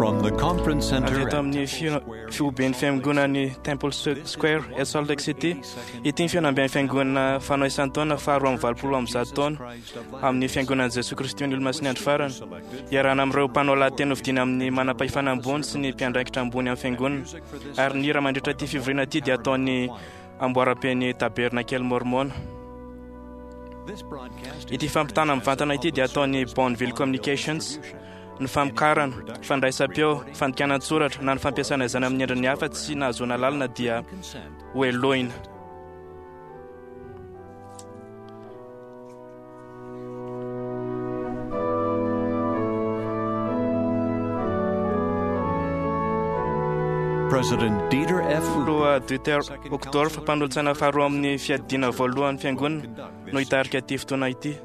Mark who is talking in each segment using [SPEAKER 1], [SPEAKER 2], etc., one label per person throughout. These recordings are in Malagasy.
[SPEAKER 1] From the conference
[SPEAKER 2] Avy
[SPEAKER 1] center
[SPEAKER 2] eto
[SPEAKER 1] at
[SPEAKER 2] amin'ny fihoben'ny fiangonan'ny Temple Square eto Salt Lake City, ity ny fihaonamben'ny fiangonana fanao isan-taona faharoa amby valopolo amby zato taona amin'ny fiangonan'i Jesoa Kristy ny Olomasin'ny Andro Farany. Iarahana amin'ireo mpanao lahateny hofidiana amin'ny manam-pahefana ambony sy ny mpiandraikitra ambony amin'ny fiangonana. Ary ny hira mandritra ity fivoriana ity dia ataon'ny amboaram-pen'ny Tabernakely Mormona. Ity fampitana mivantana ity dia ataon'ny Bonneville Communications. Ny famokarana, fandraisam-peo, fandikana an-tsoratra na ny fampiasana izany amin'ny endriny hafa tsy nahazoana alalana dia hohelohina.
[SPEAKER 1] President Dieter F.
[SPEAKER 2] Filoha Dieter Uchtdorf, mpanolotsaina faharoa amin'ny fiadiana voalohan'ny fiangonana, no hitarika ity fotoana ity.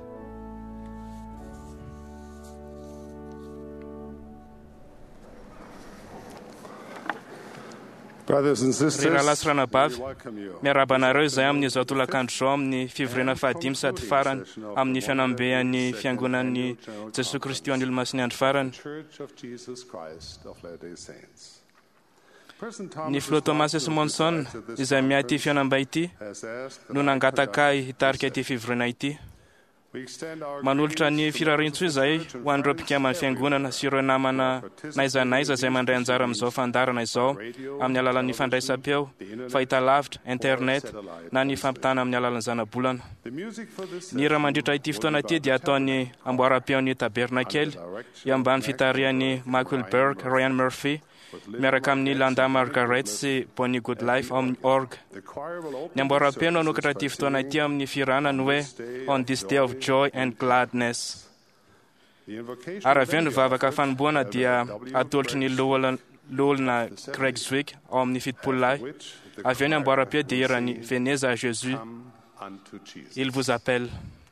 [SPEAKER 3] Brothers and
[SPEAKER 2] Ry
[SPEAKER 3] sisters,
[SPEAKER 2] rahalahy sy ranabavy,
[SPEAKER 3] we welcome you.
[SPEAKER 2] miarahaba anareo izay amin'izao tolakandro izao amin'ny fivoriana fahadimy sady farany amin'ny fihaonamben'ny fiangonan'ny Jesoa Kristy ho an'ny Olomasin'ny Andro Farany.
[SPEAKER 3] Church of Jesus Christ of Latter-day Saints. President
[SPEAKER 2] Ny
[SPEAKER 3] Thomas
[SPEAKER 2] filoha Thomas
[SPEAKER 3] S.
[SPEAKER 2] S. Monson izay miahy ity fihaonambe ity
[SPEAKER 3] has asked that
[SPEAKER 2] no
[SPEAKER 3] I
[SPEAKER 2] nangataka ahy
[SPEAKER 3] conduct
[SPEAKER 2] hitarika
[SPEAKER 3] this
[SPEAKER 2] ity fivoriana ity.
[SPEAKER 3] session. We extend our
[SPEAKER 2] Manolotra ny
[SPEAKER 3] greetings to
[SPEAKER 2] firariantsoa izay
[SPEAKER 3] members of the
[SPEAKER 2] ho an'ireo
[SPEAKER 3] church and
[SPEAKER 2] mpikaman'ny
[SPEAKER 3] friends
[SPEAKER 2] fiangonana sy ireo namana na aiza na aiza izay mandray anjara amin'izao fandaharana izao amin'ny alalan'ny fandraisam-peo, fahitalavitra, internet na ny fampitana amin'ny alalan'ny zanabolana.
[SPEAKER 3] The music for this
[SPEAKER 2] Ny hira
[SPEAKER 3] session
[SPEAKER 2] mandritra ity
[SPEAKER 3] will
[SPEAKER 2] fotoana
[SPEAKER 3] be
[SPEAKER 2] ity
[SPEAKER 3] by
[SPEAKER 2] dia
[SPEAKER 3] the
[SPEAKER 2] ataon'ny amboaram-peon'ny
[SPEAKER 3] under
[SPEAKER 2] Tabernakely
[SPEAKER 3] direction
[SPEAKER 2] eo ambany
[SPEAKER 3] of
[SPEAKER 2] fitarihan'ny Michael Berg, Ryan Murphy,
[SPEAKER 3] with Linda
[SPEAKER 2] miaraka amin'ny
[SPEAKER 3] Margaret
[SPEAKER 2] Landa
[SPEAKER 3] and
[SPEAKER 2] Margaret
[SPEAKER 3] Bonnie
[SPEAKER 2] sy Bonnie Goodlife ao amin'ny org.
[SPEAKER 3] The choir will open
[SPEAKER 2] Ny amboaram-peo no
[SPEAKER 3] the
[SPEAKER 2] hanokatra ity
[SPEAKER 3] services by
[SPEAKER 2] fotoana ity
[SPEAKER 3] singing
[SPEAKER 2] amin'ny fihirana ny hoe On this day of joy and gladness.
[SPEAKER 3] the invocation
[SPEAKER 2] Ary avy eo
[SPEAKER 3] will
[SPEAKER 2] ny
[SPEAKER 3] be
[SPEAKER 2] vavaka
[SPEAKER 3] offered
[SPEAKER 2] fanomboana
[SPEAKER 3] by
[SPEAKER 2] dia
[SPEAKER 3] W.
[SPEAKER 2] atolotry ny
[SPEAKER 3] Greg
[SPEAKER 2] loholona Greg Zwick ao amin'ny fitopolo lahy.
[SPEAKER 3] which the
[SPEAKER 2] Avy eo ny
[SPEAKER 3] choir
[SPEAKER 2] amboaram-peo dia
[SPEAKER 3] will
[SPEAKER 2] hiran'ny
[SPEAKER 3] sing,
[SPEAKER 2] Venez à Jésus,
[SPEAKER 3] Come unto Jesus.
[SPEAKER 2] il vous appelle.
[SPEAKER 3] Come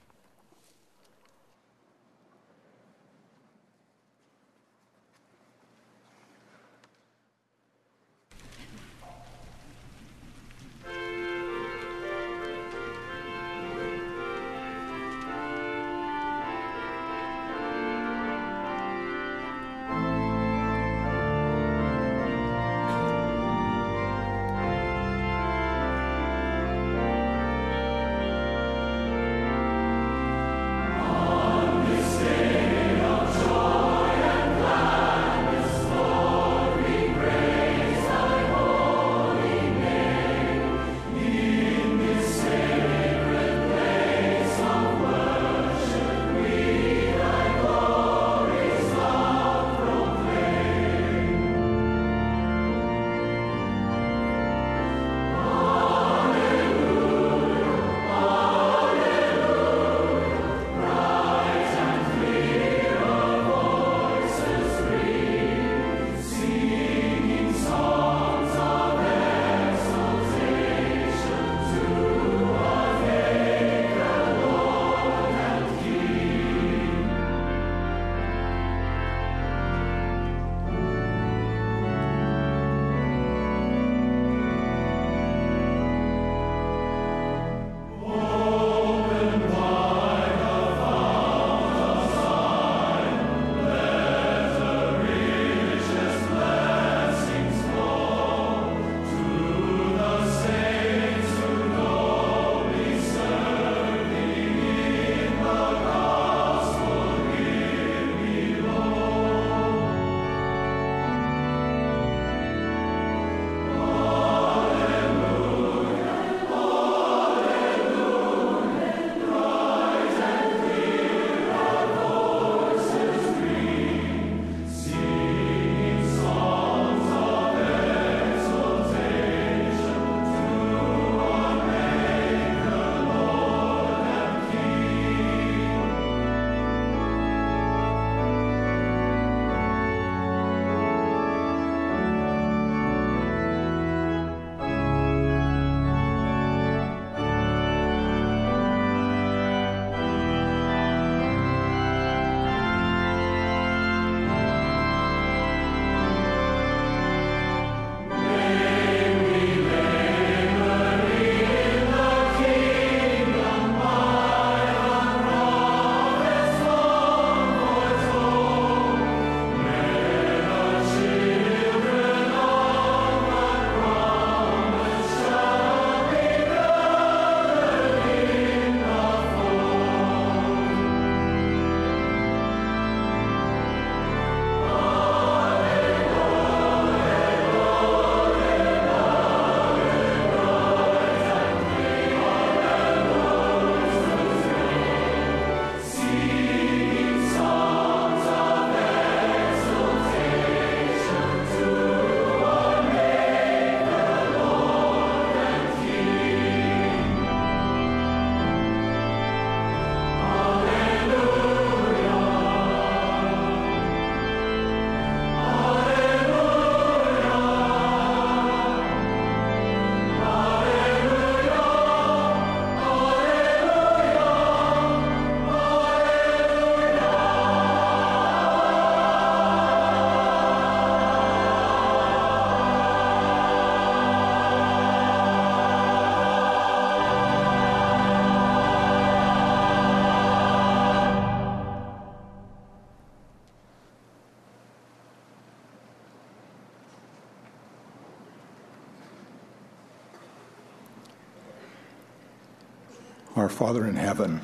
[SPEAKER 1] Our Father in heaven,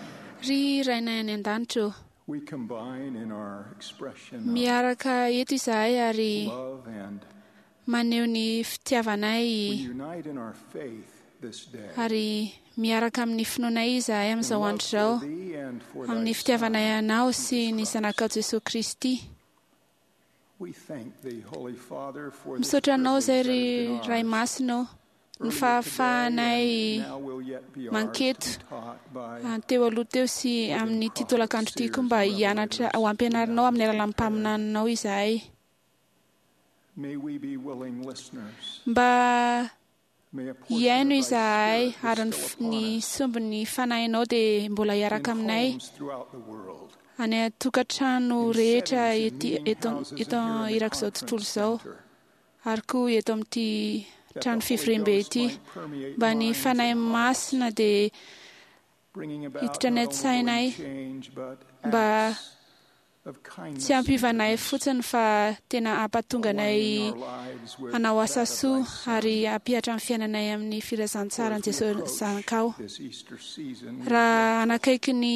[SPEAKER 4] Ry Rainay any an-danitra ô,
[SPEAKER 1] we combine in our expression of
[SPEAKER 4] miaraka eto izahay ary
[SPEAKER 1] love and
[SPEAKER 4] maneho ny
[SPEAKER 1] we
[SPEAKER 4] fitiavanay
[SPEAKER 1] unite in our faith this day.
[SPEAKER 4] ary miaraka amin'ny finoanay izahay
[SPEAKER 1] In
[SPEAKER 4] amin'izao
[SPEAKER 1] love
[SPEAKER 4] andro izao,
[SPEAKER 1] for thee and for thy
[SPEAKER 4] amin'ny fitiavanay
[SPEAKER 1] Son,
[SPEAKER 4] anao sy
[SPEAKER 1] Jesus
[SPEAKER 4] ny
[SPEAKER 1] Christ.
[SPEAKER 4] zanakao Jesosy Kristy.
[SPEAKER 1] We thank thee, Holy Father, for this
[SPEAKER 4] Misaotra anao
[SPEAKER 1] privilege
[SPEAKER 4] izay
[SPEAKER 1] that
[SPEAKER 4] ry
[SPEAKER 1] has been
[SPEAKER 4] Ray
[SPEAKER 1] ours
[SPEAKER 4] Masina ô, ny
[SPEAKER 1] earlier today
[SPEAKER 4] fahafahanay
[SPEAKER 1] and now will yet be ours to
[SPEAKER 4] manketo
[SPEAKER 1] be taught by
[SPEAKER 4] teo aloha teo sy amin'ny ity tolakandro ity koa mba hianatra ho ampianarinao amin'ny alalan'ny mpaminaninao izahay.
[SPEAKER 1] May we be willing listeners.
[SPEAKER 4] Mba
[SPEAKER 1] May a portion
[SPEAKER 4] hihaino
[SPEAKER 1] of thy
[SPEAKER 4] izahay
[SPEAKER 1] Spirit
[SPEAKER 4] ary ny
[SPEAKER 1] bestow
[SPEAKER 4] f-
[SPEAKER 1] upon
[SPEAKER 4] ny
[SPEAKER 1] us
[SPEAKER 4] sombin'ny fanahinao dia mbola
[SPEAKER 1] in
[SPEAKER 4] hiaraka aminay
[SPEAKER 1] homes throughout the world,
[SPEAKER 4] any an-tokantrano
[SPEAKER 1] in
[SPEAKER 4] rehetra
[SPEAKER 1] settings in
[SPEAKER 4] ety
[SPEAKER 1] meeting
[SPEAKER 4] eto
[SPEAKER 1] houses and
[SPEAKER 4] eto
[SPEAKER 1] here in the
[SPEAKER 4] irak'izao tontolo
[SPEAKER 1] conference
[SPEAKER 4] izao
[SPEAKER 1] center,
[SPEAKER 4] ary koa eto amin'ity
[SPEAKER 1] that the
[SPEAKER 4] trano
[SPEAKER 1] Holy
[SPEAKER 4] fivoriambe
[SPEAKER 1] Ghost
[SPEAKER 4] ity
[SPEAKER 1] might permeate
[SPEAKER 4] mba ny
[SPEAKER 1] minds and
[SPEAKER 4] fanahy
[SPEAKER 1] hearts,
[SPEAKER 4] masina dia
[SPEAKER 1] bringing about
[SPEAKER 4] hiditra any
[SPEAKER 1] not only
[SPEAKER 4] an-tsainay
[SPEAKER 1] willing change, but
[SPEAKER 4] mba
[SPEAKER 1] acts of kindness
[SPEAKER 4] tsy
[SPEAKER 1] and
[SPEAKER 4] hampiovanay
[SPEAKER 1] goodness,
[SPEAKER 4] fotsiny fa tena hampatonga anay
[SPEAKER 1] aligning our lives with
[SPEAKER 4] hanao
[SPEAKER 1] that
[SPEAKER 4] asa
[SPEAKER 1] of
[SPEAKER 4] soa
[SPEAKER 1] thy Son.
[SPEAKER 4] ary hampihatra ny fiainanay amin'ny
[SPEAKER 1] For
[SPEAKER 4] filazantsaran'i
[SPEAKER 1] as we
[SPEAKER 4] Jesosy
[SPEAKER 1] approach
[SPEAKER 4] zanakao.
[SPEAKER 1] this Easter season, we are
[SPEAKER 4] Raha hanakaiky ny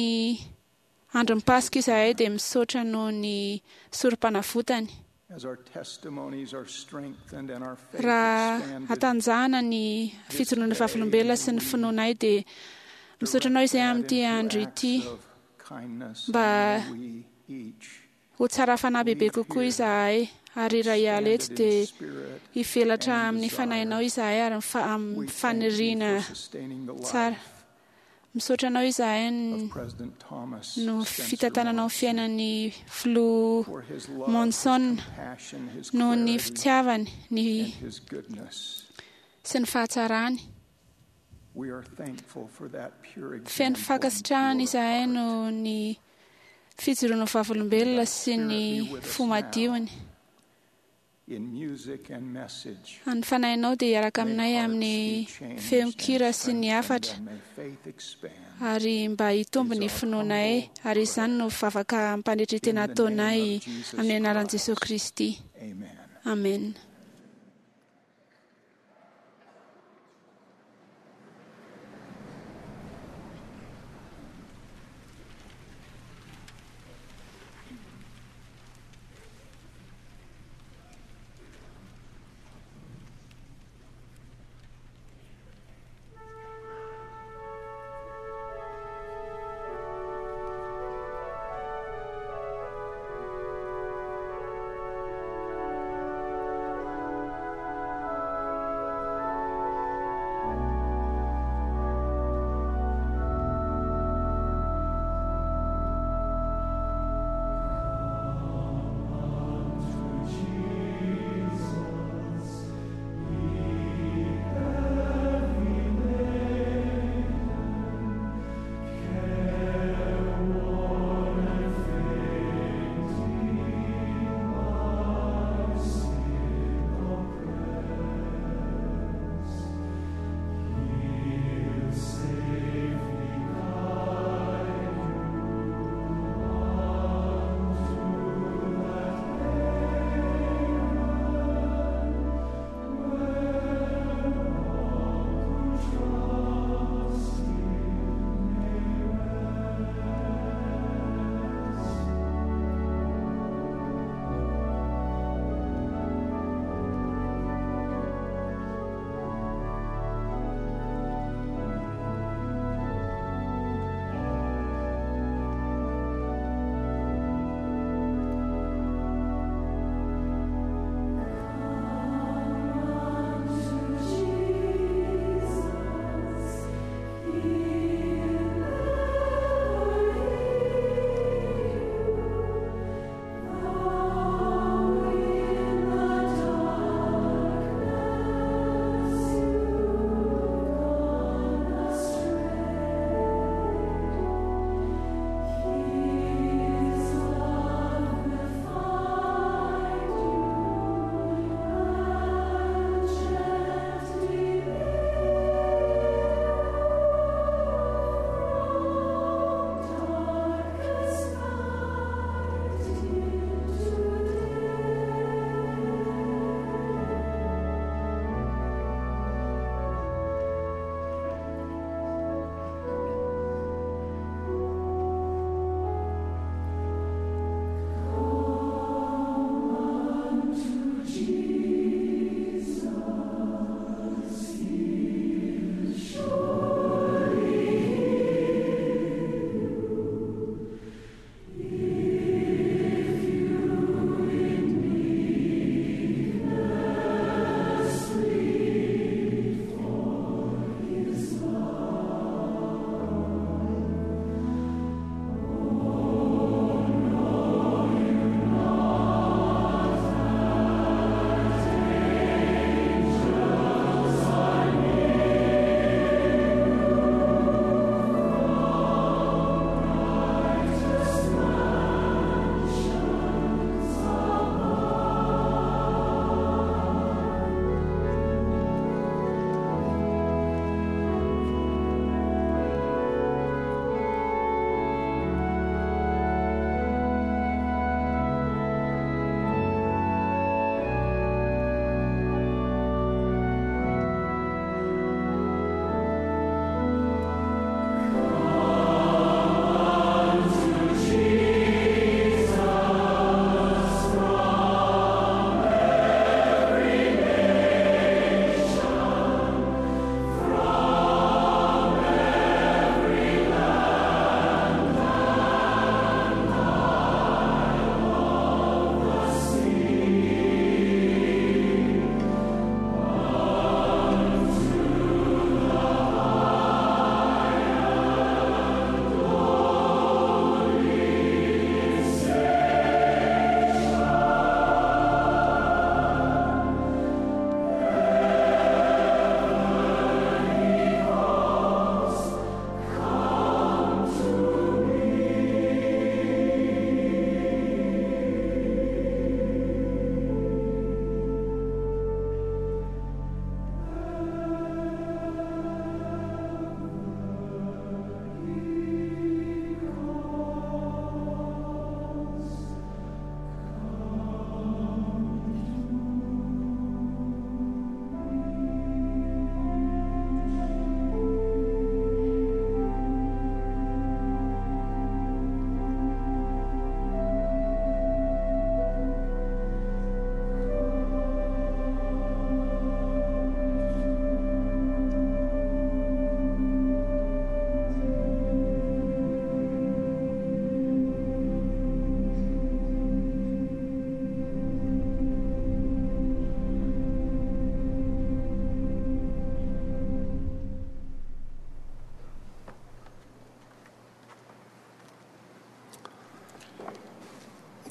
[SPEAKER 4] andron'ny Paska izahay dia misaotra noho ny sorom-panavotany.
[SPEAKER 1] as our testimonies are strengthened and our faith
[SPEAKER 4] Raha
[SPEAKER 1] expanded,
[SPEAKER 4] hatanjahana ny fijoroana vavolombelona sy ny finoanay dia misaotra anao
[SPEAKER 1] direct
[SPEAKER 4] izay
[SPEAKER 1] that
[SPEAKER 4] amin'ity
[SPEAKER 1] into
[SPEAKER 4] andro
[SPEAKER 1] acts
[SPEAKER 4] ity
[SPEAKER 1] of kindness,
[SPEAKER 4] mba
[SPEAKER 1] and may we each
[SPEAKER 4] ho tsara fanahy bebe kokoa izahay ary raha hiala eto
[SPEAKER 1] expanded in
[SPEAKER 4] dia
[SPEAKER 1] spirit
[SPEAKER 4] hivelatra
[SPEAKER 1] and
[SPEAKER 4] amin'ny
[SPEAKER 1] desire.
[SPEAKER 4] fanahinao izahay ary amin'ny
[SPEAKER 1] We thank thee
[SPEAKER 4] faniriana
[SPEAKER 1] for sustaining the
[SPEAKER 4] tsara.
[SPEAKER 1] life
[SPEAKER 4] Misaotra anao izahay
[SPEAKER 1] of President Thomas
[SPEAKER 4] no
[SPEAKER 1] Spencer
[SPEAKER 4] fitantananao ny
[SPEAKER 1] Monson,
[SPEAKER 4] fiainan'ny filoha
[SPEAKER 1] for his love, his
[SPEAKER 4] Monson
[SPEAKER 1] compassion, his
[SPEAKER 4] noho ny
[SPEAKER 1] clarity,
[SPEAKER 4] fitiavany ny
[SPEAKER 1] and his goodness.
[SPEAKER 4] sy ny fahatsarany.
[SPEAKER 1] We are thankful for that pure
[SPEAKER 4] Feno
[SPEAKER 1] example and
[SPEAKER 4] fankasitrahana
[SPEAKER 1] pure
[SPEAKER 4] izahay
[SPEAKER 1] heart.
[SPEAKER 4] noho ny fijoroana vavolombelona sy ny fo madiony.
[SPEAKER 1] In music and message,
[SPEAKER 4] Ny fanahinao dia hiaraka
[SPEAKER 1] may
[SPEAKER 4] aminay
[SPEAKER 1] hearts
[SPEAKER 4] amin'ny
[SPEAKER 1] be changed and
[SPEAKER 4] feon-kira sy ny
[SPEAKER 1] strengthened,
[SPEAKER 4] hafatra
[SPEAKER 1] and may faith expand.
[SPEAKER 4] ary mba hitombo
[SPEAKER 1] Is
[SPEAKER 4] ny
[SPEAKER 1] our
[SPEAKER 4] finoanay
[SPEAKER 1] humble
[SPEAKER 4] ary izany no vavaka ampanetritena
[SPEAKER 1] In the name
[SPEAKER 4] ataonay
[SPEAKER 1] of Jesus
[SPEAKER 4] amin'ny anaran'i
[SPEAKER 1] Christ.
[SPEAKER 4] Jesosy Kristy.
[SPEAKER 1] Amen.
[SPEAKER 4] Amen.
[SPEAKER 5] Thank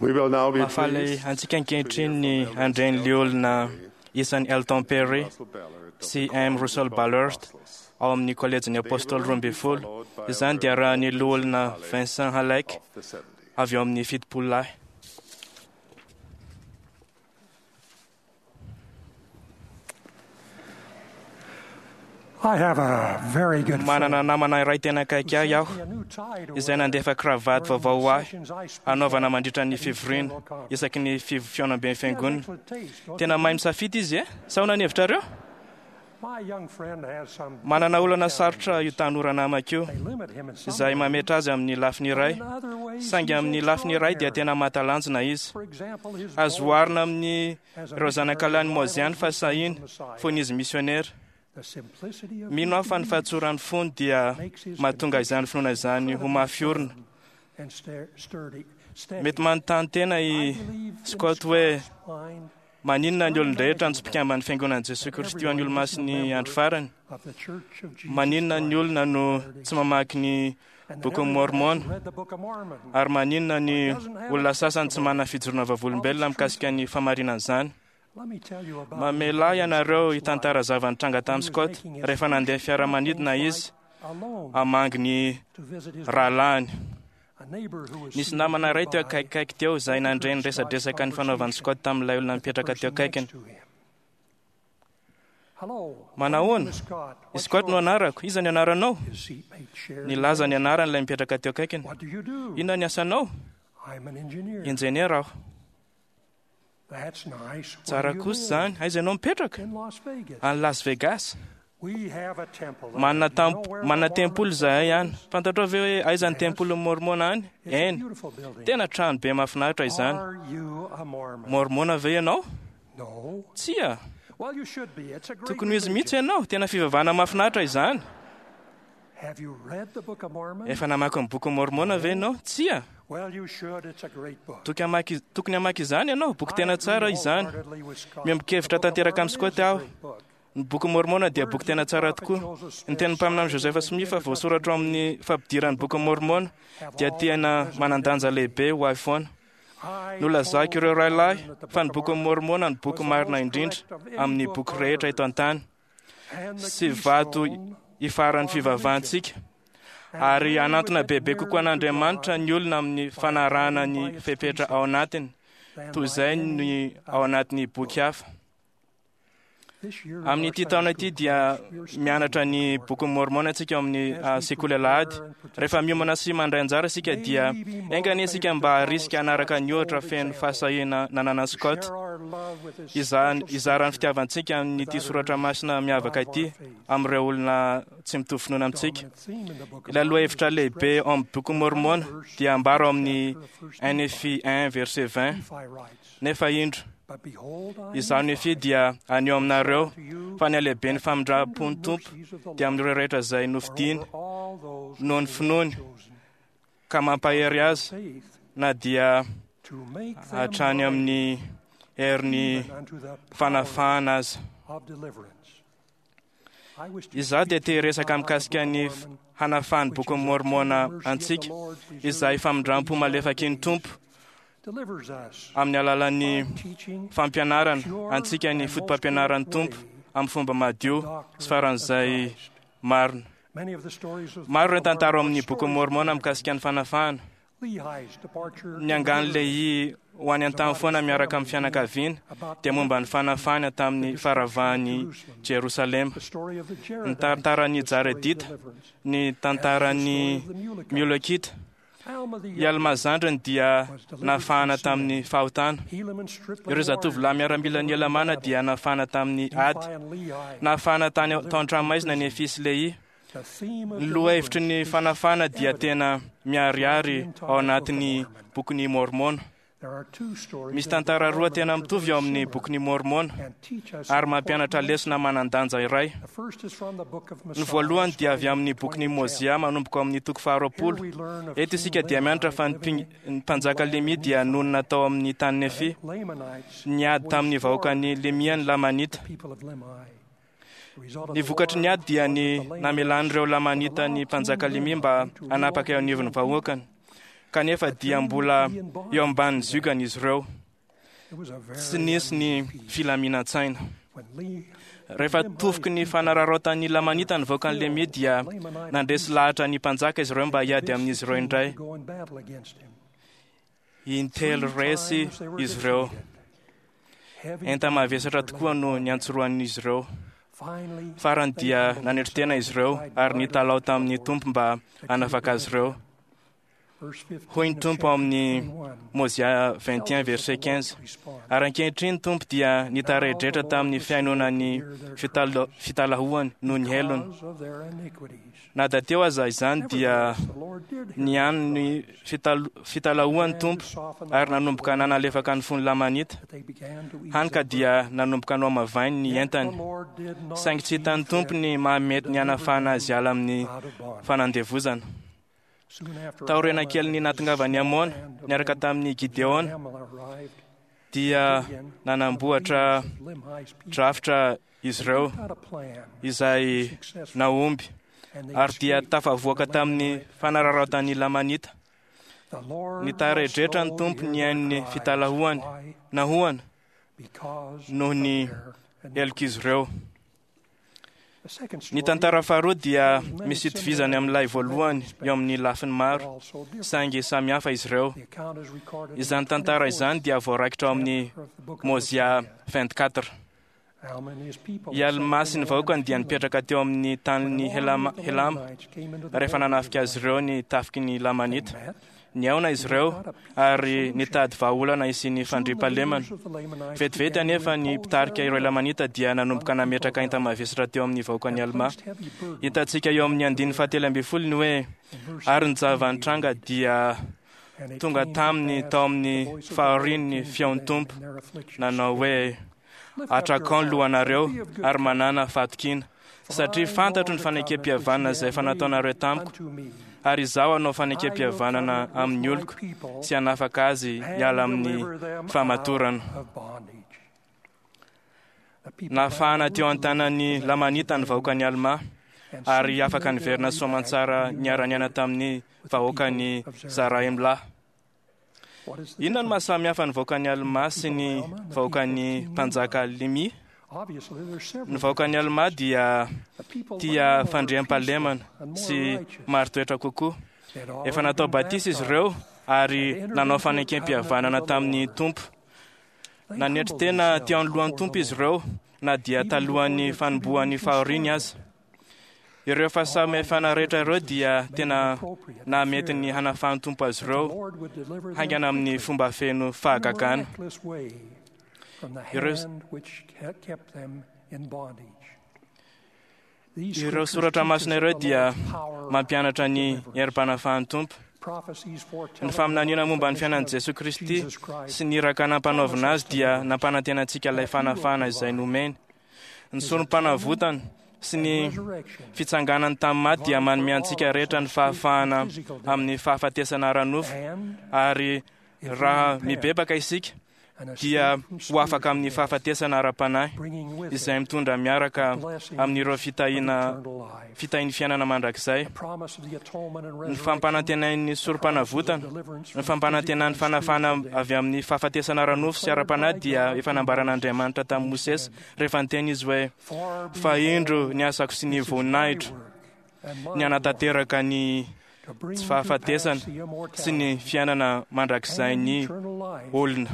[SPEAKER 3] We will now be
[SPEAKER 2] Mahafaly
[SPEAKER 3] pleased
[SPEAKER 2] antsika ankehitriny ny
[SPEAKER 3] to hear from
[SPEAKER 2] handray ny
[SPEAKER 3] Elders
[SPEAKER 2] liolona
[SPEAKER 3] Perry
[SPEAKER 2] isan'ny Elton Perry
[SPEAKER 3] Russell Ballard of
[SPEAKER 2] sy
[SPEAKER 3] the
[SPEAKER 2] M.
[SPEAKER 3] College of
[SPEAKER 2] Russell
[SPEAKER 3] the
[SPEAKER 2] Ballard
[SPEAKER 3] Apostles.
[SPEAKER 2] ao amin'ny kolejin'ny Apôstôly 12. Izany dia arahan'ny loholona Vincent Halleck
[SPEAKER 3] Of the 70.
[SPEAKER 2] avy ao amin'ny 70 lahy.
[SPEAKER 1] I have a very good
[SPEAKER 2] Manana
[SPEAKER 1] friend
[SPEAKER 2] namana iray tena akaiky ahy aho
[SPEAKER 1] who sent me a new tie to
[SPEAKER 2] izay
[SPEAKER 1] wear
[SPEAKER 2] nandefa kravaty
[SPEAKER 1] during
[SPEAKER 2] vaovao ho
[SPEAKER 1] the
[SPEAKER 2] ahy
[SPEAKER 1] sessions I speak
[SPEAKER 2] hanaovana
[SPEAKER 1] at
[SPEAKER 2] mandritra ny
[SPEAKER 1] at each
[SPEAKER 2] fivoriana
[SPEAKER 1] general conference.
[SPEAKER 2] isaky ny fihaonamben'ny
[SPEAKER 1] He has
[SPEAKER 2] fiangonana.
[SPEAKER 1] excellent taste, don't
[SPEAKER 2] Tena
[SPEAKER 1] you
[SPEAKER 2] mahay
[SPEAKER 1] think?
[SPEAKER 2] misafidy izy e? Sa ahoana ny hevitrareo?
[SPEAKER 1] My young friend has some
[SPEAKER 2] Manana olana
[SPEAKER 1] challenges.
[SPEAKER 2] sarotra io tanora namako io
[SPEAKER 1] They limit him in some
[SPEAKER 2] izay
[SPEAKER 1] ways,
[SPEAKER 2] mametra azy amin'ny lafiny iray.
[SPEAKER 1] but in other ways
[SPEAKER 2] Saingy
[SPEAKER 1] he's
[SPEAKER 2] amin'ny lafiny iray dia
[SPEAKER 1] extraordinary.
[SPEAKER 2] tena mahatalanjona izy.
[SPEAKER 1] For example, his
[SPEAKER 2] Azo
[SPEAKER 1] boldness
[SPEAKER 2] oharina amin'ny
[SPEAKER 1] as a
[SPEAKER 2] ireo zanakalahin'i
[SPEAKER 1] missionary
[SPEAKER 2] Moziany
[SPEAKER 1] rivals
[SPEAKER 2] fahasahiana
[SPEAKER 1] the Messiah.
[SPEAKER 2] fony izy misionera.
[SPEAKER 1] The simplicity of
[SPEAKER 2] Mino aho
[SPEAKER 1] his
[SPEAKER 2] fa ny
[SPEAKER 1] belief
[SPEAKER 2] fahatsoran'ny fony dia
[SPEAKER 1] makes his
[SPEAKER 2] mahatonga izany finoana izany ho mafy orina.
[SPEAKER 1] firm and sturdy, steady.
[SPEAKER 2] Mety manontany tena i
[SPEAKER 1] I believe in
[SPEAKER 2] Scott hoe
[SPEAKER 1] Scott's mind
[SPEAKER 2] maninona ny olon-drehetra no tsy mpikamban'ny fiangonan'i Jesosy Kristy ho an'ny olomasin'ny andro farany.
[SPEAKER 1] of the Church of Jesus
[SPEAKER 2] Maninona ny
[SPEAKER 1] Christ
[SPEAKER 2] olona no tsy mamaky ny
[SPEAKER 1] and that
[SPEAKER 2] bokin'ny
[SPEAKER 1] everyone
[SPEAKER 2] Mormon
[SPEAKER 1] hasn't read the Book of Mormon.
[SPEAKER 2] ary maninona ny olona sasany tsy manana fijoroana vavolombelona mikasika ny famarinan'izany.
[SPEAKER 1] Let me tell you about
[SPEAKER 2] Mamelà ianareo hitantara zava-nitranga tamin'i
[SPEAKER 1] He was
[SPEAKER 2] Scott
[SPEAKER 1] making his
[SPEAKER 2] rehefa nandeha fiaramanidina izy
[SPEAKER 1] alone
[SPEAKER 2] hamangy ny
[SPEAKER 1] to visit his
[SPEAKER 2] rahalahiny.
[SPEAKER 1] a neighbor who was
[SPEAKER 2] Nisy
[SPEAKER 1] seated
[SPEAKER 2] namana iray teo
[SPEAKER 1] nearby
[SPEAKER 2] akaikikaiky teo izay nandre ny resadresaka ny fanaovan'i Scott tamin'ilay olona
[SPEAKER 1] with the
[SPEAKER 2] nipetraka teo
[SPEAKER 1] person
[SPEAKER 2] akaikiny.
[SPEAKER 1] next to him. Hello,
[SPEAKER 2] Manahoana?
[SPEAKER 1] my name is Scott.
[SPEAKER 2] I
[SPEAKER 1] What's
[SPEAKER 2] Scott no
[SPEAKER 1] yours?
[SPEAKER 2] anarako. Iza ny anaranao?
[SPEAKER 1] His seatmate shared.
[SPEAKER 2] Nilaza ny anarany ilay mipetraka teo akaikiny.
[SPEAKER 1] What do you do?
[SPEAKER 2] Inona ny asanao?
[SPEAKER 1] I'm an engineer.
[SPEAKER 2] Injeniera aho.
[SPEAKER 1] That's nice. Where
[SPEAKER 2] Tsara
[SPEAKER 1] do you
[SPEAKER 2] kosa
[SPEAKER 1] live?
[SPEAKER 2] izany. Aiza ianao mipetraka?
[SPEAKER 1] In Las Vegas.
[SPEAKER 2] Any Las Vegas.
[SPEAKER 1] We have a temple there.
[SPEAKER 2] Manana
[SPEAKER 1] Do you know where the
[SPEAKER 2] manana
[SPEAKER 1] Mormon
[SPEAKER 2] tempoly izahay
[SPEAKER 1] temple
[SPEAKER 2] any.
[SPEAKER 1] is?
[SPEAKER 2] Fantatrao ve hoe aiza ny tempolin'ny Mormona any?
[SPEAKER 1] It's a
[SPEAKER 2] Eny.
[SPEAKER 1] beautiful building.
[SPEAKER 2] Tena trano be mahafinaritra izany.
[SPEAKER 1] Are you a Mormon?
[SPEAKER 2] Mormona ve ianao?
[SPEAKER 1] No.
[SPEAKER 2] Tsia.
[SPEAKER 1] Well, you should be. It's a great
[SPEAKER 2] Tokony ho izy mihitsy
[SPEAKER 1] religion.
[SPEAKER 2] ianao. Tena fivavahana mahafinaritra izany.
[SPEAKER 1] Have you read the Book of Mormon?
[SPEAKER 2] Efa namaky ny bokin'ny Mormona ve ianao? Tsia.
[SPEAKER 1] Well, you should. It's a great book.
[SPEAKER 2] Tokony hamaky tokony hamaky izany ianao. Boky
[SPEAKER 1] I
[SPEAKER 2] tena
[SPEAKER 1] agree
[SPEAKER 2] tsara izany.
[SPEAKER 1] wholeheartedly with Scott.
[SPEAKER 2] Miombon-kevitra
[SPEAKER 1] The Book of
[SPEAKER 2] tanteraka
[SPEAKER 1] Mormon
[SPEAKER 2] amin'i Scott
[SPEAKER 1] is a
[SPEAKER 2] aho.
[SPEAKER 1] great book.
[SPEAKER 2] Ny boky Mormona dia boky tena tsara tokoa. Ny tenin'ny mpaminany Joseph Smith voasoratra ao amin'ny fampidiran'ny boky Mormona dia tena manan-danja lehibe ho ahy foana.
[SPEAKER 1] I
[SPEAKER 2] Nolazako
[SPEAKER 1] told
[SPEAKER 2] ireo rahalahy
[SPEAKER 1] them that the
[SPEAKER 2] fa ny
[SPEAKER 1] Book of
[SPEAKER 2] boky
[SPEAKER 1] Mormon
[SPEAKER 2] Mormona no boky
[SPEAKER 1] was the
[SPEAKER 2] marina
[SPEAKER 1] most
[SPEAKER 2] indrindra
[SPEAKER 1] correct of any
[SPEAKER 2] amin'ny
[SPEAKER 1] book
[SPEAKER 2] boky
[SPEAKER 1] on
[SPEAKER 2] rehetra
[SPEAKER 1] earth
[SPEAKER 2] eto an-tany
[SPEAKER 1] and the
[SPEAKER 2] sy vato
[SPEAKER 1] keystone
[SPEAKER 2] ifaran'ny
[SPEAKER 1] of
[SPEAKER 2] fivavahantsika
[SPEAKER 1] religion. And
[SPEAKER 2] ary
[SPEAKER 1] men
[SPEAKER 2] hanantona
[SPEAKER 1] would get
[SPEAKER 2] bebe kokoa
[SPEAKER 1] nearer to
[SPEAKER 2] an'Andriamanitra
[SPEAKER 1] God
[SPEAKER 2] ny olona amin'ny
[SPEAKER 1] by
[SPEAKER 2] fanarahana
[SPEAKER 1] abiding
[SPEAKER 2] ny
[SPEAKER 1] by its
[SPEAKER 2] fepetra ao
[SPEAKER 1] precepts
[SPEAKER 2] anatiny
[SPEAKER 1] than
[SPEAKER 2] toy
[SPEAKER 1] by
[SPEAKER 2] izay
[SPEAKER 1] any
[SPEAKER 2] ny ao
[SPEAKER 1] other
[SPEAKER 2] anatin'ny boky hafa.
[SPEAKER 1] This year in our
[SPEAKER 2] Amin'ity
[SPEAKER 1] Sunday
[SPEAKER 2] taona
[SPEAKER 1] school
[SPEAKER 2] ity dia
[SPEAKER 1] class, we are studying
[SPEAKER 2] mianatra
[SPEAKER 1] the
[SPEAKER 2] ny
[SPEAKER 1] Book of
[SPEAKER 2] bokin'ny Mormona isika ao amin'ny
[SPEAKER 1] Mormon. As we
[SPEAKER 2] sekoly alahady.
[SPEAKER 1] prepare and
[SPEAKER 2] Rehefa miomana
[SPEAKER 1] participate,
[SPEAKER 2] sy mandray anjara isika
[SPEAKER 1] may
[SPEAKER 2] dia
[SPEAKER 1] we be
[SPEAKER 2] enga anie isika
[SPEAKER 1] motivated
[SPEAKER 2] mba
[SPEAKER 1] to follow
[SPEAKER 2] harisika hanaraka
[SPEAKER 1] Scott's
[SPEAKER 2] ny ohatra
[SPEAKER 1] bold
[SPEAKER 2] feno
[SPEAKER 1] example,
[SPEAKER 2] fahasahiana nananan'i
[SPEAKER 1] to
[SPEAKER 2] Scott
[SPEAKER 1] share our love with this
[SPEAKER 2] izany
[SPEAKER 1] special
[SPEAKER 2] izara ny
[SPEAKER 1] scripture
[SPEAKER 2] fitiavantsika
[SPEAKER 1] with
[SPEAKER 2] amin'ity soratra
[SPEAKER 1] others
[SPEAKER 2] masina
[SPEAKER 1] who
[SPEAKER 2] miavaka
[SPEAKER 1] drive
[SPEAKER 2] ity
[SPEAKER 1] our faith.
[SPEAKER 2] amin'ireo olona tsy mitovy finoana amintsika.
[SPEAKER 1] Dominant theme in the Book of
[SPEAKER 2] Ilay
[SPEAKER 1] Mormon is
[SPEAKER 2] lohahevitra lehibe
[SPEAKER 1] expressed
[SPEAKER 2] ao amin'ny bokin'ny
[SPEAKER 1] in the final
[SPEAKER 2] Mormona
[SPEAKER 1] verse
[SPEAKER 2] dia
[SPEAKER 1] of the
[SPEAKER 2] ambara ao
[SPEAKER 1] first
[SPEAKER 2] amin'ny
[SPEAKER 1] chapter of First Nephi.
[SPEAKER 2] NFI 1 verset 20.
[SPEAKER 1] Nephi writes,
[SPEAKER 2] Nefa indro,
[SPEAKER 1] But behold, I,
[SPEAKER 2] izaho Nefy
[SPEAKER 1] Nephi,
[SPEAKER 2] dia anio aminareo
[SPEAKER 1] unto you
[SPEAKER 2] fa ny halehiben'ny
[SPEAKER 1] that the tender
[SPEAKER 2] famindram-pon'ny Tompo
[SPEAKER 1] mercies of the
[SPEAKER 2] dia
[SPEAKER 1] Lord
[SPEAKER 2] amin'ireo rehetra izay
[SPEAKER 1] are
[SPEAKER 2] nofidiny
[SPEAKER 1] over all those
[SPEAKER 2] noho
[SPEAKER 1] whom
[SPEAKER 2] ny
[SPEAKER 1] he hath
[SPEAKER 2] finoany
[SPEAKER 1] chosen
[SPEAKER 2] ka mampahery
[SPEAKER 1] by
[SPEAKER 2] azy
[SPEAKER 1] faith
[SPEAKER 2] na dia
[SPEAKER 1] to make them
[SPEAKER 2] hatrany
[SPEAKER 1] mighty
[SPEAKER 2] amin'ny herin'ny
[SPEAKER 1] even unto the power
[SPEAKER 2] fanafahana azy.
[SPEAKER 1] of deliverance. I wish to
[SPEAKER 2] Izaho dia
[SPEAKER 1] speak
[SPEAKER 2] te
[SPEAKER 1] to you
[SPEAKER 2] hiresaka
[SPEAKER 1] about how the
[SPEAKER 2] mikasika
[SPEAKER 1] Book of
[SPEAKER 2] ny
[SPEAKER 1] Mormon,
[SPEAKER 2] hanafahan'ny
[SPEAKER 1] which
[SPEAKER 2] bokin'ny
[SPEAKER 1] is a tender
[SPEAKER 2] Mormona
[SPEAKER 1] mercy of the
[SPEAKER 2] antsika
[SPEAKER 1] Lord
[SPEAKER 2] izay
[SPEAKER 1] reserved for
[SPEAKER 2] famindram-po
[SPEAKER 1] these latter
[SPEAKER 2] malefaky ny
[SPEAKER 1] days,
[SPEAKER 2] Tompo
[SPEAKER 1] delivers us
[SPEAKER 2] amin'ny alalan'ny
[SPEAKER 1] by teaching
[SPEAKER 2] fampianarana
[SPEAKER 1] pure
[SPEAKER 2] antsika ny
[SPEAKER 1] and most
[SPEAKER 2] fotopampianaran'ny
[SPEAKER 1] correct
[SPEAKER 2] Tompo
[SPEAKER 1] way
[SPEAKER 2] amin'ny fomba
[SPEAKER 1] the
[SPEAKER 2] madio sy
[SPEAKER 1] doctrine of
[SPEAKER 2] faran'izay
[SPEAKER 1] Christ.
[SPEAKER 2] marina.
[SPEAKER 1] Many of the stories of the
[SPEAKER 2] Maro
[SPEAKER 1] Book
[SPEAKER 2] ireo
[SPEAKER 1] of Mormon
[SPEAKER 2] tantara ao
[SPEAKER 1] are
[SPEAKER 2] amin'ny bokin'ny
[SPEAKER 1] stories of
[SPEAKER 2] Mormona
[SPEAKER 1] deliverance.
[SPEAKER 2] mikasika ny fanafahana.
[SPEAKER 1] Lehi's departure
[SPEAKER 2] Ny
[SPEAKER 1] to the
[SPEAKER 2] angan'i
[SPEAKER 1] wilderness
[SPEAKER 2] Lehi ho any
[SPEAKER 1] is
[SPEAKER 2] an-tany
[SPEAKER 1] about
[SPEAKER 2] foana
[SPEAKER 1] his
[SPEAKER 2] miaraka
[SPEAKER 1] family
[SPEAKER 2] amin'ny
[SPEAKER 1] being
[SPEAKER 2] fianakaviana
[SPEAKER 1] about
[SPEAKER 2] dia momba ny
[SPEAKER 1] delivered from
[SPEAKER 2] fanafahana
[SPEAKER 1] the
[SPEAKER 2] tamin'ny
[SPEAKER 1] destruction of
[SPEAKER 2] faravahan'i
[SPEAKER 1] Jerusalem.
[SPEAKER 2] Jerosalema.
[SPEAKER 1] The story of the
[SPEAKER 2] Ny
[SPEAKER 1] Jaredites,
[SPEAKER 2] tantaran'ny
[SPEAKER 1] the story of
[SPEAKER 2] Jaredita,
[SPEAKER 1] deliverance,
[SPEAKER 2] ny
[SPEAKER 1] as is the story
[SPEAKER 2] tantaran'ny
[SPEAKER 1] of the Mulekites.
[SPEAKER 2] Miolekita.
[SPEAKER 1] Alma the
[SPEAKER 2] I Alma
[SPEAKER 1] younger
[SPEAKER 2] zandriny dia
[SPEAKER 1] was delivered from
[SPEAKER 2] nafahana
[SPEAKER 1] sin.
[SPEAKER 2] tamin'ny fahotana.
[SPEAKER 1] Helaman stripling
[SPEAKER 2] Ireo zatovolahy
[SPEAKER 1] warriors were
[SPEAKER 2] miaramilan'ny
[SPEAKER 1] delivered in
[SPEAKER 2] Elamana
[SPEAKER 1] battle.
[SPEAKER 2] dia nafahana tamin'ny ady.
[SPEAKER 1] Nephi and Lehi
[SPEAKER 2] Nafahana tany tao
[SPEAKER 1] delivered from
[SPEAKER 2] an-tranomaizina ny
[SPEAKER 1] prison.
[SPEAKER 2] Nefy sy Lehi.
[SPEAKER 1] The theme of
[SPEAKER 2] Ny lohahevitry
[SPEAKER 1] deliverance
[SPEAKER 2] ny
[SPEAKER 1] is
[SPEAKER 2] fanafahana dia
[SPEAKER 1] evident
[SPEAKER 2] tena
[SPEAKER 1] throughout the
[SPEAKER 2] miharihary ao
[SPEAKER 1] entire Book of
[SPEAKER 2] anatin'ny
[SPEAKER 1] Mormon.
[SPEAKER 2] bokin'ny Mormona.
[SPEAKER 1] There are two stories
[SPEAKER 2] Misy
[SPEAKER 1] in the Book
[SPEAKER 2] tantara
[SPEAKER 1] of
[SPEAKER 2] roa
[SPEAKER 1] Mormon
[SPEAKER 2] tena
[SPEAKER 1] which are
[SPEAKER 2] mitovy
[SPEAKER 1] very
[SPEAKER 2] ao amin'ny
[SPEAKER 1] similar
[SPEAKER 2] bokin'ny Mormona
[SPEAKER 1] and teach us
[SPEAKER 2] ary
[SPEAKER 1] important
[SPEAKER 2] mampianatra lesona
[SPEAKER 1] lessons.
[SPEAKER 2] manan-danja iray.
[SPEAKER 1] The first is from the Book of
[SPEAKER 2] Ny
[SPEAKER 1] Mosiah,
[SPEAKER 2] voalohany dia avy
[SPEAKER 1] starting
[SPEAKER 2] amin'ny
[SPEAKER 1] at the
[SPEAKER 2] bokin'ny
[SPEAKER 1] 20th
[SPEAKER 2] Mozia
[SPEAKER 1] chapter.
[SPEAKER 2] manomboka amin'ny toko
[SPEAKER 1] Here
[SPEAKER 2] faharoapolo.
[SPEAKER 1] we learn of
[SPEAKER 2] Eto
[SPEAKER 1] King
[SPEAKER 2] isika dia mianatra
[SPEAKER 1] Limhi
[SPEAKER 2] fa ny
[SPEAKER 1] living
[SPEAKER 2] mping- ny
[SPEAKER 1] in the
[SPEAKER 2] mpanjaka
[SPEAKER 1] land of
[SPEAKER 2] Lemia dia
[SPEAKER 1] Nephi.
[SPEAKER 2] nonina tao amin'ny tany
[SPEAKER 1] The
[SPEAKER 2] Nefy.
[SPEAKER 1] Lamanites
[SPEAKER 2] Niady tamin'ny
[SPEAKER 1] waged war
[SPEAKER 2] vahoakan'i Lemia ny
[SPEAKER 1] against
[SPEAKER 2] Lamanita.
[SPEAKER 1] the people of Limhi. The result of
[SPEAKER 2] Ny
[SPEAKER 1] the
[SPEAKER 2] vokatry ny
[SPEAKER 1] war
[SPEAKER 2] ady dia
[SPEAKER 1] was
[SPEAKER 2] ny
[SPEAKER 1] that the Lamanites
[SPEAKER 2] namelan'ireo
[SPEAKER 1] would
[SPEAKER 2] Lamanita
[SPEAKER 1] allow
[SPEAKER 2] ny
[SPEAKER 1] King
[SPEAKER 2] mpanjaka Lemia mba
[SPEAKER 1] Limhi to rule
[SPEAKER 2] hanapaka eo
[SPEAKER 1] over his
[SPEAKER 2] anivon'ny
[SPEAKER 1] own people.
[SPEAKER 2] vahoakany. Kanefa dia mbola eo ambanin'ny ziogany izy ireo. Tsy nisy ny filaminan-tsaina. Rehefa tofoky ny fanararaotan'ny Lamanita ny vahoakan'i Lemia dia nandresy lahatra ny mpanjaka izy ireo mba hiady amin'izy ireo indray. Intelo resy izy ireo. Enta-mavesatra tokoa no niantsorohan'izy ireo. Farany dia nanetry tena izy ireo ary nitalaho tamin'ny Tompo mba hanafaka azy ireo. Hoy ny Tompo ao amin'ny Mozia 21 verset 15: Ary ankehitriny ny Tompo dia nitaredretra tamin'ny fihainoana ny fitalahoany noho ny helony. Na dia teo aza izany dia nihaino ny fitalahoan'ny Tompo ary nanomboka nanalefaka ny fon'ny Lamanita, hany ka dia nanomboka nohamavainy ny entany. Saingy tsy hitan'ny Tompo ny mahamety ny hanafahana azy hiala amin'ny fanandevozana. Taoriana kelin'ny nahatongavan'i Amona niaraka tamin'i Gideona dia nanamboatra drafitra izy ireo izay nahomby ary dia tafavoaka tamin'ny fanararaotan'ny Lamanita. Nitaredretra ny Tompo nihaino ny fitalahoany nahoana noho ny helok'izy ireo. Ny tantara faharoa dia misy itovizany amin'ilay voalohany eo amin'ny lafiny maro, saingy samy hafa izy ireo. Izany tantara izany dia voaraikitra ao amin'ny Mozia 24. I Almà sy ny vahoakany dia nipetraka teo amin'ny tanin'i Helama rehefa nanafika azy ireo ny tafiky ny Lamanita. Nihaona izy ireo ary nitady vahaolana hisian'ny fandriampahalemana. Vetivety anefa ny mpitarika ireo Lamanita dia nanomboka nametraka enta-mavesatra teo amin'ny vahoakan'i Almà. Hitantsika eo amin'ny andininy fahatelo ambin'ny folo ny hoe ary ny zava-nitranga dia tonga taminy tao amin'ny fahoriany ny feon'ny Tompo nanao hoe: Atrakao ny lohanareo ary manàna fahatokiana, satria fantatro ny fanekem-pihavanana izay efa nataonareo tamiko, ary izaho hanao fanekem-pihavanana amin'ny oloko sy hanafaka azy hiala amin'ny famatorana. Nafahana teo an-tanan'ny Lamanita ny vahoakan'i Almà, ary afaka niverina soamantsara niara-niaina tamin'ny vahoakan'i Zarahemlà. Inona no mahasamy hafa ny vahoakan'i Almà sy ny vahoakan'ny mpanjaka Limia? Ny vahoakan'i Almà dia tia fandriampahalemana sy marin-toetra kokoa. Efa natao batisa izy ireo ary nanao fanekem-pihavanana tamin'ny Tompo. Nanetry tena teo anoloan'ny Tompo izy ireo na dia talohan'ny fanombohan'ny fahoriany aza. Ireo fahasamihafana rehetra ireo dia tena nahamety ny hanafahan'ny Tompo azy ireo haingana amin'ny fomba feno fahagagana. Ireo soratra masina ireo dia mampianatra ny herim-panafahan'ny Tompo. Ny faminaniana momba ny fiainan'i Jesoa Kristy sy ny iraka nampanaovina azy dia nampanantena antsika ilay fanafahana izay nomeny. Ny sorom-panavotana sy ny fitsanganany tamin'ny maty dia manome antsika rehetra ny fahafahana amin'ny fahafatesana ara-nofo, ary raha mibebaka isika dia ho afaka amin'ny fahafatesana ara-panahy izay mitondra miaraka amin'ireo fitahiana fitahian'ny fiainana mandrakizay. Ny fampanantenain'ny sorom-panavotana, ny fampanantenan'ny fanafahana avy amin'ny fahafatesana ara-nofo sy ara-panahy dia efa nambaran'Andriamanitra tamin'i Mosesy rehefa niteny izy hoe: Fa indro ny asako sy ny voninahitro, ny hanatanteraka ny tsy fahafatesana sy ny fiainana mandrakizain'ny olona.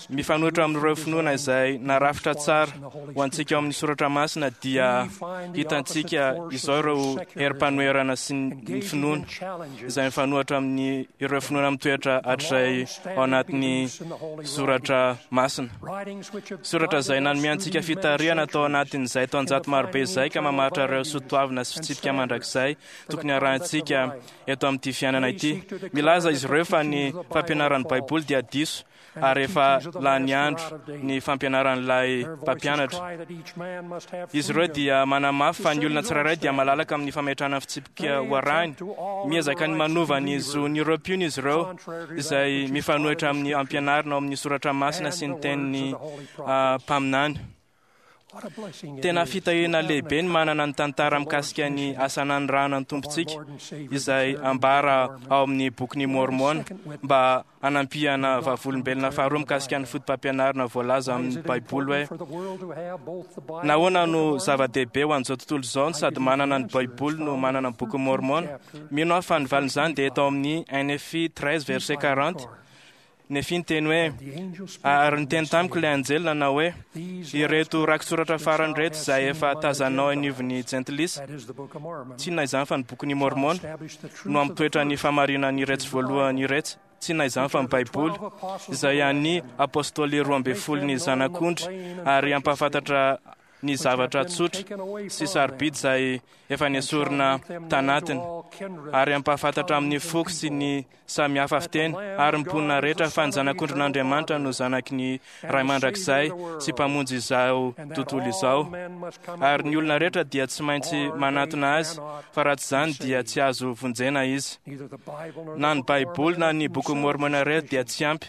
[SPEAKER 2] Mifanohitra amin'ireo finoana izay narafitra tsara ho antsika ao amin'ny soratra masina dia hitantsika izao ireo herim-panoherana sy ny finoana izay mifanohitra amin'ny ireo finoana mitoetra hatrizay ao anatin'ny soratra masina. Soratra izay nanome antsika fitarihana tao anatin'izay taonjato marobe izay ka mamaritra ireo soatoavina sy fitsipika mandrakizay tokony harahintsika eto amin'ity fiainana ity. Milaza izy ireo fa ny fampianaran'ny Baiboly dia diso ary efa lany andro ny fampianaran'ilay mpampianatra. Izy ireo dia manamafy fa ny olona tsirairay dia malalaka amin'ny fametrahana fitsipika ho arahiny. Miezaka ny manova ny zon'ireo mpino izy ireo izay mifanohitra amin'ny ampianarina ao amin'ny soratra masina sy ny tenin'ny mpaminany. Tena fitahiana lehibe ny manana ny tantara mikasika ny asa nanirahana ny Tompontsika izay ambara ao amin'ny bokin'i Môrmôna mba hanampiana vavolombelona faharoa mikasika ny fotopampianarana voalaza amin'ny Baiboly hoe nahoana no zava-dehibe ho an'izao tontolo izao no sady manana ny Baiboly no manana ny bokin'i Môrmôna. Mino aho fa ny valin'izany dia eto amin'ny 1 Nefi 13 verset 40. Nefi niteny hoe, ary niteny tamiko ilay anjely nanao hoe, ireto rakitsoratra farany ireto izay efa tazanao anivon'ny jentilisa, tsy inona izany fa ny bokin'i Môrmôna, no hampitoetra ny fahamarinan'iretsy voalohany iretsy, tsy inona izany fa ny Baiboly, izay an'ny apôstôly 12n'ny Zanak'ondry, ary hampahafantatra ny zavatra tsotra sy sarobidy izay efa nesorina tanatiny, ary hampahafantatra amin'ny foko sy ny samy hafa fiteny ary ny mponina rehetra fa ny Zanak'ondrin'Andriamanitra no zanaky ny Ray mandrakizay sy Mpamonjy izao tontolo izao, ary ny olona rehetra dia tsy maintsy manatona Azy, fa raha tsy izany dia tsy azo vonjena izy. Na ny Baiboly na ny Bokin'i Môrmôna irery dia tsy ampy.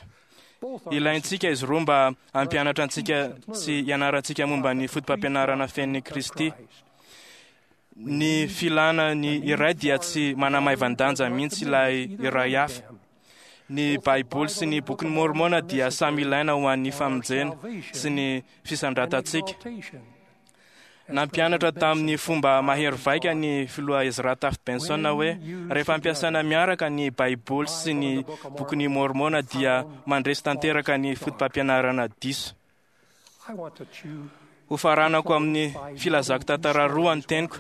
[SPEAKER 2] Ilaintsika izy roa mba hampianatra antsika sy hianarantsika momba ny fotopampianarana fenon'i Kristy. Ny filana ny iray dia tsy manamaivan-danja mihitsy ilay iray hafa. Ny Baiboly sy ny Bokin'i Môrmôna dia samy ilaina ho an'ny famonjena sy ny fisandratantsika. Nampianatra tamin'ny fomba mahery vaika ny filoha Ezra Taft Benson hoe rehefa ampiasaina miaraka ny Baiboly sy ny Bokin'i Môrmôna dia mandresy tanteraka ny fotopampianarana diso. Hofaranako amin'ny filazako tantara roa ny teniko,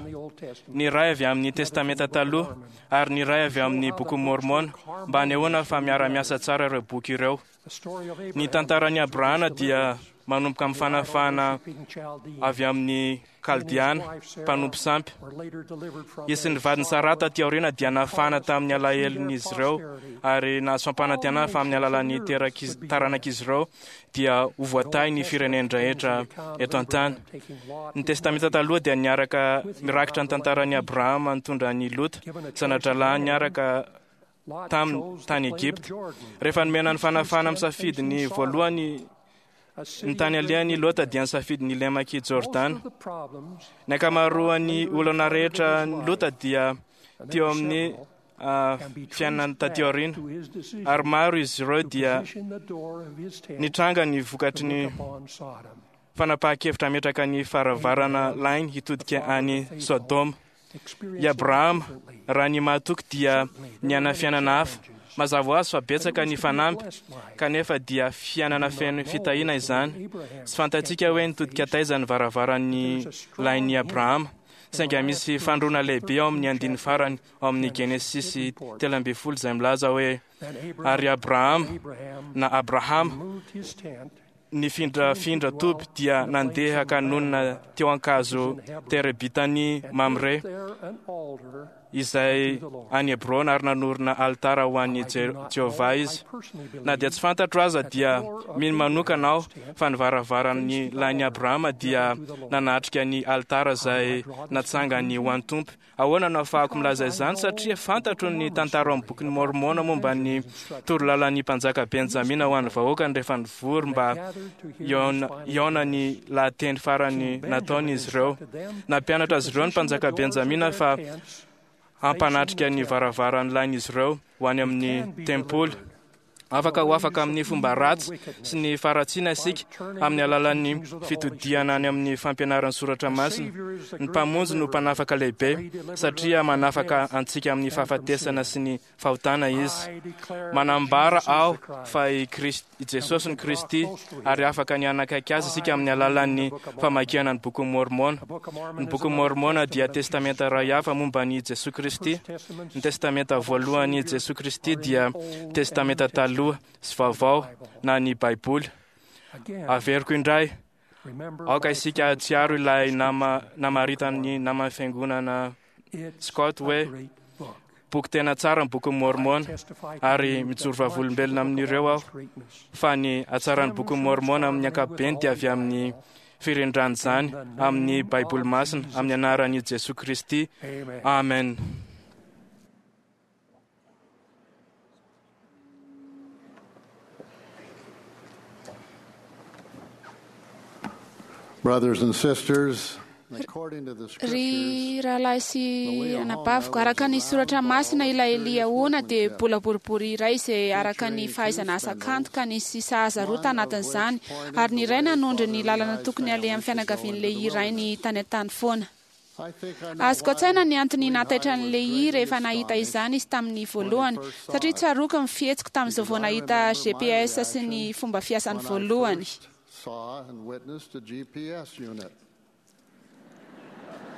[SPEAKER 2] ny iray avy amin'ny Testamenta Taloha ary ny iray avy amin'ny Bokin'i Môrmôna, mba hanehoana fa miara-miasa tsara ireo boky ireo. Ny tantaran'i Abrahana dia manomboka amin'ny fanafahana avy amin'ny Kaldeana, mpanompo sampy. Izy sy ny vadiny Saraha taty aoriana dia nafahana tamin'ny alahelon'izy ireo ary nahazo fampanantenana fa amin'ny alalan'ny taranak'izy ireo dia ho voatahy ny firenen-drehetra eto an-tany. Ny Testamenta Taloha dia niaraka mirakitra ny tantaran'i Abrahama nitondra an'i Lota, zana-drahalahiny niaraka taminy tany Egypta. Rehefa nomena ny fanafahana misafidy ny voalohany ny tany alehany i Lota dia nisafidy ny lemak'i Jordana. Ny ankamaroan'ny olana rehetra ny Lota dia teo amin'ny fiainany taty aoriana, ary maro izy ireo dia nitranga ny vokatry ny fanapahan-kevitra hametraka ny faravarana lainy hitodika any Sodoma. I Abrahama, raha ny mahatoky dia niaina fiainana hafa. Mazava ho azy fa betsaka ny fanamby, kanefa dia fiainana feno fitahiana izany. Tsy fantatsika hoe nitodika taiza ny varavaran'ny lain'i Abrahama, saingy misy fandroana lehibe ao amin'ny andininy farany ao amin'ny Genesisy 13 izay milaza hoe ary Abrahama na Abrahama nifindrafindra toby dia nandeha ka nonina teo an-kazo terebitany Mamre izay any Hebrona ary nanorina alitara ho an'i Jehovah izy. Na dia tsy fantatro aza dia mino manokana aho fa ny varavaran'ny lain'i Abrahama dia nanatrika ny alitara izay natsangany ho an'ny Tompo. Ahoana no ahafahako milaza izany? Satria fantatro ny tantara ao amin'ny bokin'i Môrmôna momba ny torolalan'ny mpanjaka Benjamina ho an'ny vahoakany rehefa nivory mba hihaona ny lahateny farany nataony izy ireo. Nampianatra azy ireo ny mpanjaka Benjamina fa hampanatrika ny varavaran'ny lain'izy ireo ho any amin'ny tempoly. Afaka ho afaka amin'ny fomba ratsy sy ny faharatsiana isika amin'ny alalan'ny fitodihana any amin'ny fampianaran'ny soratra masina. Ny Mpamonjy no mpanafaka lehibe satria manafaka antsika amin'ny fahafatesana sy ny fahotana Izy. Manambara aho fa i Jesosy no Kristy ary afaka ny hanakaiky Azy isika amin'ny alalan'ny famakiana ny Bokin'i Môrmôna. Ny Bokin'i Môrmôna dia testamenta iray hafa momba an'i Jesoa Kristy. Ny testamenta voalohan'i Jesoa Kristy dia Testamenta Taloha sy Vaovao na ny Baiboly. Averiko indray, aoka isika hahatsiaro ilay nama namaritan'ny naman'ny fiangonana Scott hoe boky tena tsara ny Bokin'i Môrmôna, ary mijoro vavolombelona amin'ireo aho fa ny hatsaran'ny Bokin'i Môrmôna amin'ny ankapobeny dia avy amin'ny firindran'izany amin'ny Baiboly Masina, amin'ny anaran'i Jesoa Kristy. Amen.
[SPEAKER 3] Brothers and sisters, according to the
[SPEAKER 4] Ry
[SPEAKER 3] scriptures,
[SPEAKER 4] rahalahy sy anabaviko, araka ny soratra masina ilay Liahona dia bola boribory iray izay araka ny fahaizana asa kanto ka nisy sahaza roa tanatin'izany, ary ny iray nanondro ny lalana tokony alehan'ny fianakavian'ilay iray ny tany an-tany foana.
[SPEAKER 3] I think I know
[SPEAKER 4] Azoko an-tsaina ny antony
[SPEAKER 3] why
[SPEAKER 4] nahataitra
[SPEAKER 3] Lehi
[SPEAKER 4] an'i Lehi
[SPEAKER 3] was
[SPEAKER 4] rehefa
[SPEAKER 3] greatly
[SPEAKER 4] nahita
[SPEAKER 3] astonished
[SPEAKER 4] izany izy tamin'ny voalohany, satria tsaroako ny fihetsiko tamin'izao vao
[SPEAKER 3] because I
[SPEAKER 4] nahita
[SPEAKER 3] remember my
[SPEAKER 4] GPS sy ny
[SPEAKER 3] reaction
[SPEAKER 4] fomba fiasany
[SPEAKER 3] when I
[SPEAKER 4] voalohany.
[SPEAKER 3] first saw and witnessed a GPS unit.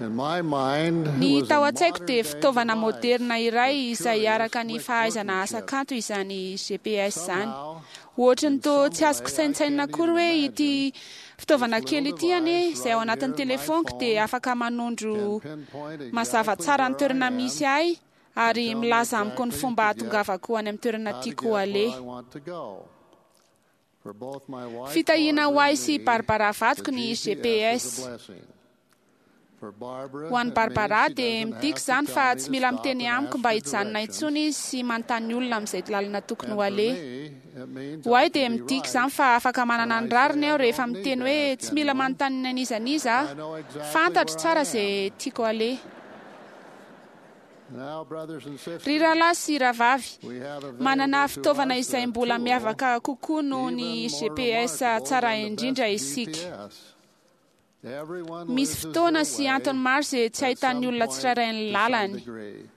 [SPEAKER 3] In my mind, it
[SPEAKER 4] Ny
[SPEAKER 3] was a
[SPEAKER 4] tao an-tsaiko dia
[SPEAKER 3] modern-day
[SPEAKER 4] fitaovana
[SPEAKER 3] device
[SPEAKER 4] moderna iray
[SPEAKER 3] with
[SPEAKER 4] izay
[SPEAKER 3] curious
[SPEAKER 4] araka ny fahaizana asa
[SPEAKER 3] workmanship.
[SPEAKER 4] kanto izany GPS izany.
[SPEAKER 3] Somehow,
[SPEAKER 4] Ohatry ny
[SPEAKER 3] in
[SPEAKER 4] toa
[SPEAKER 3] some
[SPEAKER 4] tsy azoko
[SPEAKER 3] way, I
[SPEAKER 4] saintsainina
[SPEAKER 3] can't
[SPEAKER 4] akory
[SPEAKER 3] even
[SPEAKER 4] hoe ity
[SPEAKER 3] imagine
[SPEAKER 4] fitaovana
[SPEAKER 3] this
[SPEAKER 4] kely
[SPEAKER 3] little
[SPEAKER 4] ity anie
[SPEAKER 3] device
[SPEAKER 4] izay ao
[SPEAKER 3] right
[SPEAKER 4] anatin'ny
[SPEAKER 3] here in my
[SPEAKER 4] telefoniko dia
[SPEAKER 3] phone
[SPEAKER 4] afaka manondro
[SPEAKER 3] can pinpoint
[SPEAKER 4] mazava
[SPEAKER 3] exactly
[SPEAKER 4] tsara ny
[SPEAKER 3] where I
[SPEAKER 4] toerana
[SPEAKER 3] am
[SPEAKER 4] misy ahy ary
[SPEAKER 3] and tell me
[SPEAKER 4] milaza amiko ny
[SPEAKER 3] exactly
[SPEAKER 4] fomba
[SPEAKER 3] to get
[SPEAKER 4] hahatongavako any amin'ny toerana
[SPEAKER 3] how to
[SPEAKER 4] tiako
[SPEAKER 3] get where
[SPEAKER 4] aleha.
[SPEAKER 3] I want to go. For both my wife,
[SPEAKER 4] Fitahiana ho
[SPEAKER 3] Barbara,
[SPEAKER 4] ahy
[SPEAKER 3] and
[SPEAKER 4] sy
[SPEAKER 3] me,
[SPEAKER 4] Barbara
[SPEAKER 3] the
[SPEAKER 4] vadiko ny
[SPEAKER 3] GPS is a
[SPEAKER 4] GPS.
[SPEAKER 3] blessing. For Barbara,
[SPEAKER 4] Ho an'i
[SPEAKER 3] it means
[SPEAKER 4] Barbara
[SPEAKER 3] she
[SPEAKER 4] dia
[SPEAKER 3] doesn't
[SPEAKER 4] midika
[SPEAKER 3] have to
[SPEAKER 4] izany
[SPEAKER 3] tell
[SPEAKER 4] fa
[SPEAKER 3] me
[SPEAKER 4] tsy
[SPEAKER 3] to
[SPEAKER 4] mila
[SPEAKER 3] stop
[SPEAKER 4] miteny
[SPEAKER 3] and
[SPEAKER 4] amiko
[SPEAKER 3] ask
[SPEAKER 4] mba
[SPEAKER 3] for
[SPEAKER 4] hijanona
[SPEAKER 3] directions.
[SPEAKER 4] intsony izy sy manontany olona amin'izay lalana tokony
[SPEAKER 3] And
[SPEAKER 4] ho
[SPEAKER 3] for
[SPEAKER 4] aleha.
[SPEAKER 3] me, it means
[SPEAKER 4] Ho
[SPEAKER 3] I
[SPEAKER 4] ahy
[SPEAKER 3] can
[SPEAKER 4] dia
[SPEAKER 3] be
[SPEAKER 4] midika
[SPEAKER 3] right
[SPEAKER 4] izany fa afaka
[SPEAKER 3] when
[SPEAKER 4] manana
[SPEAKER 3] I
[SPEAKER 4] ny
[SPEAKER 3] say
[SPEAKER 4] rariny
[SPEAKER 3] I
[SPEAKER 4] aho rehefa
[SPEAKER 3] don't need
[SPEAKER 4] miteny
[SPEAKER 3] to
[SPEAKER 4] hoe
[SPEAKER 3] ask
[SPEAKER 4] tsy mila
[SPEAKER 3] anyone.
[SPEAKER 4] manontany an'iza n'iza
[SPEAKER 3] I
[SPEAKER 4] aho.
[SPEAKER 3] know exactly
[SPEAKER 4] Fantatro
[SPEAKER 3] where
[SPEAKER 4] tsara
[SPEAKER 3] I
[SPEAKER 4] izay
[SPEAKER 3] am.
[SPEAKER 4] tiako aleha.
[SPEAKER 3] Now, brothers and
[SPEAKER 4] Ry
[SPEAKER 3] sisters,
[SPEAKER 4] rahalahy sy rahavavy,
[SPEAKER 3] we have
[SPEAKER 4] manana
[SPEAKER 3] available to
[SPEAKER 4] fitaovana
[SPEAKER 3] us
[SPEAKER 4] izay
[SPEAKER 3] a
[SPEAKER 4] mbola
[SPEAKER 3] tool
[SPEAKER 4] miavaka kokoa noho ny
[SPEAKER 3] even more
[SPEAKER 4] GPS
[SPEAKER 3] remarkable
[SPEAKER 4] tsara
[SPEAKER 3] than the
[SPEAKER 4] indrindra
[SPEAKER 3] best
[SPEAKER 4] isika.
[SPEAKER 3] GPS. Everyone
[SPEAKER 4] Misy
[SPEAKER 3] loses
[SPEAKER 4] fotoana
[SPEAKER 3] their
[SPEAKER 4] sy
[SPEAKER 3] way
[SPEAKER 4] antony maro izay tsy
[SPEAKER 3] at
[SPEAKER 4] ahitan'ny
[SPEAKER 3] some
[SPEAKER 4] olona
[SPEAKER 3] point
[SPEAKER 4] tsirairay ny
[SPEAKER 3] to some
[SPEAKER 4] lalany.
[SPEAKER 3] degree.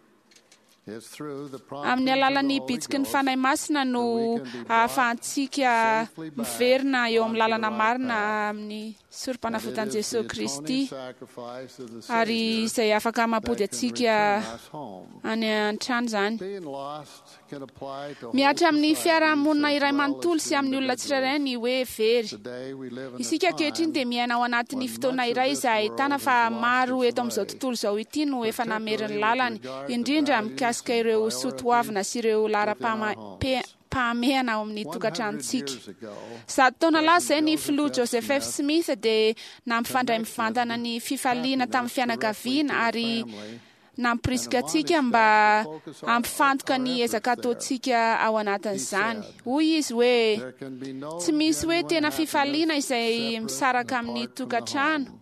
[SPEAKER 3] It's through the
[SPEAKER 4] Amin'ny
[SPEAKER 3] promptings of the
[SPEAKER 4] alalan'ny
[SPEAKER 3] Holy
[SPEAKER 4] bitsiky ny
[SPEAKER 3] Ghost
[SPEAKER 4] Fanahy Masina
[SPEAKER 3] that
[SPEAKER 4] no
[SPEAKER 3] we can be brought
[SPEAKER 4] ahafahantsika
[SPEAKER 3] safely back
[SPEAKER 4] miverina eo amin'ny
[SPEAKER 3] onto the
[SPEAKER 4] lalana
[SPEAKER 3] right
[SPEAKER 4] marina
[SPEAKER 3] path.
[SPEAKER 4] amin'ny
[SPEAKER 3] And it
[SPEAKER 4] sorom-panavotan'i
[SPEAKER 3] is the
[SPEAKER 4] Jesosy
[SPEAKER 3] atoning
[SPEAKER 4] Kristy
[SPEAKER 3] sacrifice of the
[SPEAKER 4] ary
[SPEAKER 3] Savior
[SPEAKER 4] izay afaka mampody
[SPEAKER 3] that can
[SPEAKER 4] antsika
[SPEAKER 3] return us home.
[SPEAKER 4] any an-trano izany.
[SPEAKER 3] Being lost can apply to whole
[SPEAKER 4] Mihatra amin'ny
[SPEAKER 3] societies
[SPEAKER 4] fiarahamonina
[SPEAKER 3] as
[SPEAKER 4] iray
[SPEAKER 3] well as
[SPEAKER 4] manontolo
[SPEAKER 3] to
[SPEAKER 4] sy amin'ny olona tsirairay
[SPEAKER 3] individuals.
[SPEAKER 4] ny hoe very.
[SPEAKER 3] Today we live in a
[SPEAKER 4] Isika ankehitriny
[SPEAKER 3] time
[SPEAKER 4] dia miaina ao anatin'ny
[SPEAKER 3] when
[SPEAKER 4] fotoana
[SPEAKER 3] much of
[SPEAKER 4] iray
[SPEAKER 3] this
[SPEAKER 4] izay ahitana
[SPEAKER 3] world
[SPEAKER 4] fa
[SPEAKER 3] has lost
[SPEAKER 4] maro
[SPEAKER 3] its
[SPEAKER 4] eto amin'izao
[SPEAKER 3] way,
[SPEAKER 4] tontolo izao ity no efa namery ny
[SPEAKER 3] particularly with
[SPEAKER 4] lalany,
[SPEAKER 3] regard to
[SPEAKER 4] indrindra
[SPEAKER 3] values
[SPEAKER 4] mikasika
[SPEAKER 3] and
[SPEAKER 4] ireo
[SPEAKER 3] priorities
[SPEAKER 4] soatoavina sy ireo
[SPEAKER 3] within our
[SPEAKER 4] laharam-pahamehana
[SPEAKER 3] homes.
[SPEAKER 4] ao amin'ny
[SPEAKER 3] 100
[SPEAKER 4] tokantranontsika.
[SPEAKER 3] years ago,
[SPEAKER 4] 100 taona lasa izay
[SPEAKER 3] President
[SPEAKER 4] ny
[SPEAKER 3] Joseph
[SPEAKER 4] filoha
[SPEAKER 3] F.
[SPEAKER 4] Joseph F.
[SPEAKER 3] Smith
[SPEAKER 4] Smith dia nampifandray
[SPEAKER 3] connected
[SPEAKER 4] mivantana ny fifaliana tamin'ny
[SPEAKER 3] happiness directly
[SPEAKER 4] fianakaviana
[SPEAKER 3] to the
[SPEAKER 4] ary
[SPEAKER 3] family and
[SPEAKER 4] nampirisika antsika
[SPEAKER 3] admonished us
[SPEAKER 4] mba
[SPEAKER 3] to focus
[SPEAKER 4] hampifantoka
[SPEAKER 3] our
[SPEAKER 4] ny
[SPEAKER 3] efforts
[SPEAKER 4] ezaka
[SPEAKER 3] there.
[SPEAKER 4] ataontsika ao
[SPEAKER 3] He
[SPEAKER 4] anatin'izany.
[SPEAKER 3] said,
[SPEAKER 4] Hoy izy hoe
[SPEAKER 3] There can be no
[SPEAKER 4] tsy misy hoe
[SPEAKER 3] genuine
[SPEAKER 4] tena fifaliana
[SPEAKER 3] happiness
[SPEAKER 4] izay
[SPEAKER 3] separate and
[SPEAKER 4] misaraka amin'ny
[SPEAKER 3] apart from the
[SPEAKER 4] tokantrano
[SPEAKER 3] home.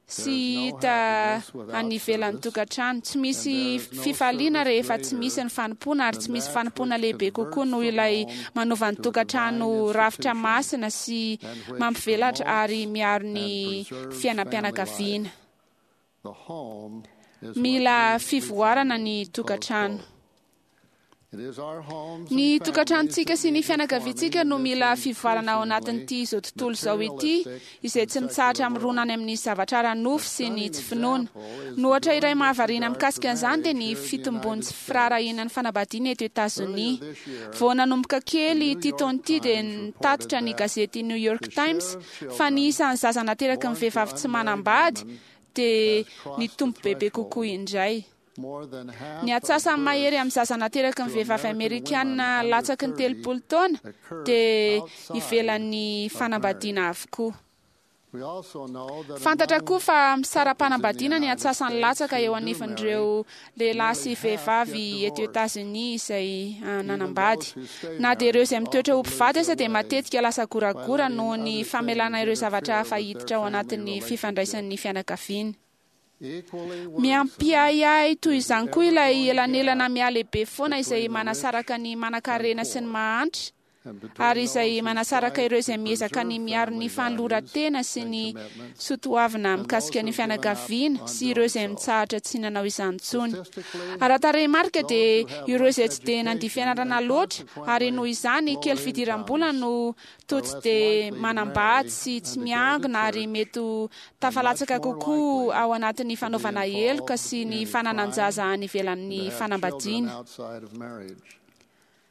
[SPEAKER 4] sy
[SPEAKER 3] There is no
[SPEAKER 4] hita
[SPEAKER 3] happiness without
[SPEAKER 4] any ivelan'ny
[SPEAKER 3] service,
[SPEAKER 4] tokantrano. Tsy
[SPEAKER 3] and
[SPEAKER 4] misy
[SPEAKER 3] there is no
[SPEAKER 4] fifaliana
[SPEAKER 3] service
[SPEAKER 4] rehefa tsy misy
[SPEAKER 3] greater
[SPEAKER 4] ny fanompoana ary tsy
[SPEAKER 3] than
[SPEAKER 4] misy
[SPEAKER 3] that
[SPEAKER 4] fanompoana
[SPEAKER 3] which
[SPEAKER 4] lehibe kokoa
[SPEAKER 3] converts
[SPEAKER 4] noho
[SPEAKER 3] the
[SPEAKER 4] ilay
[SPEAKER 3] home
[SPEAKER 4] manova ny
[SPEAKER 3] to a divine
[SPEAKER 4] tokantrano rafitra
[SPEAKER 3] institution
[SPEAKER 4] masina sy
[SPEAKER 3] and which
[SPEAKER 4] mampivelatra ary
[SPEAKER 3] promotes
[SPEAKER 4] miaro
[SPEAKER 3] and
[SPEAKER 4] ny
[SPEAKER 3] preserves family life.
[SPEAKER 4] fiainam-pianakaviana.
[SPEAKER 3] The home is what
[SPEAKER 4] Mila
[SPEAKER 3] leads to
[SPEAKER 4] fivoarana
[SPEAKER 3] family.
[SPEAKER 4] ny
[SPEAKER 3] Close
[SPEAKER 4] tokantrano.
[SPEAKER 3] quote. It is our homes
[SPEAKER 4] Ny
[SPEAKER 3] and families
[SPEAKER 4] tokantranontsika
[SPEAKER 3] that
[SPEAKER 4] sy ny
[SPEAKER 3] need reforming
[SPEAKER 4] fianakaviantsika
[SPEAKER 3] in
[SPEAKER 4] no
[SPEAKER 3] this
[SPEAKER 4] mila fivoarana ao
[SPEAKER 3] increasingly
[SPEAKER 4] anatin'ity izao tontolo izao ity,
[SPEAKER 3] materialistic
[SPEAKER 4] izay
[SPEAKER 3] and
[SPEAKER 4] tsy mitsahatra
[SPEAKER 3] secular
[SPEAKER 4] mirona
[SPEAKER 3] world.
[SPEAKER 4] any amin'ny zavatra ara-nofo
[SPEAKER 3] A
[SPEAKER 4] sy ny
[SPEAKER 3] stunning
[SPEAKER 4] tsy finoana.
[SPEAKER 3] example is
[SPEAKER 4] Ny
[SPEAKER 3] the
[SPEAKER 4] ohatra iray
[SPEAKER 3] growing
[SPEAKER 4] mahavariana
[SPEAKER 3] disregard for
[SPEAKER 4] mikasika an'izany dia ny
[SPEAKER 3] marriage here in the
[SPEAKER 4] fitombon'ny
[SPEAKER 3] United
[SPEAKER 4] tsy
[SPEAKER 3] States.
[SPEAKER 4] firaharahiana ny fanambadiana eto
[SPEAKER 3] Earlier
[SPEAKER 4] Etazonia.
[SPEAKER 3] this year,
[SPEAKER 4] Vao nanomboka
[SPEAKER 3] the
[SPEAKER 4] kely
[SPEAKER 3] New
[SPEAKER 4] ity
[SPEAKER 3] York
[SPEAKER 4] taona ity dia
[SPEAKER 3] Times reported
[SPEAKER 4] nitatitra ny
[SPEAKER 3] that
[SPEAKER 4] gazety New York
[SPEAKER 3] the
[SPEAKER 4] Times
[SPEAKER 3] share of
[SPEAKER 4] fa ny
[SPEAKER 3] children
[SPEAKER 4] isan'ny zaza nateraky ny
[SPEAKER 3] born to
[SPEAKER 4] vehivavy tsy
[SPEAKER 3] unmarried
[SPEAKER 4] manambady
[SPEAKER 3] women
[SPEAKER 4] dia
[SPEAKER 3] has crossed the
[SPEAKER 4] nitombo bebe kokoa
[SPEAKER 3] threshold.
[SPEAKER 4] indray.
[SPEAKER 3] More than
[SPEAKER 4] Ny
[SPEAKER 3] half of
[SPEAKER 4] atsasany mahery amin'ny
[SPEAKER 3] births
[SPEAKER 4] zaza nateraky ny
[SPEAKER 3] to
[SPEAKER 4] vehivavy
[SPEAKER 3] American women
[SPEAKER 4] amerikana
[SPEAKER 3] under
[SPEAKER 4] latsaky ny
[SPEAKER 3] 30
[SPEAKER 4] 30 taona
[SPEAKER 3] occurs
[SPEAKER 4] dia
[SPEAKER 3] outside
[SPEAKER 4] ivelan'ny
[SPEAKER 3] of marriage.
[SPEAKER 4] fanambadiana avokoa.
[SPEAKER 3] We also know that
[SPEAKER 4] Fantatra koa
[SPEAKER 3] among
[SPEAKER 4] fa
[SPEAKER 3] couples in the
[SPEAKER 4] misara-panambadiana ny
[SPEAKER 3] United
[SPEAKER 4] atsasany
[SPEAKER 3] States
[SPEAKER 4] latsaka
[SPEAKER 3] who
[SPEAKER 4] eo
[SPEAKER 3] do
[SPEAKER 4] anivan'ireo
[SPEAKER 3] marry,
[SPEAKER 4] lehilahy sy
[SPEAKER 3] nearly half get
[SPEAKER 4] vehivavy eto
[SPEAKER 3] divorced.
[SPEAKER 4] Etazonia izay
[SPEAKER 3] Even
[SPEAKER 4] nanambady.
[SPEAKER 3] those who stay
[SPEAKER 4] Na dia ireo
[SPEAKER 3] married
[SPEAKER 4] izay mitoetra ho
[SPEAKER 3] often lose
[SPEAKER 4] mpivady
[SPEAKER 3] their
[SPEAKER 4] aza dia
[SPEAKER 3] way
[SPEAKER 4] matetika lasa
[SPEAKER 3] by
[SPEAKER 4] goragora
[SPEAKER 3] letting
[SPEAKER 4] noho ny
[SPEAKER 3] other
[SPEAKER 4] famelana
[SPEAKER 3] things
[SPEAKER 4] ireo zavatra
[SPEAKER 3] interfere
[SPEAKER 4] hafa
[SPEAKER 3] with their
[SPEAKER 4] hiditra ao
[SPEAKER 3] family
[SPEAKER 4] anatin'ny
[SPEAKER 3] relationship.
[SPEAKER 4] fifandraisan'ny fianakaviana.
[SPEAKER 3] Equally worrisome
[SPEAKER 4] Miampiahiahy toy
[SPEAKER 3] is the
[SPEAKER 4] izany koa ilay
[SPEAKER 3] ever-growing
[SPEAKER 4] elanelana
[SPEAKER 3] gap
[SPEAKER 4] mihalehibe foana izay
[SPEAKER 3] between the rich
[SPEAKER 4] manasaraka ny
[SPEAKER 3] and
[SPEAKER 4] manankarena sy ny
[SPEAKER 3] poor,
[SPEAKER 4] mahantra
[SPEAKER 3] and between
[SPEAKER 4] ary izay
[SPEAKER 3] those who
[SPEAKER 4] manasaraka
[SPEAKER 3] strive
[SPEAKER 4] ireo
[SPEAKER 3] to
[SPEAKER 4] izay miezaka ny
[SPEAKER 3] preserve
[SPEAKER 4] miaro ny
[SPEAKER 3] family values
[SPEAKER 4] fanoloran-tena sy
[SPEAKER 3] and
[SPEAKER 4] ny
[SPEAKER 3] commitments
[SPEAKER 4] soatoavina
[SPEAKER 3] and those
[SPEAKER 4] mikasika ny
[SPEAKER 3] who've given up
[SPEAKER 4] fianakaviana
[SPEAKER 3] on
[SPEAKER 4] sy ireo
[SPEAKER 3] doing
[SPEAKER 4] izay
[SPEAKER 3] so.
[SPEAKER 4] mitsahatra tsy nanao izany intsony.
[SPEAKER 3] Statistically,
[SPEAKER 4] Ara-tarehimarika
[SPEAKER 3] those
[SPEAKER 4] dia
[SPEAKER 3] who have
[SPEAKER 4] ireo
[SPEAKER 3] less
[SPEAKER 4] izay tsy dia nandia
[SPEAKER 3] education
[SPEAKER 4] fianarana
[SPEAKER 3] and
[SPEAKER 4] loatra ary noho
[SPEAKER 3] consequently
[SPEAKER 4] izany
[SPEAKER 3] lower
[SPEAKER 4] kely fidiram-bola
[SPEAKER 3] incomes
[SPEAKER 4] no toa
[SPEAKER 3] are
[SPEAKER 4] tsy
[SPEAKER 3] less
[SPEAKER 4] dia
[SPEAKER 3] likely to
[SPEAKER 4] manambady
[SPEAKER 3] marry
[SPEAKER 4] sy tsy
[SPEAKER 3] and to go to
[SPEAKER 4] miangona ary
[SPEAKER 3] church
[SPEAKER 4] mety ho
[SPEAKER 3] and much
[SPEAKER 4] tafalatsaka
[SPEAKER 3] more
[SPEAKER 4] kokoa
[SPEAKER 3] likely
[SPEAKER 4] ao anatin'ny
[SPEAKER 3] to be
[SPEAKER 4] fanaovana heloka
[SPEAKER 3] involved
[SPEAKER 4] sy ny
[SPEAKER 3] in crime
[SPEAKER 4] fananan-jaza any
[SPEAKER 3] and to
[SPEAKER 4] ivelan'ny
[SPEAKER 3] have children
[SPEAKER 4] fanambadiana.
[SPEAKER 3] outside of marriage.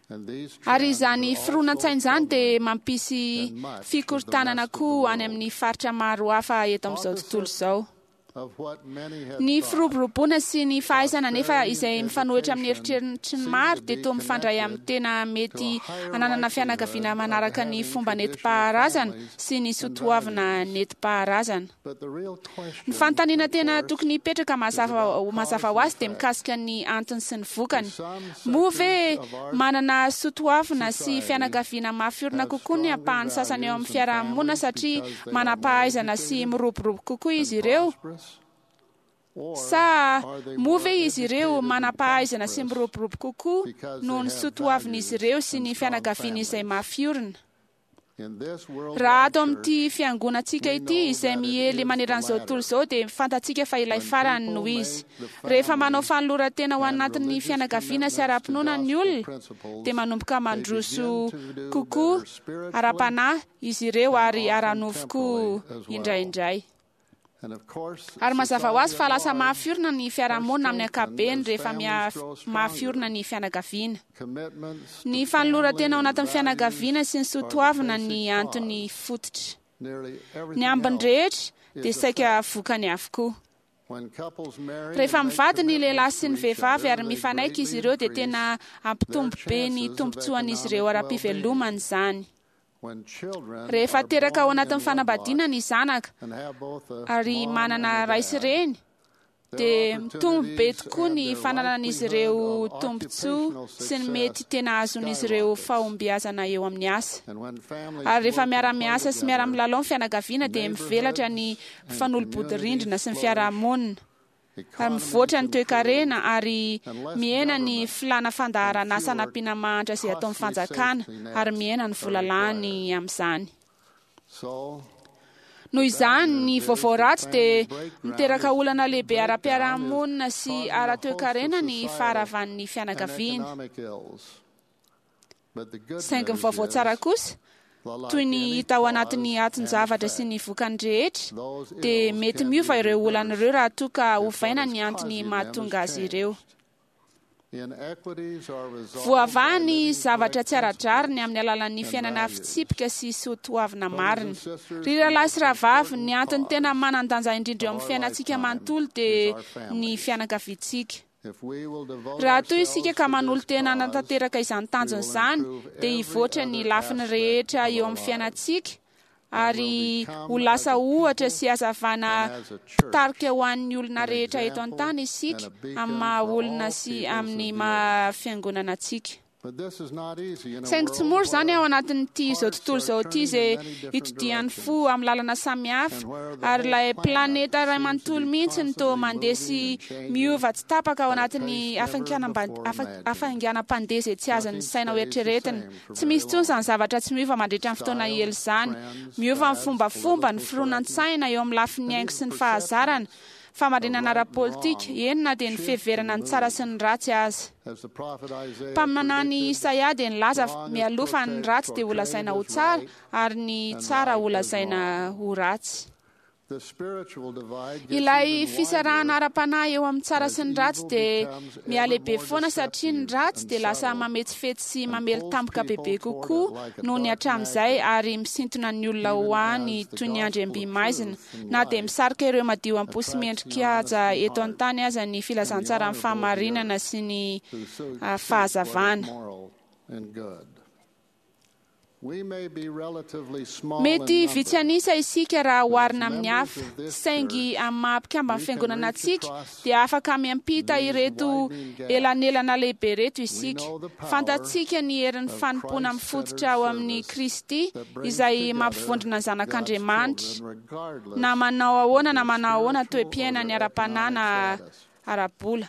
[SPEAKER 3] And these
[SPEAKER 4] Ary
[SPEAKER 3] trends
[SPEAKER 4] izany
[SPEAKER 3] are also
[SPEAKER 4] fironan-tsaina izany dia
[SPEAKER 3] prevalent
[SPEAKER 4] mampisy
[SPEAKER 3] in much of the
[SPEAKER 4] fikorontanana
[SPEAKER 3] rest of the
[SPEAKER 4] koa any
[SPEAKER 3] world.
[SPEAKER 4] amin'ny faritra maro hafa eto amin'izao tontolo
[SPEAKER 3] Opposite
[SPEAKER 4] izao. Ny firoboroboana sy ny fahaizana nefa izay mifanohitra amin'ny eritreritry ny maro dia toa mifandray amin'ny tena mety hananana fianakaviana manaraka ny fomba nentim-paharazana sy ny soatoavina nentim-paharazana. Ny fanontaniana tena tokony hipetraka mazava ho azy dia mikasika ny antony sy ny vokany. Moa ve manana soatoavina sy fianakaviana mafy orina kokoa ny ampahany sasany eo amin'ny fiarahamonina satria manam-pahaizana sy miroborobo kokoa izy ireo? Sa moa ve izy ireo manam-pahaizana sy miroborobo kokoa noho ny soatoavin'izy ireo sy ny fianakaviany izay mafy orina? Raha ato amin'ity fiangonantsika ity izay miely maneran'izao tontolo izao dia fantatsika fa ilay farany no izy. Rehefa manao fanoloran-tena ho anatin'ny fianakaviana sy ara-pinoana ny olona dia manomboka mandroso kokoa ara-panahy izy ireo ary ara-nofo koa indraindray. Ary mazava ho azy fa lasa mafy orina ny fiarahamonina amin'ny ankapobeny rehefa mafy orina ny fianakaviana. Ny fanoloran-tena ao anatin'ny fianakaviana sy ny soatoavina ny antony fototra. Ny ambiny rehetra dia saika vokany avokoa. Rehefa mivady ny lehilahy sy ny vehivavy ary mifanaiky izy ireo dia tena hampitombo be ny tombontsoan'izy ireo ara-pivelomana izany. Rehefa teraka ao anatin'ny fanambadiana ny zanaka ary manana ray sy reny dia mitombo be tokoa ny fananan'izy ireo tombontsoa sy ny mety tena azon'izy ireo fahombiazana eo amin'ny asa. Ary rehefa miara-miasa sy miara-milalao ny fianakaviana dia mivelatra ny mpifanolo-bodirindrina sy ny fiarahamonina. Ary mivoatra ny toekarena ary mihena ny filàna fandaharan'asa hanampiana mahantra izay ataon'ny fanjakana ary mihena ny vola lany amin'izany. Noho izany, ny vaovao ratsy dia miteraka olana lehibe ara-piarahamonina sy ara-toekarena ny faharavan'ny fianakaviana. Saingy ny vaovao tsara kosa, toy ny hita ao anatin'ny aton-javatra sy ny vokany rehetra, dia mety miova ireo olana ireo raha toa ka ovaina ny antony mahatonga azy ireo. Voavaha ny zavatra tsy ara-drariny amin'ny alalan'ny fiainana fitsipika sy soatoavina marina. Ry rahalahy sy rahavavy, ny antony tena manan-danja indrindra eo amin'ny fiainantsika manontolo dia ny fianakaviantsika. Raha toa isika ka manolo-tena hanatanteraka izany tanjona izany, dia hivoatra ny lafiny rehetra eo amin'ny fiainantsika ary ho lasa ohatra sy hazavana mpitarika ho an'ny olona rehetra eto an-tany isika amin'ny maha-olona sy amin'ny maha-fiangonana antsika. Saingy tsy mora izany ao anatin'ity izao tontolo izao ity izay itodihan'ny fo amin'ny lalana samihafa, ary ilay planeta iray manontolo mihitsy no toa mandeha sy miova tsy tapaka ao anatin'ny hafainganam-pandeha izay tsy azon'ny saina ho eritreretina. Tsy misy intsony izany zavatra tsy miova mandritra ny fotoana ela izany. Miova ny fombafomba, ny fironan-tsaina eo amin'ny lafiny haingo sy ny fahazarana, fahamarinana ara-politika, eny na dia ny fiheverana ny tsara sy ny ratsy aza. Mpaminany Isaia dia nilaza mialoha fa ny ratsy dia holazaina ho tsara ary ny tsara holazaina ho ratsy. Ilay fisarahana ara-panahy eo amin'ny tsara sy ny ratsy dia mihalehibe foana satria ny ratsy dia lasa mametsifetsy sy mamely tampoka bebe kokoa noho ny hatramin'izay ary misintona ny olona ho any toy ny andriam-by maizina na dia misarika ireo madio am-po sy mendrika-haja eto an-tany aza ny filazantsaran'ny fahamarinana sy ny fahazavana. Mety vitsy an'isa isika raha oharina amin'ny hafa, saingy amin'ny maha-mpikamban'ny fiangonana antsika dia afaka miampita ireto elanelana lehibe ireto isika. Fantatsika ny herin'ny fanompoana mifototra ao amin'i Kristy izay mampivondrona ny zanak'Andriamanitra, na manao ahoana na manao ahoana toe-piainany ara-panahy na ara-bola.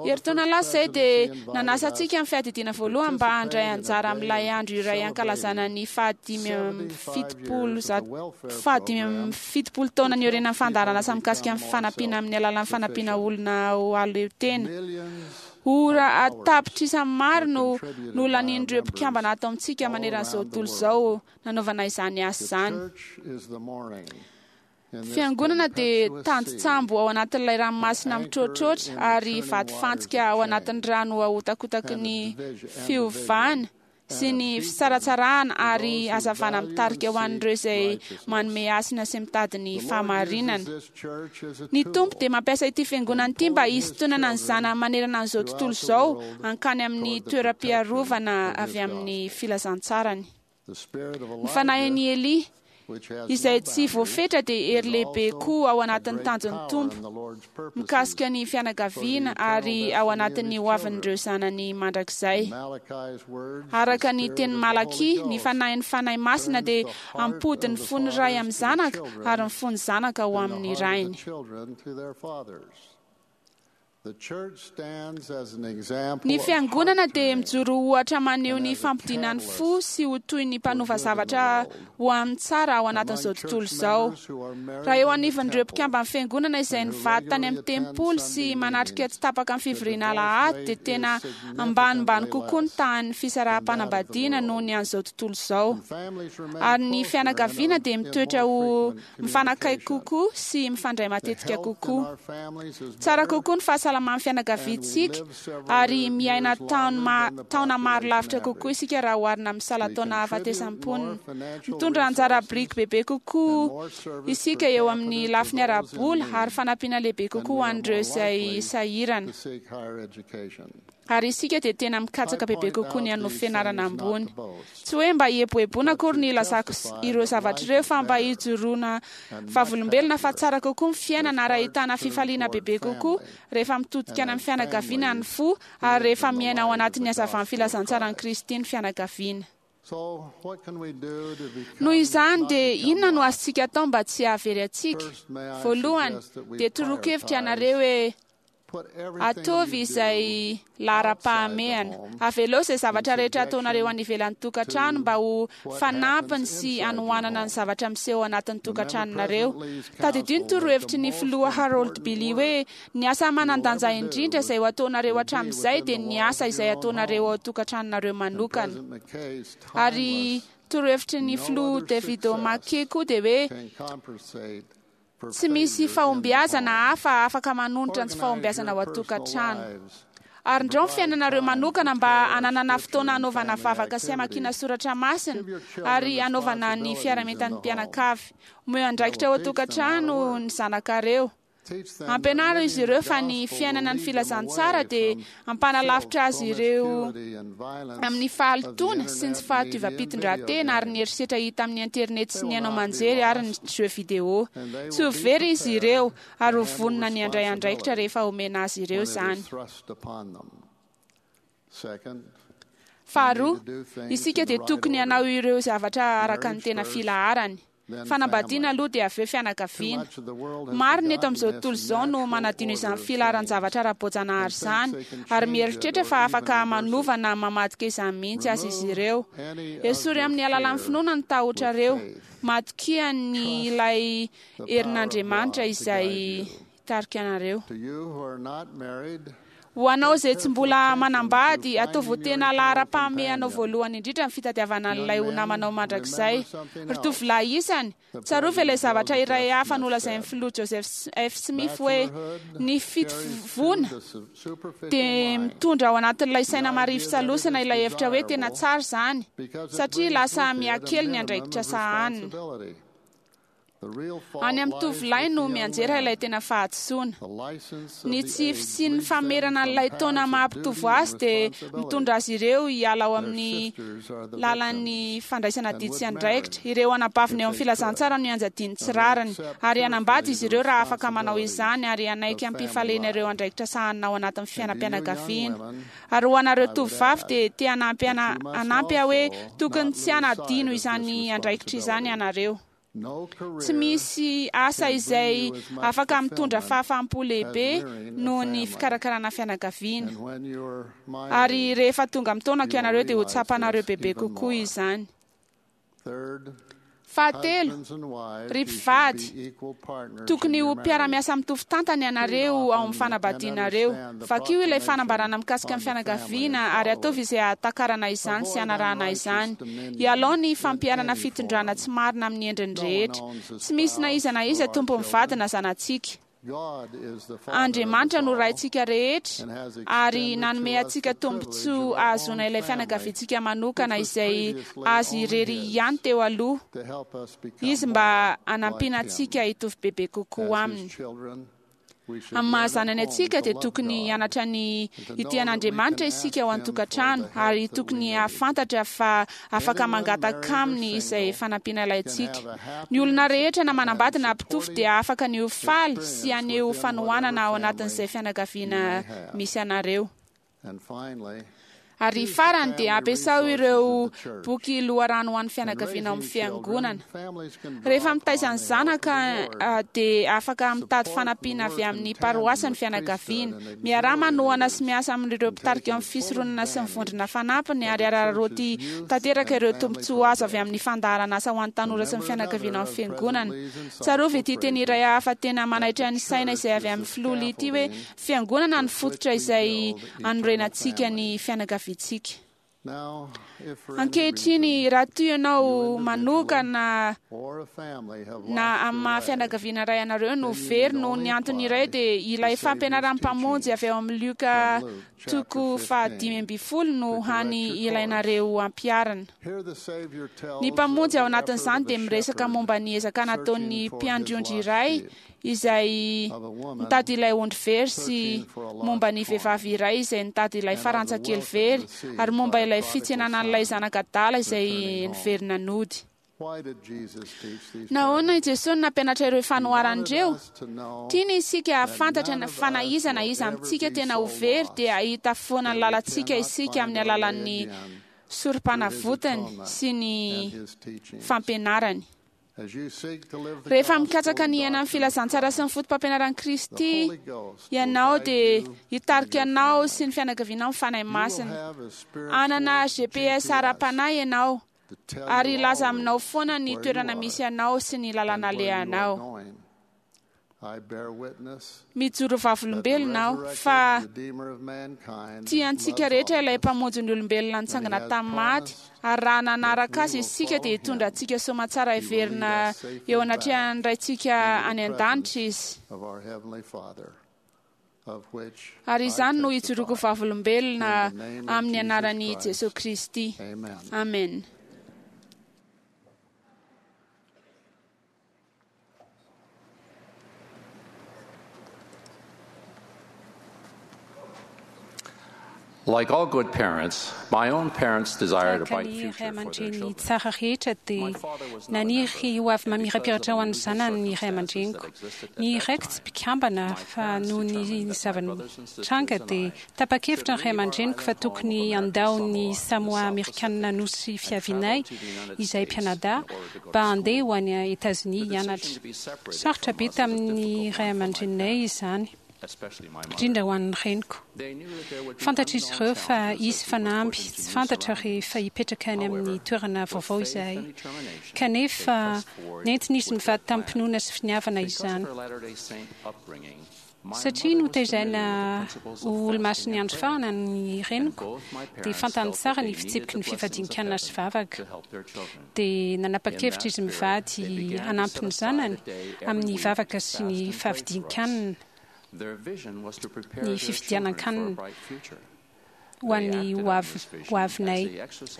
[SPEAKER 4] Herintaona lasa izay dia nanasa antsika ny fiadidiana voalohany mba handray anjara amin'ilay andro iray hankalazana ny faha-75 taona niorenan'ny fandaharanasa mikasika ny fanampiana amin'ny alalan'ny fanampiana olona ho aleo tena. Ora an-tapitrisa maro no nolanian'ireo mpikambana ato amintsika maneran'izao tontolo izao nanaovana izany asa izany. Fiangonana dia tandin-tsambo ao anatin'ilay ranomasina mitroatroatra ary vatofantsika ao anatin'ny rano ahotakotaky ny fiovana. sy ny fisaratsarahana ary hazavana mitarika ho an'ireo izay manome hasina sy mitady ny fahamarinana. Ny Tompo dia mampiasa ity fiangonana ity mba hisintonana ny zanany manerana an'izao tontolo izao hankany amin'ny toeram-piarovana avy amin'ny filazantsarany. Ny fanahin'i Elia izay tsy voafetra dia hery lehibe koa ao anatin'ny tanjon'ny Tompo mikasika ny fianakaviana ary ao anatin'ny hoavin'ireo zanany mandrakizay. Araka ny tenin'i Malakia, ny fanahin'ny Fanahy Masina dia hampody ny fon'ny ray amin'ny zanaka ary ny fon'ny zanaka ho amin'ny rainy. Ny fiangonana dia mijoro ho ohatra maneho ny fampodiana ny fo sy ho toy ny mpanova zavatra ho amin'ny tsara ao anatin'izao tontolo izao. Raha eo anivon'ireo mpikamban'ny fiangonana izay nivady tany amin'ny tempoly sy manatrika tsy tapaka ny fivoriana alahady dia tena ambanimbany kokoa ny tahan'ny fisaraham-panambadiana noho ny an'izao tontolo izao. Ary ny fianakaviana dia mitoetra ho mifanakaiky kokoa sy mifandray matetika kokoa. Tsara kokoa ny fahasalaman'ny fianakaviantsika ary miaina taona maro lavitra kokoa isika raha oharina amin'ny salan-taona hahafatesan'ny mponina. Mitondra anjara biriky bebe kokoa isika eo amin'ny lafiny ara-bola ary fanampiana lehibe kokoa ho an'ireo izay sahirana. Ary isika dia tena mikatsaka bebe kokoa ny hanao fianarana ambony. Tsy hoe mba hieboeboana akory ny ilazako ireo zavatra ireo fa mba hijoroana vavolombelona fa tsara kokoa ny fiainana ary ahitana fifaliana bebe kokoa rehefa mitodika any amin'ny fianakaviana ny fo ary rehefa miaina ao anatin'ny hazavan'ny filazantsaran'i Kristy ny fianakaviana. Noho izany dia inona no azontsika atao mba tsy hahavery antsika? Voalohany dia toroako hevitra ianareo hoe ataovy izay laharam-pahamehana. Avelao izay zavatra rehetra ataonareo any ivelan'ny tokantrano mba ho fanampiny sy hanohanana ny zavatra miseho ao anatin'ny tokantranonareo. Tadidio ny torohevitry ny filoha Harold Billy hoe ny asa manan-danja indrindra izay ho ataonareo hatramin'izay dia ny asa izay ataonareo ao an-tokantranonareo manokana. Ary torohevitry ny filoha David O. McKay koa dia hoe tsy misy fahombiazana hafa afaka manonitra ny tsy fahombiazana ao an-tokantrano. Ary ndrao ny fiainanareo manokana mba hananana fotoana hanaovana vavaka sy hamakiana soratra masina ary hanaovana ny fiarahamientan'ny mpianakavy. Omeo andraikitra ao an-tokantrano ny zanakareo. Ampianaro izy ireo fa ny fiainana ny filazantsara dia hampanalavitra azy ireo amin'ny fahalotoana sy ny tsy fahatoivam-pitondran-tena ary ny herisetra hita amin'ny internet sy ny haino aman-jery ary ny jeux vidéo. Tsy ho very izy ireo ary ho vonona ny handray andraikitra rehefa omena azy ireo izany. Faharoa, isika dia tokony hanao ireo zavatra araka ny tena filaharany. Fanambadiana aloha dia avy eo fianakaviana. Maro ny eto amin'izao tontolo izao no manadino izany filaharan-javatra ara-boajanahary izany ary mieritreritra fa afaka manova na mamadika izany mihitsy aza izy ireo. Esory amin'ny alalan'ny finoana ny tahotrareo. Matokia ny ilay herin'Andriamanitra izay hitarika anareo. Ho anao izay tsy mbola manambady, ataovy ho tena laharam-pahamehanao voalohany indrindra ny fitadiavana an'ilay ho namanao mandrakizay. Ry tovolahy isany, tsarovy ilay zavatra iray hafa nolazain'ny filoha Joseph F. Smith hoe ny fitovoana dia mitondra ao anatin'ilay saina marivo salosana ilay hevitra hoe tena tsara izany, satria lasa mihakely ny andraikitra sahanina. Any amin'ny tovolahy no mianjera ilay tena fahadisoana. Ny tsy fisian'ny famerana an'ilay taona maha-mpitovo azy dia mitondra azy ireo hiala ao amin'ny lalan'ny fandraisana adidy sy andraikitra. Ireo anabaviny eo amin'ny filazantsara no ianjadiany tsy rariny. Ary hanambady izy ireo raha afaka manao izany ary hanaiky am-pifaliana ireo andraikitra sahanina ao anatin'ny fiainam-pianakaviana. Ary ho anareo tovovavy dia te hanampy hanampy aho hoe tokony tsy hanadino izany andraikitra izany ianareo. Tsy misy asa izay afaka mitondra fahafaham-po lehibe noho ny fikarakarana fianakaviana. Ary rehefa tonga amin'ny taonako ianareo dia ho tsapanareo bebe kokoa izany. Fahatelo, ry mpivady, tokony ho mpiara-miasa mitovy tantana ianareo ao amin'ny fanambadianareo. Vakio ilay fanambarana mikasika ny fianakaviana ary ataovy izay hahatakarana izany sy hanarahana izany. Ialao ny fampiharana fitondrana tsy marina amin'ny endriny rehetra. Tsy misy na iza na iza tompon'ny vady na zanatsika. Andriamanitra no Raintsika rehetra ary nanome antsika tombontsoa ahazoana ilay fianakaviantsika manokana izay azy irery ihany teo aloha izy mba hanampiana antsika hitovy bebe kokoa aminy. Amin'ny maha zanany antsika dia tokony hianatra ny hitia an'Andriamanitra isika ao an-tokantrano ary tokony hahafantatra fa afaka mangataka aminy izay fanampiana ilaintsika. Ny olona rehetra na manambady na mpitovo dia afaka ny ho faly sy haneho fanohanana ao anatin'izay fianakaviana misy anareo. Ary farany dia ampiasao ireo boky loharano ho an'ny fianakaviana ao amin'ny fiangonana. Rehefa mitaiza ny zanaka dia afaka mitady fanampiana avy amin'ny paroasy ny fianakaviana. Miaraha manohana sy miasa amin'ireo mpitarika eo amin'ny fisoronana sy ny vondrona fanampiny ary araraoty tanteraka ireo tombontsoa azo avy amin'ny fandaharanasa ho an'ny tanora sy ny fianakaviana ao amin'ny fiangonana. Tsarovy ity teny iray hafa tena manaitra ny saina izay avy amin'ny filoha Lee ity hoe, Fiangonana no fototra izay anorenantsika ny fianakaviantsika. Ankehitriny, raha toa ianao manokana na amin'ny maha fianakaviana iray anareo no very noho ny antony iray, dia ilay fampianaran'ny Mpamonjy avy ao amin'ny Lioka toko faha-15 no hany ilainareo ampiharina. Ny Mpamonjy ao anatin'izany dia miresaka momba ny ezaka nataon'ny mpiandry ondry iray izay nitady ilay ondry very sy momba ny vehivavy iray izay nitady ilay farantsa kely very ary momba ilay fitsenana an'ilay zanak'adala izay niverina nody. Nahoana i Jesoa no nampianatra ireo fanoharana ireo? Tiany isika hahafantatra fa na iza na iza amintsika tena ho very dia hahita foana ny lalantsika isika amin'ny alalan'ny sorompanavotany sy ny fampianarany. Rehefa mikatsaka ny hiaina ny filazantsara sy ny fotopampianaran'i Kristy ianao dia hitarika anao sy ny fianakavianao ny Fanahy Masina. Hanana GPS ara-panahy ianao ary hilaza aminao foana ny toerana misy anao sy ny lalana alehanao. Mijoro vavolombelona aho fa tia antsika rehetra ilay Mpamonjy ny olombelona nitsangana tamin'ny maty, ary raha nanaraka Azy isika dia hitondra antsika soamantsara hiverina eo anatrehan'ny Raintsika any an-danitra Izy. Ary izany no ijoroako vavolombelona amin'ny anaran'i Jesoa Kristy. Amena.
[SPEAKER 5] Like all good parents, my own parents desired a
[SPEAKER 6] Tahaka
[SPEAKER 5] bright
[SPEAKER 6] ny
[SPEAKER 5] future
[SPEAKER 6] ray
[SPEAKER 5] for their
[SPEAKER 6] aman-dreny
[SPEAKER 5] children.
[SPEAKER 6] tsara rehetra dia naniry ho avy mamirapiratra ho an'ny zanany ny ray aman-dreniko. Ny raiko tsy mpikambana fa noho ny zava-nitranga dia tapa-kevitra ny ray aman-dreniko fa tokony handao ny Samoa Amerikanina nosy fiavianay izahay mpianadahy mba handeha ho any Etazonia hianatra. Sarotra be tamin'ny ray aman-dreninay izany, indrindra ho an'ny reniko. Fantatr'izy ireo fa hisy fanamby tsy fantatra rehefa hipetraka any amin'ny toerana vaovao izahay. Kanefa nentin'izy mivady tamim-pinoana sy finiavana izany. Satria notezaina ho olomasin'ny andro farany ny reniko, dia fantany tsara ny fitsipiky ny fifadian-kanina sy vavaka. Dia nanapa-kevitra izy mivady hanampy ny zanany amin'ny vavaka sy ny favidian-kanina, ny fividianan-kanina. ho an'ny ho avinay.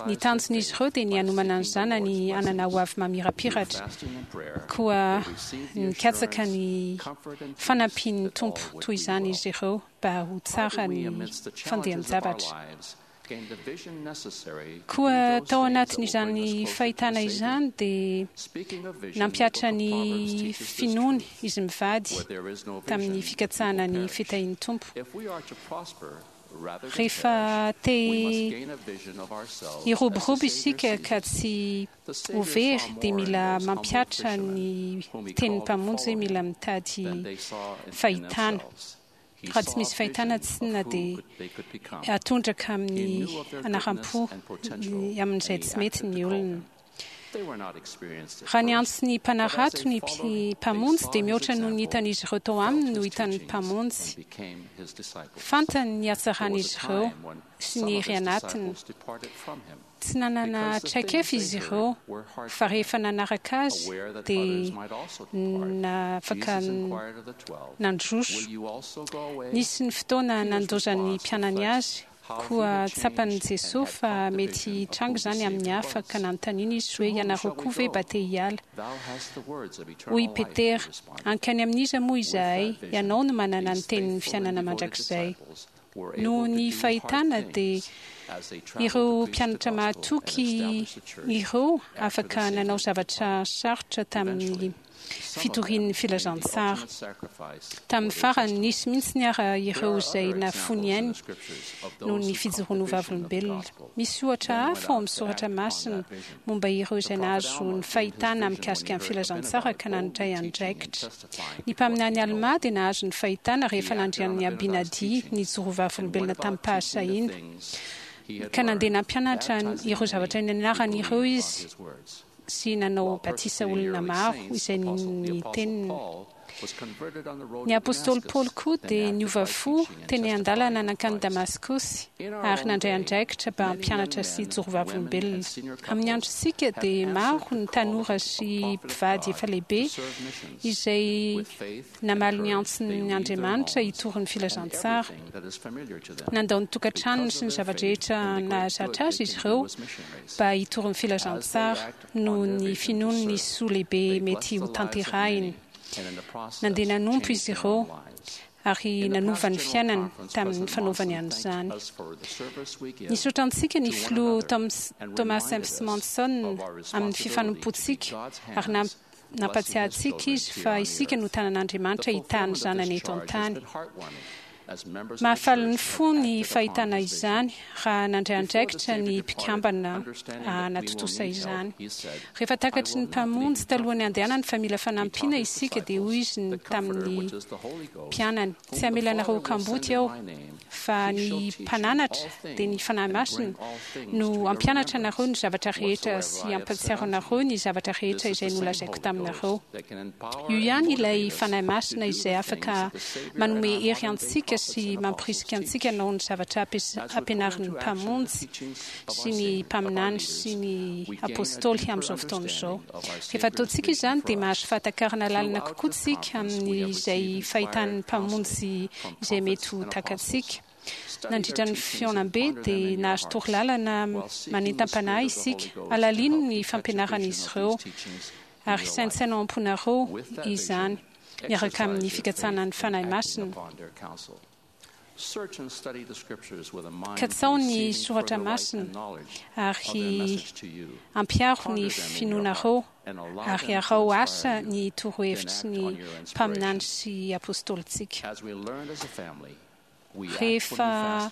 [SPEAKER 6] Ny tanjon'izy ireo dia ny hanomana ny zanany hanana ho avy mamirapiratra. Koa nikatsaka ny fanampian'ny Tompo toy izany izy ireo mba ho tsara ny fandehan-javatra. Koa tao anatin'izany fahitana izany dia nampihatra ny finoany izy mivady tamin'ny fikatsahana ny fitahian'ny Tompo. Rehefa te hiroborobo isika ka tsy ho very dia mila mampihatra ny tenin'ny Mpamonjy hoe mila mitady fahitana. Raha tsy misy fahitana tsinona dia atondraka amin'ny anaram-po amin'izay tsy mety ny olona. Raha niantso ny mpanarato ny Mpamonjy dia mihoatra noho ny hitan'izy ireo tao aminy no hitan'ny Mpamonjy. Fantany ny hatsaran'izy ireo sy ny hery anatiny. Tsy nanana traikefa izy ireo, fa rehefa nanaraka azy dia afaka nandroso. Nisy ny fotoana nandozan'ny mpianany azy, koa tsapan'i Jesoa fa mety hitranga izany amin'ny hafa, ka nanontaniana izy hoe, Ianareo koa ve mba te hiala? Hoy i Petera, Hankany amin'iza moa izahay? Ianao no manana ny tenin'ny fiainana mandrakizay. Noho ny fahitana dia ireo mpianatra mahatoky ireo afaka nanao zavatra sarotra tamin'ny fitoriany ny filazantsara. Tamin'ny farany, nisy mihitsy ara ireo izay nafoy ny ainy noho ny fijoroany ho vavolombelona. Misy ohatra hafa ao amin'ny soratra masina momba ireo izay nahazo ny fahitana mikasika ny filazantsara ka nandray andraikitra. Ny mpaminany Almà dia nahazo ny fahitana rehefa nandre an'i Abinadia nijoro ho vavolombelona tamim-pahasahiana, ka nandeha nampianatra ireo zavatra nianarany ireo izy sy nanao batisa olona maro izay nino ny teniny. Ny apostoly Paoly koa dia niova fo teny an-dalana nankany Damaskosy ary nandray andraikitra mba hampianatra sy hijoro vavolombelona. Amin'ny androntsika dia maro ny tanora sy mpivady efa lehibe izay namaly ny antson'ny Andriamanitra hitory ny filazantsara. Nandao ny tokantranony sy ny zava-drehetra nahazatra azy izy ireo mba hitory ny filazantsara noho ny finoany ny soa lehibe mety hotanterahiny. Nandeha nanompo izy ireo ary nanova ny fiainany tamin'ny fanaovany an'izany. Nisaotra antsika ny Filoha Thomas S. Monson amin'ny fifanompoantsika ary nampatsiahy antsika izy fa isika no tanan'Andriamanitra hitaha ny zanany eto an-tany. Mahafaly ny fo ny fahitana izany raha nandray andraikitra ny mpikambana hanatontosa izany. Rehefa takatry ny Mpamonjy talohan'ny handehanany fa mila fanampiana isika dia hoy Izy tamin'ny mpianany, Tsy hamela anareo ho kamboty Aho, fa ny Mpananatra, dia ny Fanahy Masina, no hampianatra anareo ny zavatra rehetra sy hampahatsiaro anareo ny zavatra rehetra izay nolazaiko taminareo. Io ihany ilay Fanahy Masina izay afaka manome hery antsika sy mamporisika antsika hanao ny zavatra ampianarin'ny Mpamonjy sy ny mpaminany sy ny apostoly amin'izao fotoana izao. Rehefa ataontsika izany dia mahazo fahatakarana lalina kokoa isika amin'izay fahitan'ny Mpamonjy izay mety ho takatsika. Nandritra ny fihaonambe dia nahazo torolalana manentam-panahy isika. Halalino ny fampianaran'izy ireo ary saintsaino ao am-ponareo izany miaraka amin'ny fikatsahana ny Fanahy Masina. Katsaho ny soratra masina ary ampiharo ny finoanareo ary araho asa ny torohevitry ny mpaminany sy apôstôlintsika. Rehefa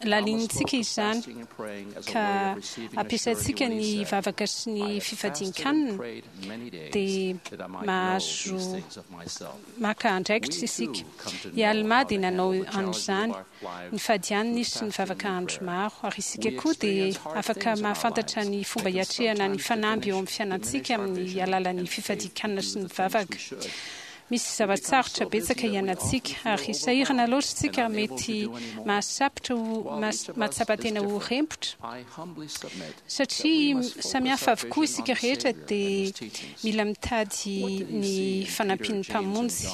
[SPEAKER 6] Lalinintsika izany ka ampiasaintsika ny vavaka sy ny fifadian-kanina dia mahazo maka andraikitra isika. I Almà dia nanao an'izany, nifady hanina izy sy nivavaka andro maro. Ary isika koa dia afaka mahafantatra ny fomba hiatrehana ny fanamby eo amin'ny fiainantsika amin'ny alalan'ny fifadian-kanina sy ny vavaka. Misy zava-tsarotra betsaka iainantsika, ary sahirana loatra isika ary mety mahasapitra ho mahatsapa tena ho rempotra. Satria samy hafa avokoa isika rehetra dia mila mitady ny fanampian'ny Mpamonjy.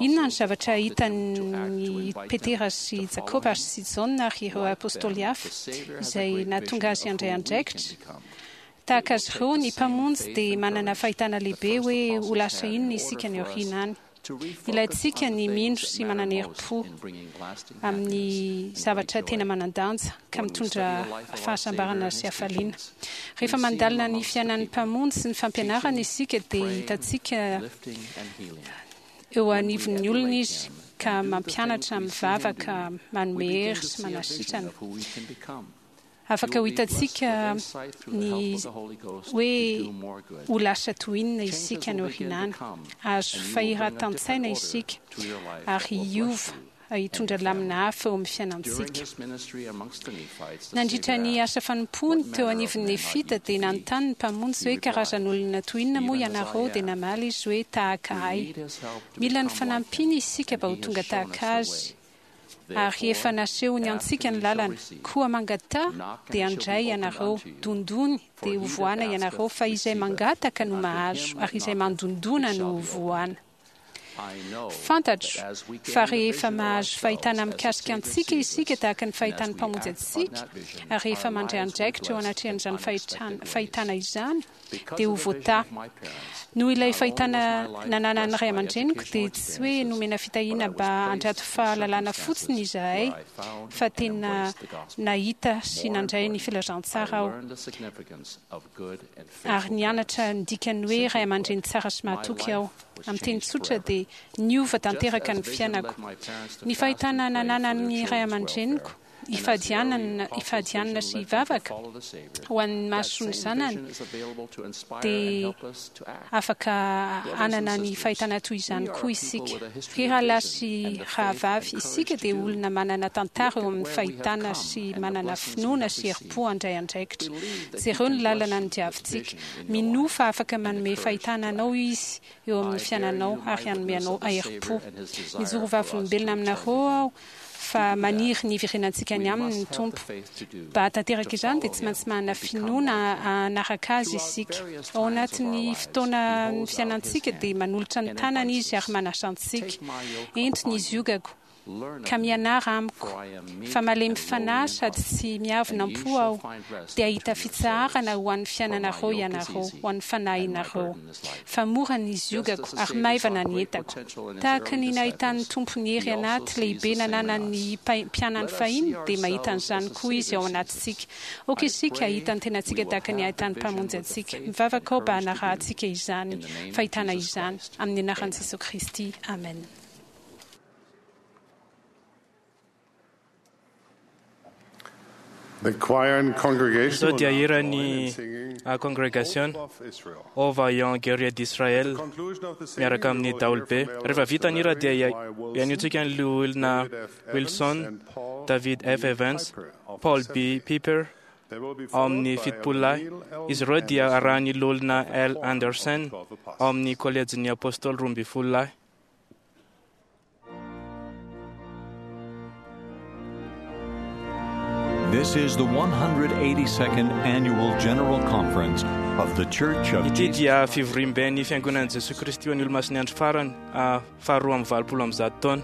[SPEAKER 6] Inona no zavatra hitan'i Petera sy Jakoba ary sy Jaona ary ireo apostoly hafa izay nahatonga azy handray andraikitra? Tahaka azy ireo, ny Mpamonjy dia manana fahitana lehibe hoe ho lasa inona isika any aoriana any. Ilaintsika ny mino sy manana herim-po amin'ny zavatra tena manan-danja ka mitondra fahasambarana sy hafaliana. Rehefa mandalina ny fiainan'ny Mpamonjy sy ny fampianarany isika dia hitantsika eo anivon'ny olona Izy ka mampianatra, mivavaka, manome hery sy manasitrana. Afaka ho hitantsika ny hoe ho lasa toy inona isika any aoriana any. Azo fahiratan-tsaina isika ary hiova. hitondra lamina hafa eo amin'ny fiainantsika. Nandritra ny asa fanompoany teo anivon'ny Nefita dia nanontany ny Mpamonjy hoe karazan'olona toy inona moa ianareo, dia namaly izy hoe tahaka ahy. Mila ny fanampiany isika mba ho tonga tahaka azy, ary efa nasehony antsika ny lalana. Koa mangataha dia handray ianareo, dondony dia hovohana ianareo, fa izay mangataka no mahazo, ary izay mandondona no hovohana. Fantatro fa rehefa mahazo fahitana mikasika antsika isika tahaka ny fahitan'ny Mpamonjy antsika, ary rehefa mandray andraikitra eo anatrehan'izany fahitana izany, dia ho voatahy. Noho ilay fahitana nananan'ny ray aman-dreniko, dia tsy hoe nomena fitahiana mba handrato fahalalana fotsiny izahay, fa tena nahita sy nandray ny filazantsara aho, ary nianatra ny dikan'ny hoe ray aman-dreny tsara sy mahatoky aho. Amin'ny teny tsotra dia niova tanteraka ny fiainako. Ny fahitana nananan'ny ray aman-dreniko hifadianana sy hivavaka ho an'ny mason'ny zanany dia afaka hanana ny fahitana toy izany koa isika. Ry rahalahy sy rahavavy, isika dia olona manana tantara eo amin'ny fahitana sy manana finoana sy herim-po handray andraikitra. Jereo ny lalana nodiavintsika. Minoa fa afaka manome fahitana anao Izy eo amin'ny fiainanao ary hanome anao herim-po. Mijoro vavolombelona aminareo aho fa maniry ny hiverenantsika any aminy ny Tompo. Mba hahatanteraka izany dia tsy maintsy manana finoana hanaraka Azy isika. Ao anatin'ny fotoana fiainantsika dia manolotra ny tanany Izy ary manasa antsika. Ento ny ziogako. Ka mianara amiko, fa malemy fanahy sady tsy miavona am-po aho, dia hahita fitsaharana ho an'ny fiainanareo ianareo, ho an'ny fanahinareo. Fa mora ny ziogako ary maivana ny entako. Tahaka ny nahitan'ny Tompo ny hery anaty lehibe nananan'ny mpianany fahiny, dia mahita an'izany koa Izy ao anatintsika. Aoka isika hahita ny tenantsika tahaka ny ahitan'ny Mpamonjy antsika. Mivavaka aho mba hanarahantsika izany fahitana izany. Amin'ny anaran'i Jesoa Kristy, amena.
[SPEAKER 3] The choir and congregation
[SPEAKER 2] Izao dia
[SPEAKER 3] will now
[SPEAKER 2] hira
[SPEAKER 3] join
[SPEAKER 2] ny
[SPEAKER 3] in singing
[SPEAKER 2] congregation
[SPEAKER 3] Hope of Israel.
[SPEAKER 2] Ô Vaillant Guerrier d'Israël
[SPEAKER 3] At the conclusion of the singing,
[SPEAKER 2] miaraka
[SPEAKER 3] we
[SPEAKER 2] amin'ny
[SPEAKER 3] will hear
[SPEAKER 2] daholobe.
[SPEAKER 3] from
[SPEAKER 2] Rehefa
[SPEAKER 3] Elders
[SPEAKER 2] vita ny hira dia
[SPEAKER 3] Larry Y. Wilson,
[SPEAKER 2] ianiotsika ny loholona
[SPEAKER 3] David F. Evans,
[SPEAKER 2] Wilson,
[SPEAKER 3] and Paul
[SPEAKER 2] David F.
[SPEAKER 3] B.
[SPEAKER 2] Evans,
[SPEAKER 3] Piper of
[SPEAKER 2] Paul
[SPEAKER 3] the
[SPEAKER 2] B.
[SPEAKER 3] 70.
[SPEAKER 2] Piper
[SPEAKER 3] They will be
[SPEAKER 2] ao amin'ny
[SPEAKER 3] followed by
[SPEAKER 2] fitopolo lahy.
[SPEAKER 3] Neil L.
[SPEAKER 2] Izy ireo dia
[SPEAKER 3] Anderson
[SPEAKER 2] arahan'ny loholona
[SPEAKER 3] of the
[SPEAKER 2] L.
[SPEAKER 3] Quorum of
[SPEAKER 2] Anderson
[SPEAKER 3] the 12 Apostles.
[SPEAKER 2] ao amin'ny kolejin'ny apôstôly 12 lahy.
[SPEAKER 7] This is the 182nd Annual General Conference of the Church of
[SPEAKER 2] Ity
[SPEAKER 7] Jesus
[SPEAKER 2] dia fivoriamben'ny fiangonan'i Jesoa Kristy ho an'ny Olomasin'ny Andro Farany faharoa amby valopolo amby zato taona.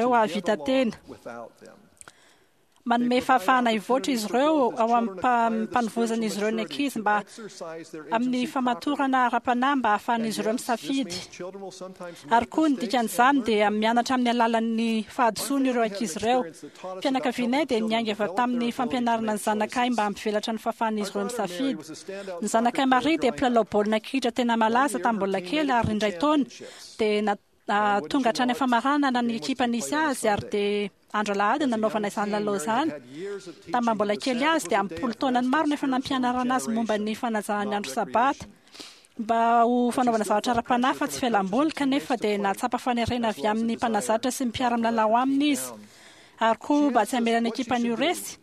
[SPEAKER 8] ireo
[SPEAKER 3] to get
[SPEAKER 8] hahavita
[SPEAKER 3] along
[SPEAKER 8] tena.
[SPEAKER 3] without them.
[SPEAKER 6] Manome fahafahana hivoatra izy ireo ao am-panovozan'izy ireo ny ankizy mba amin'ny famatorana ara-panahy mba hahafahan'izy ireo misafidy. Ary koa ny dikan'izany dia mianatra amin'ny alalan'ny fahadisoany ireo ankizy ireo. Fianakavianay dia niainga avy tamin'ny fampianarana ny zanakay mba hampivelatra ny fahafahan'izy ireo misafidy. Ny zanakay Maria dia mpilalao baolina kitra tena malaza tamin'ny mbola kely ary indray taona dia tonga hatrany am-pamaranana ny ekipa nisy azy ary dia andro alahady nanaovana izany lalao izany. Tamin'ny mbola kely azy dia am-polo taonany maro no efa nampianarana azy momba ny fanajana ny andro sabata mba ho fanaovana zavatra ara-panahy fa tsy fialam-boly, kanefa dia nahatsapa fanerena avy amin'ny mpanazatra sy ny mpiara-milalao aminy izy ary koa mba tsy hamela ny ekipany ho resy.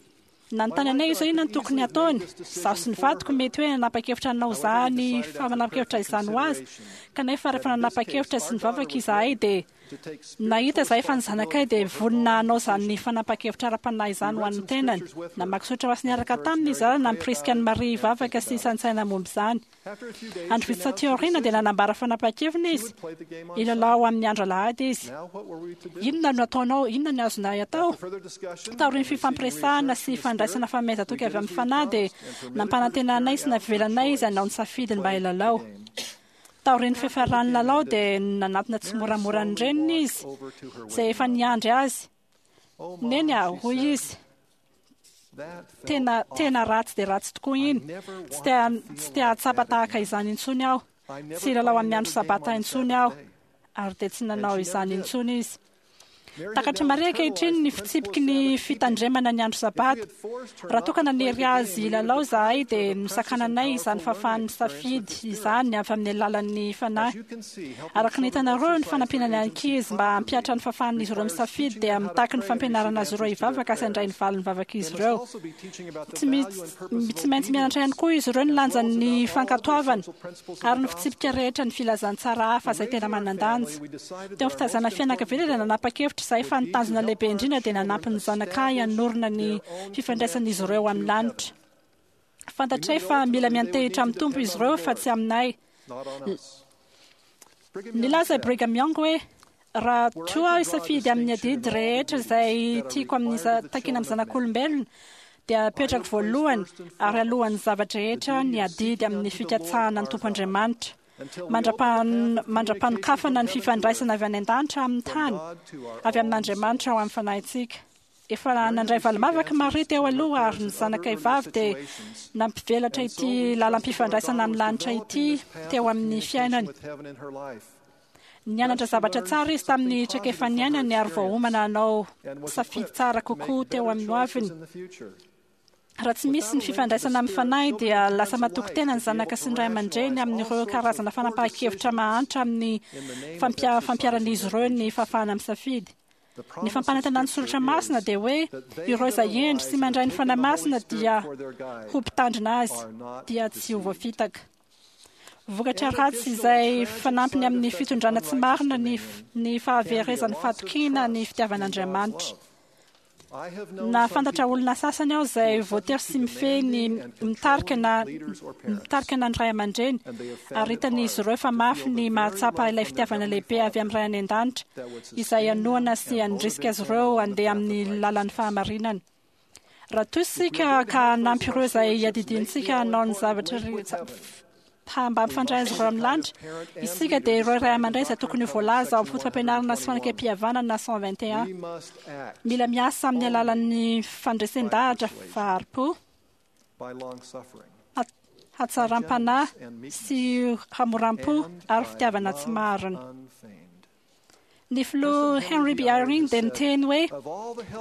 [SPEAKER 6] Nanontany anay izy hoe inona no tokony hataony. Izaho sy ny vadiko mety hoe nanapa-kevitra hanao izany fanapa-kevitra izany ho azy, kanefa rehefa nanapa-kevitra sy nivavaka izahay dia nahita izahay fa ny zanakay dia vonona hanao izany fanapa-kevitra ara-panahy izany ho an'ny tenany. Namaky soratra masina niaraka taminy izahay ary nampirisika an'i Maria hivavaka sy hisaintsaina momba izany. Andro vitsy taty aoriana dia nanambara fanapahan-keviny izy, hilalao amin'ny andro alahady izy. Inona no ataonao? Inona no azonay atao? Taorian'ny fifampiresahana sy fandraisana fanomezan-toky avy amin'ny Fanahy dia nampanantena anay sy navelanay izy hanao ny safidiny mba hilalao. Taorian'ny fiafaran'ny lalao dia nanatona tsimoramora ny reniny izy, izay efa niandry azy. Neny a, hoy izy. Tena, tena ratsy dia ratsy tokoa iny. Tsy te, tsy te hahatsapa tahaka izany intsony aho. Tsy hilalao amin'ny andro Sabata intsony aho. Ary dia tsy nanao izany intsony izy. Takatr'i Maria ankehitriny ny fitsipiky ny fitandremana ny andro Sabata. Raha toa ka nanery azy hilalao izahay dia nosakananay izany fahafahany misafidy izany avy amin'ny alalan'ny Fanahy. Araka ny hitanareo, ny fanampiana ny ankizy mba hampihatra ny fahafahan'izy ireo misafidy dia mitaky ny fampianarana azy ireo hivavaka sy handray ny valin'ny vavak'izy ireo. Tsy tsy maintsy mianatra ihany koa izy ireo ny lanjan'ny fankatoavana ary ny fitsipika rehetra ny filazantsara hafa izay tena manan-danja. Teo amin'ny fitaizana fianakaviana dia nanapa-kevitra izahay fa ny tanjona lehibe indrindra dia nanampy ny zanakay hanorina ny fifandraisan'izy ireo amin'ny lanitra. Fantatray fa mila miantehitra amin'ny Tompo izy ireo fa tsy aminay. Nilaza i Brigham Young hoe, Raha toa aho hisafidy amin'ny adidy rehetra izay tiako amin'ny takiana amin'ny zanak'olombelona, dia apetrako voalohany ary alohan'ny zava-drehetra ny adidy amin'ny fikatsahana ny Tompo Andriamanitra, mandra-panokafana ny fifandraisana avy any an-danitra amin'ny tany, avy amin'Andriamanitra ao amin'ny fanahintsika. Efa nandray valim-bavaka i Maria teo aloha ary ny zanakay vavy dia nampivelatra ity lalam-pifandraisana amin'ny lanitra ity teo amin'ny fiainany. Nianatra zavatra tsara izy tamin'ny traikefa niainany ary voaomana hanao safidy tsara kokoa teo amin'ny hoaviny. Raha tsy misy ny fifandraisana amin'ny fanahy dia lasa matoky tena ny zanaka sy ny ray aman-dreny amin'ireo karazana fanapahan-kevitra mahantra amin'ny fampiharan'izy ireo ny fahafahana misafidy. Ny fampanantenan'ny Soratra Masina dia hoe ireo izay hendry sy mandray ny Fanahy Masina dia ho mpitandrina azy, dia tsy ho voafitaka. Vokatra ratsy izay fanampiny amin'ny fitondrana tsy marina ny ny fahaverezan'ny fahatokiana ny fitiavan'Andriamanitra. Nahafantatra olona sasany aho izay voatery sy mifehy ny mitarika na mitarika na ny ray aman-dreny, ary hitan'izy ireo fa mafy ny mahatsapa ilay fitiavana lehibe avy amin'ny Ray any An-danitra izay hanohana sy handrisika azy ireo handeha amin'ny lalan'ny fahamarinana. Raha toa isika ka hanampy ireo izay iadidiantsika hanao ny zavatra mba hampifandray azy ireo amin'ny lanitra, isika dia ireo ray aman-dray izay tokony ho voalaza ao amin'ny Foto-pampianarana sy Fanekempihavanana 121. Mila miasa amin'ny alalan'ny fandresen-dahatra fahari-po, hatsaram-panahy sy hamoram-po ary fitiavana tsy marina. Ny filoha Henry B. Eyring dia niteny hoe,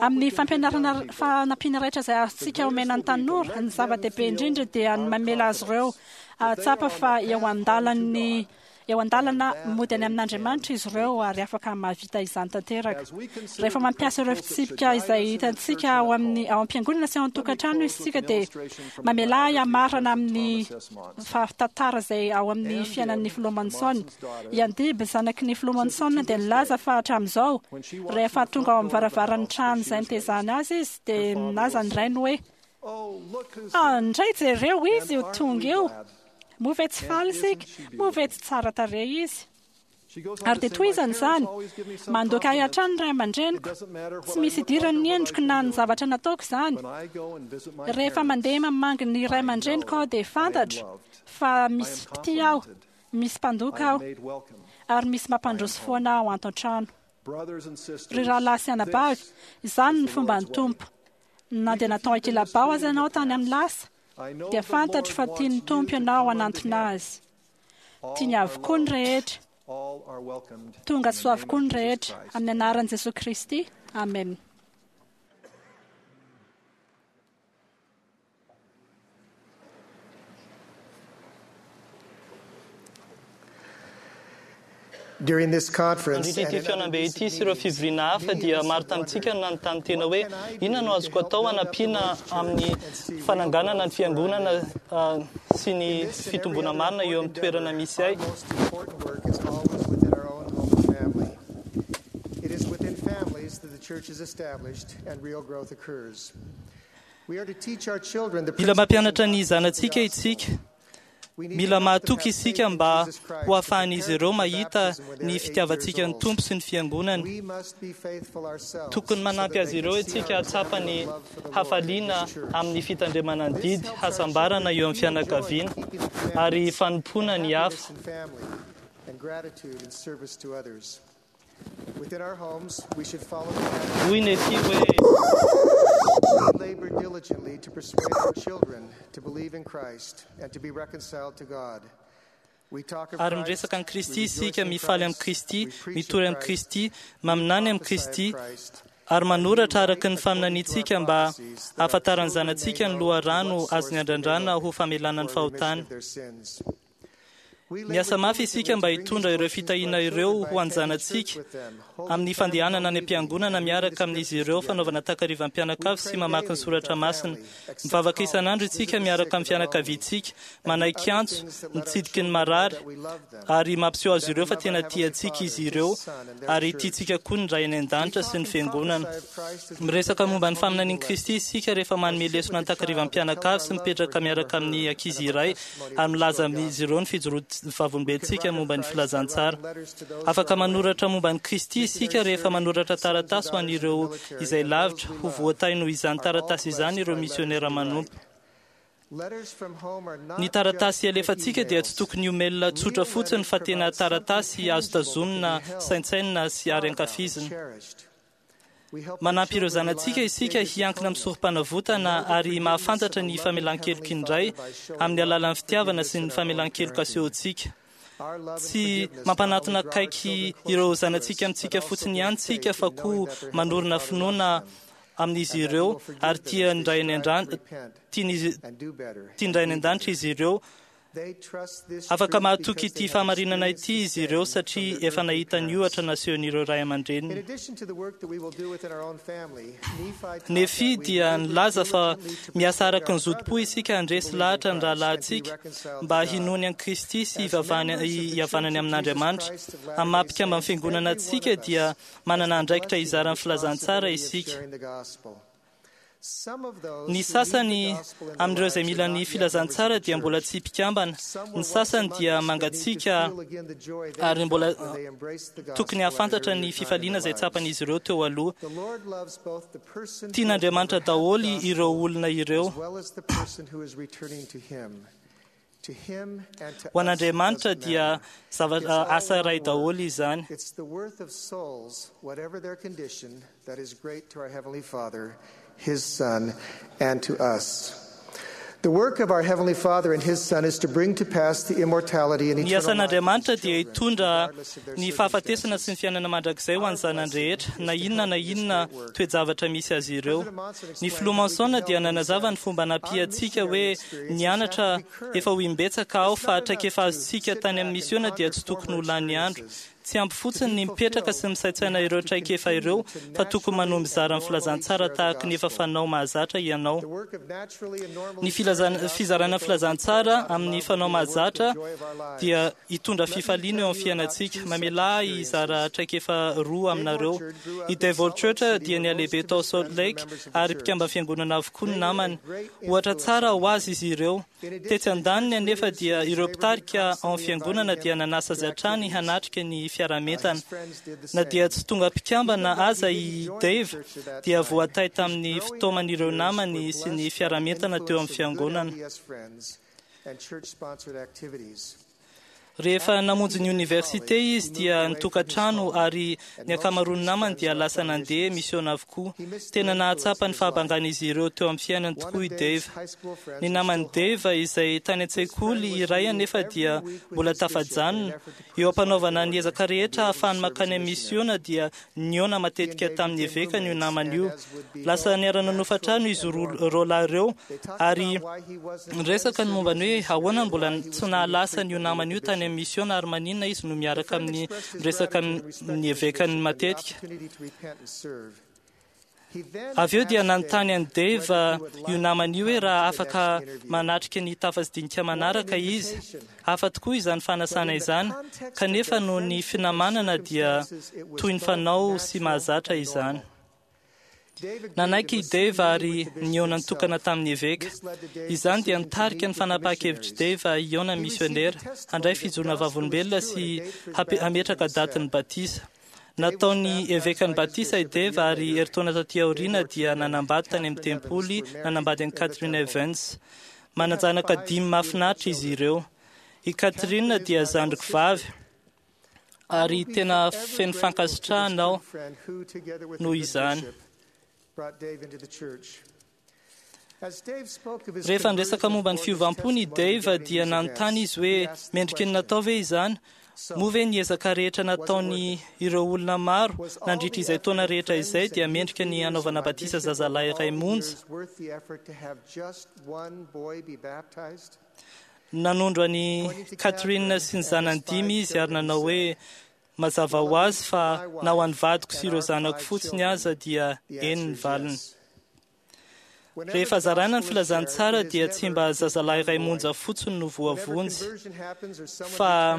[SPEAKER 6] Amin'ny fampianarana fanampiana rehetra izay azontsika omena ny tanora, ny zava-dehibe indrindra dia ny mamela azy ireo hahatsapa fa eo an-dalan'ny eo an-dalana mody any amin'Andriamanitra izy ireo ary afaka mahavita izany tanteraka. Rehefa mampiasa ireo fitsipika izay hitantsika ao amin'ny ao am-piangonana sy ao an-tokantrano isika dia mamelà ahy hamarana amin'ny fahatantara izay ao amin'ny fiainan'ny filoha Monson. I Andib, zanaky ny filoha Monson, dia nilaza fa hatramin'izao, rehefa tonga ao amin'ny varavaran'ny trano izay nitezany azy izy, dia nilaza ny rainy hoe, Ah, indray jereo izy io tonga io! Moa ve tsy faly isika? Moa ve tsy tsara tarehy izy? Ary dia tohizany izany. Mandoaka ahy hatrany ny ray aman-dreniko. Tsy misy idirany ny endriko na ny zavatra nataoko izany. Rehefa mandeha mamangy ny ray aman-dreniko aho dia fantatro fa misy mpitia aho, misy mpandoka aho, ary misy mampandroso foana aho ato an-trano. Ry rahalahy sy anabavy, izany ny fomban'ny Tompo. Na dia natao ankilabao aza ianao tany amin'ny lasa, dia fantatro fa tian'ny Tompo ianao hanantona Azy. Tiany avokoa ny rehetra. Tonga soa avokoa ny rehetra. Amin'ny anaran'i Jesoa Kristy. Amen.
[SPEAKER 8] During this conference
[SPEAKER 9] Nandritra
[SPEAKER 8] and
[SPEAKER 9] ity
[SPEAKER 8] in other
[SPEAKER 9] fihaonambe
[SPEAKER 8] recent
[SPEAKER 9] ity sy ireo
[SPEAKER 8] meetings,
[SPEAKER 9] fivoriana hafa
[SPEAKER 8] many of
[SPEAKER 9] dia
[SPEAKER 8] us have
[SPEAKER 9] maro tamintsika
[SPEAKER 8] wondered,
[SPEAKER 9] no nanontany tena
[SPEAKER 8] what
[SPEAKER 9] hoe
[SPEAKER 8] can I do
[SPEAKER 9] inona no
[SPEAKER 8] to
[SPEAKER 9] azoko
[SPEAKER 8] help
[SPEAKER 9] atao
[SPEAKER 8] build up the
[SPEAKER 9] hanampiana
[SPEAKER 8] Lord's church
[SPEAKER 9] amin'ny
[SPEAKER 8] and see real
[SPEAKER 9] fananganana ny
[SPEAKER 8] growth where I
[SPEAKER 9] fiangonana
[SPEAKER 8] live?
[SPEAKER 9] sy ny
[SPEAKER 8] In this and every
[SPEAKER 9] fitomboana
[SPEAKER 8] other
[SPEAKER 9] marina eo
[SPEAKER 8] important
[SPEAKER 9] amin'ny toerana
[SPEAKER 8] endeavor,
[SPEAKER 9] misy
[SPEAKER 8] our
[SPEAKER 9] ahy.
[SPEAKER 8] most important work is always within our own home and family. It is within families that the church is established and real growth occurs. We are to teach our children the
[SPEAKER 9] Mila
[SPEAKER 8] principles and
[SPEAKER 9] mampianatra ny
[SPEAKER 8] doctrines of the
[SPEAKER 9] zanatsika
[SPEAKER 8] gospel.
[SPEAKER 9] isika.
[SPEAKER 8] We need to
[SPEAKER 9] Mila
[SPEAKER 8] help them
[SPEAKER 9] mahatoky
[SPEAKER 8] have
[SPEAKER 9] isika
[SPEAKER 8] faith in
[SPEAKER 9] mba
[SPEAKER 8] Jesus
[SPEAKER 9] ho
[SPEAKER 8] Christ to
[SPEAKER 9] ahafahan'izy
[SPEAKER 8] prepare
[SPEAKER 9] ireo
[SPEAKER 8] them for
[SPEAKER 9] mahita
[SPEAKER 8] baptism when they
[SPEAKER 9] ny
[SPEAKER 8] are 8 years
[SPEAKER 9] fitiavantsika ny
[SPEAKER 8] old.
[SPEAKER 9] Tompo sy ny fiangonany.
[SPEAKER 8] We must be faithful ourselves
[SPEAKER 9] Tokony
[SPEAKER 8] so
[SPEAKER 9] manampy
[SPEAKER 8] that they
[SPEAKER 9] azy
[SPEAKER 8] can
[SPEAKER 9] ireo
[SPEAKER 8] see
[SPEAKER 9] isika
[SPEAKER 8] our
[SPEAKER 9] hahatsapa
[SPEAKER 8] example
[SPEAKER 9] ny
[SPEAKER 8] of love for the Lord and
[SPEAKER 9] hafaliana
[SPEAKER 8] His church.
[SPEAKER 9] amin'ny fitandremana ny
[SPEAKER 8] This
[SPEAKER 9] didy,
[SPEAKER 8] helps our
[SPEAKER 9] hasambarana
[SPEAKER 8] children
[SPEAKER 9] eo amin'ny
[SPEAKER 8] feel joy in
[SPEAKER 9] fianakaviana
[SPEAKER 8] keeping the
[SPEAKER 9] ary
[SPEAKER 8] commandments and
[SPEAKER 9] fanompoana ny
[SPEAKER 8] happiness
[SPEAKER 9] hafa.
[SPEAKER 8] in family and gratitude in service to others. Within our homes, we should follow the pattern
[SPEAKER 9] Hoy
[SPEAKER 8] of
[SPEAKER 9] Nefy
[SPEAKER 8] Jesus.
[SPEAKER 9] hoe
[SPEAKER 8] We labor diligently to persuade our children to believe in Christ and to be reconciled to God. We talk of
[SPEAKER 9] Ary miresaka
[SPEAKER 8] Christ,
[SPEAKER 9] amin'i
[SPEAKER 8] we
[SPEAKER 9] Kristy
[SPEAKER 8] rejoice
[SPEAKER 9] isika,
[SPEAKER 8] in
[SPEAKER 9] mifaly amin'i
[SPEAKER 8] Christ,
[SPEAKER 9] Kristy,
[SPEAKER 8] we preach of
[SPEAKER 9] mitory amin'i
[SPEAKER 8] Christ,
[SPEAKER 9] Kristy,
[SPEAKER 8] we
[SPEAKER 9] maminany amin'i
[SPEAKER 8] prophesy of
[SPEAKER 9] Kristy,
[SPEAKER 8] Christ,
[SPEAKER 9] ary
[SPEAKER 8] and we
[SPEAKER 9] manoratra araka
[SPEAKER 8] write
[SPEAKER 9] ny
[SPEAKER 8] according to our
[SPEAKER 9] faminaniantsika mba
[SPEAKER 8] prophecies that our
[SPEAKER 9] hahafantaran'ny
[SPEAKER 8] children may
[SPEAKER 9] zanatsika ny
[SPEAKER 8] know to
[SPEAKER 9] loharano
[SPEAKER 8] what
[SPEAKER 9] azony
[SPEAKER 8] source they may
[SPEAKER 9] andrandrana
[SPEAKER 8] look
[SPEAKER 9] ho famelana ny
[SPEAKER 8] for a remission
[SPEAKER 9] fahotany.
[SPEAKER 8] of their sins. We labor
[SPEAKER 9] Miasa mafy
[SPEAKER 8] diligently
[SPEAKER 9] isika
[SPEAKER 8] to
[SPEAKER 9] mba
[SPEAKER 8] bring these
[SPEAKER 9] hitondra ireo
[SPEAKER 8] blessings to our
[SPEAKER 9] fitahiana ireo
[SPEAKER 8] children by
[SPEAKER 9] ho an'ny
[SPEAKER 8] attending church
[SPEAKER 9] zanatsika
[SPEAKER 8] with them, holding
[SPEAKER 9] amin'ny
[SPEAKER 8] family
[SPEAKER 9] fandehanana
[SPEAKER 8] home
[SPEAKER 9] any
[SPEAKER 8] evening,
[SPEAKER 9] am-piangonana
[SPEAKER 8] and reading the
[SPEAKER 9] miaraka amin'izy
[SPEAKER 8] scriptures
[SPEAKER 9] ireo,
[SPEAKER 8] together.
[SPEAKER 9] fanaovana
[SPEAKER 8] We
[SPEAKER 9] takarivam-pianakavy sy
[SPEAKER 8] pray
[SPEAKER 9] mamaky ny
[SPEAKER 8] daily with
[SPEAKER 9] soratra
[SPEAKER 8] our
[SPEAKER 9] masina.
[SPEAKER 8] family, accept
[SPEAKER 9] Mivavaka
[SPEAKER 8] callings,
[SPEAKER 9] isan'andro
[SPEAKER 8] visit
[SPEAKER 9] isika
[SPEAKER 8] the sick
[SPEAKER 9] miaraka
[SPEAKER 8] and
[SPEAKER 9] amin'ny
[SPEAKER 8] the lonely,
[SPEAKER 9] fianakaviantsika,
[SPEAKER 8] and do other
[SPEAKER 9] manaiky antso,
[SPEAKER 8] things that let our
[SPEAKER 9] mitsidiky ny
[SPEAKER 8] children know
[SPEAKER 9] marary,
[SPEAKER 8] that we love them
[SPEAKER 9] ary mampiseho
[SPEAKER 8] and
[SPEAKER 9] azy
[SPEAKER 8] that
[SPEAKER 9] ireo
[SPEAKER 8] we
[SPEAKER 9] fa
[SPEAKER 8] love our
[SPEAKER 9] tena
[SPEAKER 8] Heavenly
[SPEAKER 9] tiantsika
[SPEAKER 8] Father,
[SPEAKER 9] izy
[SPEAKER 8] His
[SPEAKER 9] ireo,
[SPEAKER 8] Son, and their
[SPEAKER 9] ary
[SPEAKER 8] church.
[SPEAKER 9] tiantsika koa ny Ray any
[SPEAKER 8] We
[SPEAKER 9] an-danitra sy
[SPEAKER 8] talk
[SPEAKER 9] ny
[SPEAKER 8] and
[SPEAKER 9] fiangonana.
[SPEAKER 8] prophesy of Christ as we
[SPEAKER 9] Miresaka
[SPEAKER 8] prepare
[SPEAKER 9] momba ny
[SPEAKER 8] home
[SPEAKER 9] faminanian'i
[SPEAKER 8] evening
[SPEAKER 9] Kristy
[SPEAKER 8] lessons,
[SPEAKER 9] isika rehefa
[SPEAKER 8] or
[SPEAKER 9] manome
[SPEAKER 8] sit
[SPEAKER 9] lesona
[SPEAKER 8] with the child and tell our
[SPEAKER 9] an-takarivam-pianakavy sy
[SPEAKER 8] love for
[SPEAKER 9] mipetraka
[SPEAKER 8] him or
[SPEAKER 9] miaraka amin'ny
[SPEAKER 8] her and
[SPEAKER 9] ankizy
[SPEAKER 8] of our
[SPEAKER 9] iray
[SPEAKER 8] testimony
[SPEAKER 9] ary
[SPEAKER 8] of the
[SPEAKER 9] milaza
[SPEAKER 8] restored
[SPEAKER 9] amin'izy
[SPEAKER 8] gospel.
[SPEAKER 9] ireo ny fijoroan'ny
[SPEAKER 8] We can
[SPEAKER 9] vavolombelontsika
[SPEAKER 8] write of
[SPEAKER 9] momba ny
[SPEAKER 8] Christ by
[SPEAKER 9] filazantsara.
[SPEAKER 8] writing letters to those who
[SPEAKER 9] Afaka
[SPEAKER 8] are away,
[SPEAKER 9] manoratra momba an'i Kristy isika
[SPEAKER 8] missionaries
[SPEAKER 9] rehefa
[SPEAKER 8] serving,
[SPEAKER 9] manoratra
[SPEAKER 8] sons or
[SPEAKER 9] taratasy ho
[SPEAKER 8] daughters in the
[SPEAKER 9] an'ireo
[SPEAKER 8] military,
[SPEAKER 9] izay
[SPEAKER 8] and those
[SPEAKER 9] lavitra
[SPEAKER 8] we
[SPEAKER 9] ho
[SPEAKER 8] love
[SPEAKER 9] voatahy noho izany
[SPEAKER 8] are all
[SPEAKER 9] taratasy izany
[SPEAKER 8] blessed
[SPEAKER 9] ireo
[SPEAKER 8] by letters
[SPEAKER 9] misionera
[SPEAKER 8] we write.
[SPEAKER 9] manompo.
[SPEAKER 8] Letters from home are
[SPEAKER 9] Ny
[SPEAKER 8] not just
[SPEAKER 9] taratasy
[SPEAKER 8] quick
[SPEAKER 9] alefantsika dia tsy
[SPEAKER 8] emails.
[SPEAKER 9] tokony ho mail tsotra
[SPEAKER 8] Real
[SPEAKER 9] fotsiny
[SPEAKER 8] letters
[SPEAKER 9] fa tena
[SPEAKER 8] provide something
[SPEAKER 9] taratasy azo
[SPEAKER 8] tangible that can
[SPEAKER 9] tazomina,
[SPEAKER 8] be held,
[SPEAKER 9] saintsainina sy ary
[SPEAKER 8] thought about, and
[SPEAKER 9] ankafizina.
[SPEAKER 8] cherished. We help our
[SPEAKER 9] Manampy ireo
[SPEAKER 8] children rely
[SPEAKER 9] zanatsika
[SPEAKER 8] on the
[SPEAKER 9] isika
[SPEAKER 8] Savior's
[SPEAKER 9] hiankina amin'ny
[SPEAKER 8] atonement and
[SPEAKER 9] sorom-panavotana
[SPEAKER 8] know the
[SPEAKER 9] ary
[SPEAKER 8] forgiveness of
[SPEAKER 9] mahafantatra
[SPEAKER 8] a
[SPEAKER 9] ny
[SPEAKER 8] loving
[SPEAKER 9] famelan-keloky
[SPEAKER 8] Heavenly
[SPEAKER 9] ny Ray
[SPEAKER 8] Father by showing
[SPEAKER 9] amin'ny
[SPEAKER 8] love
[SPEAKER 9] alalan'ny
[SPEAKER 8] and
[SPEAKER 9] fitiavana
[SPEAKER 8] forgiveness
[SPEAKER 9] sy
[SPEAKER 8] in
[SPEAKER 9] ny
[SPEAKER 8] our own
[SPEAKER 9] famelan-keloka
[SPEAKER 8] parenting.
[SPEAKER 9] asehontsika.
[SPEAKER 8] Our love and
[SPEAKER 9] Tsy
[SPEAKER 8] forgiveness not only
[SPEAKER 9] mampanatona
[SPEAKER 8] draw our
[SPEAKER 9] akaiky
[SPEAKER 8] children
[SPEAKER 9] ireo
[SPEAKER 8] closer to us,
[SPEAKER 9] zanatsika
[SPEAKER 8] but
[SPEAKER 9] amintsika
[SPEAKER 8] also
[SPEAKER 9] fotsiny
[SPEAKER 8] build
[SPEAKER 9] ihany tsika
[SPEAKER 8] faith
[SPEAKER 9] fa
[SPEAKER 8] in knowing
[SPEAKER 9] koa
[SPEAKER 8] that their Heavenly
[SPEAKER 9] manorina
[SPEAKER 8] Father loves
[SPEAKER 9] finoana
[SPEAKER 8] them
[SPEAKER 9] amin'izy
[SPEAKER 8] and that He
[SPEAKER 9] ireo
[SPEAKER 8] will forgive
[SPEAKER 9] ary
[SPEAKER 8] them
[SPEAKER 9] tia
[SPEAKER 8] as
[SPEAKER 9] ny
[SPEAKER 8] they
[SPEAKER 9] Ray any
[SPEAKER 8] strive to
[SPEAKER 9] an-dran-
[SPEAKER 8] repent
[SPEAKER 9] tian'izy-
[SPEAKER 8] and do better
[SPEAKER 9] tia ny
[SPEAKER 8] and
[SPEAKER 9] Ray any
[SPEAKER 8] be
[SPEAKER 9] an-danitra
[SPEAKER 8] better.
[SPEAKER 9] izy ireo.
[SPEAKER 8] They trust this
[SPEAKER 9] Afaka
[SPEAKER 8] truth
[SPEAKER 9] mahatoky
[SPEAKER 8] because
[SPEAKER 9] ity
[SPEAKER 8] they have
[SPEAKER 9] fahamarinana
[SPEAKER 8] experienced
[SPEAKER 9] ity
[SPEAKER 8] the
[SPEAKER 9] izy ireo
[SPEAKER 8] same from
[SPEAKER 9] satria
[SPEAKER 8] their
[SPEAKER 9] efa
[SPEAKER 8] earthly
[SPEAKER 9] nahita ny
[SPEAKER 8] parents.
[SPEAKER 9] ohatra nasehon'ireo ray
[SPEAKER 8] In
[SPEAKER 9] aman-dreniny.
[SPEAKER 8] addition to the work that we will do within our own family, Nephi taught
[SPEAKER 9] Nefy
[SPEAKER 8] that we
[SPEAKER 9] dia
[SPEAKER 8] labor
[SPEAKER 9] nilaza fa
[SPEAKER 8] diligently to
[SPEAKER 9] miasa
[SPEAKER 8] persuade
[SPEAKER 9] araka
[SPEAKER 8] our
[SPEAKER 9] ny zotom-po
[SPEAKER 8] brethren
[SPEAKER 9] isika
[SPEAKER 8] to
[SPEAKER 9] handresy
[SPEAKER 8] believe in
[SPEAKER 9] lahatra ny
[SPEAKER 8] Christ and to be
[SPEAKER 9] rahalahintsika
[SPEAKER 8] reconciled to
[SPEAKER 9] mba
[SPEAKER 8] God.
[SPEAKER 9] hinoany an'i Kristy sy
[SPEAKER 8] As
[SPEAKER 9] hivavahany-
[SPEAKER 8] members of the Church
[SPEAKER 9] hihavanany
[SPEAKER 8] of Jesus
[SPEAKER 9] amin'Andriamanitra.
[SPEAKER 8] Christ of
[SPEAKER 9] Amin'ny
[SPEAKER 8] Latter-day
[SPEAKER 9] maha mpikamba
[SPEAKER 8] Saints,
[SPEAKER 9] amin'ny fiangonana
[SPEAKER 8] every one
[SPEAKER 9] antsika
[SPEAKER 8] of
[SPEAKER 9] dia
[SPEAKER 8] us has
[SPEAKER 9] manana
[SPEAKER 8] the
[SPEAKER 9] andraikitra
[SPEAKER 8] blessing and
[SPEAKER 9] hizara ny filazantsara
[SPEAKER 8] responsibility of
[SPEAKER 9] isika.
[SPEAKER 8] sharing the gospel. Some of
[SPEAKER 9] Ny
[SPEAKER 8] those who need the
[SPEAKER 9] sasany
[SPEAKER 8] gospel in their
[SPEAKER 9] amin'ireo izay
[SPEAKER 8] lives are
[SPEAKER 9] mila ny
[SPEAKER 8] not yet members of
[SPEAKER 9] filazantsara
[SPEAKER 8] the
[SPEAKER 9] dia mbola
[SPEAKER 8] church.
[SPEAKER 9] tsy mpikambana.
[SPEAKER 8] Some
[SPEAKER 9] Ny
[SPEAKER 8] were once
[SPEAKER 9] sasany
[SPEAKER 8] among
[SPEAKER 9] dia
[SPEAKER 8] us but need to
[SPEAKER 9] mangatsiaka
[SPEAKER 8] feel again the joy they
[SPEAKER 9] ary mbola
[SPEAKER 8] felt when they embraced the
[SPEAKER 9] tokony
[SPEAKER 8] gospel at an
[SPEAKER 9] hahafantatra
[SPEAKER 8] earlier
[SPEAKER 9] ny
[SPEAKER 8] time in their
[SPEAKER 9] fifaliana izay
[SPEAKER 8] lives.
[SPEAKER 9] tsapan'izy ireo teo aloha.
[SPEAKER 8] The Lord loves both the person who has never
[SPEAKER 9] Tian'Andriamanitra
[SPEAKER 8] had the
[SPEAKER 9] daholo ireo
[SPEAKER 8] gospel
[SPEAKER 9] olona ireo.
[SPEAKER 8] as well as the person who is returning to Him. To Him and to
[SPEAKER 9] Ho
[SPEAKER 8] us, it
[SPEAKER 9] an'Andriamanitra
[SPEAKER 8] doesn't
[SPEAKER 9] dia
[SPEAKER 8] matter.
[SPEAKER 9] zava-
[SPEAKER 8] It's all
[SPEAKER 9] asa
[SPEAKER 8] one
[SPEAKER 9] iray
[SPEAKER 8] work.
[SPEAKER 9] daholo izany.
[SPEAKER 8] It's the worth of souls, whatever their condition, that is great to our Heavenly Father, His Son, and to us. The work of our Heavenly Father and His Son is to bring to pass the immortality and
[SPEAKER 9] Ny
[SPEAKER 8] eternal life of His
[SPEAKER 9] asan'Andriamanitra dia
[SPEAKER 8] children,
[SPEAKER 9] hitondra
[SPEAKER 8] regardless of their
[SPEAKER 9] ny fahafatesana sy ny
[SPEAKER 8] circumstances.
[SPEAKER 9] fiainana mandrakizay ho
[SPEAKER 8] Our
[SPEAKER 9] an'ny zanany
[SPEAKER 8] blessing
[SPEAKER 9] rehetra,
[SPEAKER 8] is
[SPEAKER 9] na
[SPEAKER 8] to
[SPEAKER 9] inona
[SPEAKER 8] help
[SPEAKER 9] na
[SPEAKER 8] in this
[SPEAKER 9] inona
[SPEAKER 8] great work.
[SPEAKER 9] toe-javatra misy azy ireo.
[SPEAKER 8] President Monson
[SPEAKER 9] Ny
[SPEAKER 8] explained
[SPEAKER 9] filoha
[SPEAKER 8] that we can
[SPEAKER 9] Monson
[SPEAKER 8] help
[SPEAKER 9] dia
[SPEAKER 8] when he
[SPEAKER 9] nanazava
[SPEAKER 8] said,
[SPEAKER 9] ny fomba
[SPEAKER 8] Our
[SPEAKER 9] nampiantsika
[SPEAKER 8] missionary
[SPEAKER 9] hoe
[SPEAKER 8] experiences have
[SPEAKER 9] nianatra
[SPEAKER 8] to be current.
[SPEAKER 9] efa ho imbetsaka aho
[SPEAKER 8] It's
[SPEAKER 9] fa
[SPEAKER 8] not enough
[SPEAKER 9] traikefa
[SPEAKER 8] to
[SPEAKER 9] azontsika
[SPEAKER 8] sit
[SPEAKER 9] tany
[SPEAKER 8] back
[SPEAKER 9] amin'ny
[SPEAKER 8] and
[SPEAKER 9] misiona dia
[SPEAKER 8] ponder
[SPEAKER 9] tsy tokony
[SPEAKER 8] former
[SPEAKER 9] ho lany andro.
[SPEAKER 8] experiences.
[SPEAKER 9] Tsy ampy
[SPEAKER 8] To
[SPEAKER 9] fotsiny
[SPEAKER 8] be
[SPEAKER 9] ny mipetraka sy
[SPEAKER 8] fulfilled, we
[SPEAKER 9] misaintsaina
[SPEAKER 8] have
[SPEAKER 9] ireo
[SPEAKER 8] to
[SPEAKER 9] traikefa
[SPEAKER 8] continue
[SPEAKER 9] ireo
[SPEAKER 8] to
[SPEAKER 9] fa tokony
[SPEAKER 8] naturally
[SPEAKER 9] manohy
[SPEAKER 8] and
[SPEAKER 9] mizara ny
[SPEAKER 8] normally
[SPEAKER 9] filazantsara
[SPEAKER 8] share the
[SPEAKER 9] tahaka ny efa
[SPEAKER 8] gospel.
[SPEAKER 9] fanao mahazatra ianao.
[SPEAKER 8] The work of naturally and
[SPEAKER 9] Ny
[SPEAKER 8] normally sharing the
[SPEAKER 9] filazana-
[SPEAKER 8] gospel
[SPEAKER 9] fizarana
[SPEAKER 8] with those we care
[SPEAKER 9] filazantsara
[SPEAKER 8] about and
[SPEAKER 9] amin'ny
[SPEAKER 8] love will
[SPEAKER 9] fanao
[SPEAKER 8] be the work and
[SPEAKER 9] mahazatra
[SPEAKER 8] joy of our lives.
[SPEAKER 9] dia hitondra
[SPEAKER 8] Let me
[SPEAKER 9] fifaliana
[SPEAKER 8] tell
[SPEAKER 9] eo amin'ny
[SPEAKER 8] you about
[SPEAKER 9] fiainantsika.
[SPEAKER 8] two such
[SPEAKER 9] Mamelà hizara
[SPEAKER 8] experiences.
[SPEAKER 9] traikefa roa
[SPEAKER 8] Dave
[SPEAKER 9] aminareo.
[SPEAKER 8] Orchard grew
[SPEAKER 9] I
[SPEAKER 8] up in
[SPEAKER 9] Dave
[SPEAKER 8] Salt Lake
[SPEAKER 9] Orchard
[SPEAKER 8] City
[SPEAKER 9] dia
[SPEAKER 8] where most
[SPEAKER 9] nialehibe
[SPEAKER 8] of
[SPEAKER 9] tao
[SPEAKER 8] his
[SPEAKER 9] Salt
[SPEAKER 8] friends were
[SPEAKER 9] Lake
[SPEAKER 8] members of the
[SPEAKER 9] ary mpikamba
[SPEAKER 8] church.
[SPEAKER 9] fiangonana avokoa ny
[SPEAKER 8] They were a
[SPEAKER 9] namany.
[SPEAKER 8] great
[SPEAKER 9] Ohatra
[SPEAKER 8] influence
[SPEAKER 9] tsara
[SPEAKER 8] on
[SPEAKER 9] ho azy
[SPEAKER 8] him.
[SPEAKER 9] izy ireo. Tetsy an-daniny anefa dia ireo mpitarika ao amin'ny fiangonana dia nanasa azy hatrany hanatrika ny fiaraha-mientana. Na dia tsy tonga mpikambana aza i Dave dia voatahy tamin'ny fitaoman'ireo namany sy ny fiaraha-mientana teo amin'ny fiangonana. Rehefa namonjy ny oniversite izy dia nitokantrano ary ny ankamaroan'ny namany dia lasa nandeha misiona avokoa. Tena nahatsapa ny fahabangan'izy ireo teo amin'ny fiainany tokoa i Dave. Ny naman'i Dave izay tany an-tsekoly iray anefa dia mbola tafajanona. Eo am-panaovana ny ezaka rehetra ahafahany mankany amin'ny misiona dia nihaona matetika tamin'ny evekany io namany io. Lasa niara-nanofa trano izy roa lahy ireo ary niresaka ny momba ny hoe ahoana no mbola tsy nahalasa an'io namany io tany amin'ny misiona ary maninona izy no miaraka amin'ny miresaka amin'ny evekany matetika. Avy eo dia nanontany an'i Dave io namany io hoe raha afaka manatrika ny tafa sy dinika manaraka izy. Hafa tokoa izany fanasana izany, kanefa noho ny finamanana dia toy ny fanao sy mahazatra izany. Nanaiky i Dave ary nihaona nitokana tamin'ny eveka. Izany dia nitarika ny fanapahan-kevitr'i Dave hihaona misionera, handray fijoroana vavolombelona sy hametraka datin'ny batisa. Nataon'ny evekan'ny batisa i Dave ary herintaona taty aoriana dia nanambady tany amin'ny tempoly, nanambady an'i Catherine Evans. Manan-janaka dimy mahafinaritra izy ireo. I Catherine dia zandriko vavy ary tena feno fankasitrahana aho noho izany. Rehefa niresaka momba ny fiovam-pony i Dave dia nanontany izy hoe mendrika ny natao ve izany? Moa ve ny ezaka rehetra nataony ireo olona maro nandritra izay taona rehetra izay dia mendrika ny hanaovana batisa zazalahy iray monja? Nanondro an'i Catherine sy ny zanany dimy izy ary nanao hoe mazava ho azy fa na ho an'ny vadiko sy ireo zanako fotsiny aza dia eny ny valiny. Rehefa zaraina ny filazantsara dia tsy mba zazalahy iray monja fotsiny no voavonjy fa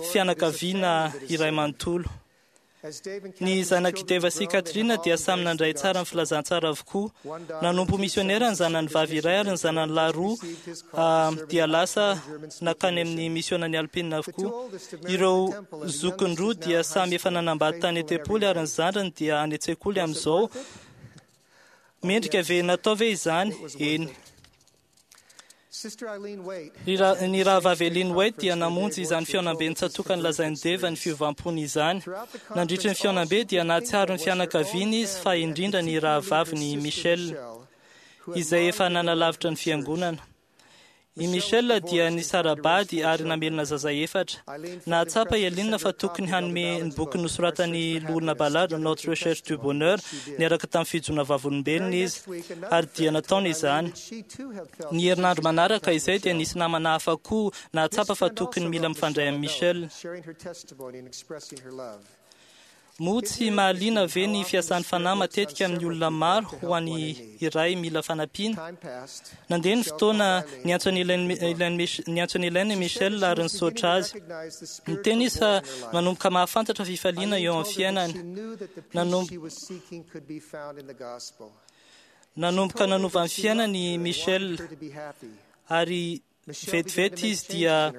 [SPEAKER 9] fianakaviana iray manontolo. Ny zanak'i Dave sy Catherine dia samy nandray tsara ny filazantsara avokoa. Nanompo misionera ny zanany vavy iray ary ny zanany lahy roa dia lasa nankany amin'ny misionan'i Alpine avokoa. Ireo zokiny roa dia samy efa nanambady tany an-tempoly ary ny zandriny dia any an-tsekoly amin'izao. Mendrika ve natao ve izany? Eny. Ny rahavavy Eileen White dia namonjy izany fihaonambe nitsatoka nolazain'i Dave ny fiovam-pony izany. Nandritra ny fihaonambe dia nahatsiaro ny fianakaviany izy fa indrindra ny rahavaviny Michelle, izay efa nanalavitra ny fiangonana. I Michelle dia nisara-bady ary namelona zaza efatra. Nahatsapa i Eileen fa tokony hanome ny boky nosoratan'ny loholona Ballard Notre Recherche du Bonheur niaraka tamin'ny fijoroana vavolombelona izy, ary dia nataony izany. Ny herinandro manaraka izay dia nisy namana hafa koa nahatsapa fa tokony mila mifandray amin'i Michelle. Moa tsy mahaliana ve ny fiasan'ny fanahy matetika amin'ny olona maro ho an'ny iray mila fanampiana? Nandeha ny fotoana niantso an'i Elaine i Michelle ary nisaotra azy. Niteny izy fa manomboka mahafantatra fifaliana eo amin'ny fiainany. Nanomboka nanova ny fiainany i Michelle ary vetivety izy dia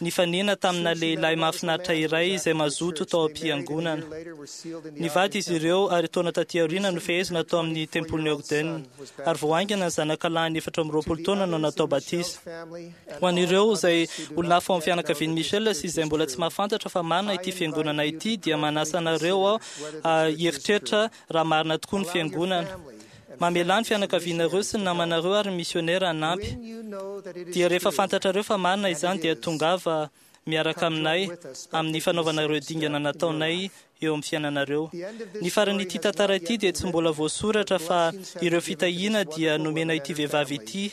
[SPEAKER 9] nifanena tamina lehilahy mahafinaritra iray izay mazoto tao am-piangonana. Nivady izy ireo ary taona taty aoriana nofehezina tao amin'ny tempolin'i Ogden. Ary vao haingana ny zanaka lahiny 24 taona no natao batisa. Ho an'ireo izay olona hafa ao amin'ny fianakavian'i Michelle sy izay mbola tsy mahafantatra fa marina ity fiangonana ity dia manasa anareo aho hieritreritra raha marina tokoa ny fiangonana. Mamelà ny fianakavianareo sy ny namanareo ary ny misionera hanampy. Dia rehefa fantatrareo fa marina izany dia tongava miaraka aminay amin'ny fanaovana ireo dingana nataonay eo amin'ny fiainanareo. Ny faran'ity tantara ity dia tsy mbola voasoratra fa ireo fitahiana dia nomena ity vehivavy ity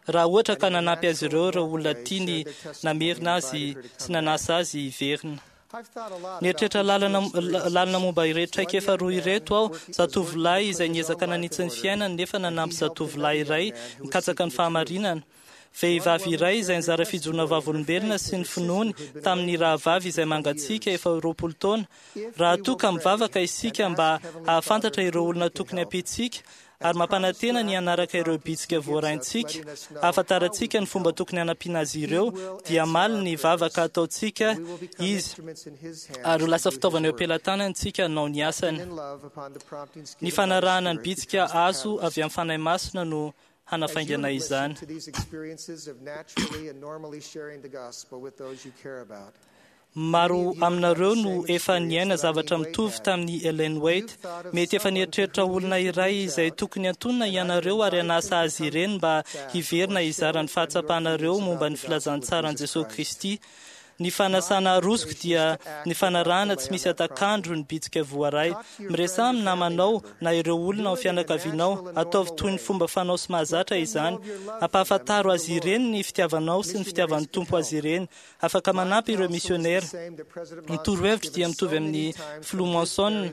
[SPEAKER 9] raha ohatra ka nanampy azy ireo ireo olona tiany namerina azy sy nanasa azy hiverina. Nieritreritra lalina momba ireto traikefa roa ireto aho, zatovolahy izay niezaka nanitsy ny fiainany nefa nanampy zatovolahy iray nikatsaka ny fahamarinana. Vehivavy iray izay nizara fijoroana vavolombelona sy ny finoany tamin'ny rahavavy izay mangatsiaka efa 20 taona. Raha toa ka mivavaka isika mba hahafantatra ireo olona tokony hampiantsika ary mampanantena ny hanaraka ireo bitsika voaraintsika ahafantarantsika ny fomba tokony hanampiana azy ireo, dia hamaly ny vavaka ataontsika Izy ary ho lasa fitaovana eo am-pelatanany isika hanao ny asany. Ny fanarahana ny bitsika azo avy amin'ny Fanahy Masina no hanafaingana izany. Maro aminareo no efa niaina zavatra mitovy tamin'i Ellen White. Mety efa nieritreritra olona iray izay tokony antonona ianareo ary hanasa azy ireny mba hiverina hizara ny fahatsapanareo momba ny filazantsaran'i Jesosy Kristy. Ny fanasana arosoko dia ny fanarahana tsy misy hatak'andro ny bitsika voaray. Miresaha amin'ny namanao na ireo olona ao fianakavianao. Ataovy toy ny fomba fanao sy mahazatra izany. Ampahafantaro azy ireny ny fitiavanao sy ny fitiavan'ny Tompo azy ireny. Afaka manampy ireo misionera. Ny torohevitro dia mitovy amin'ny Filoha Monson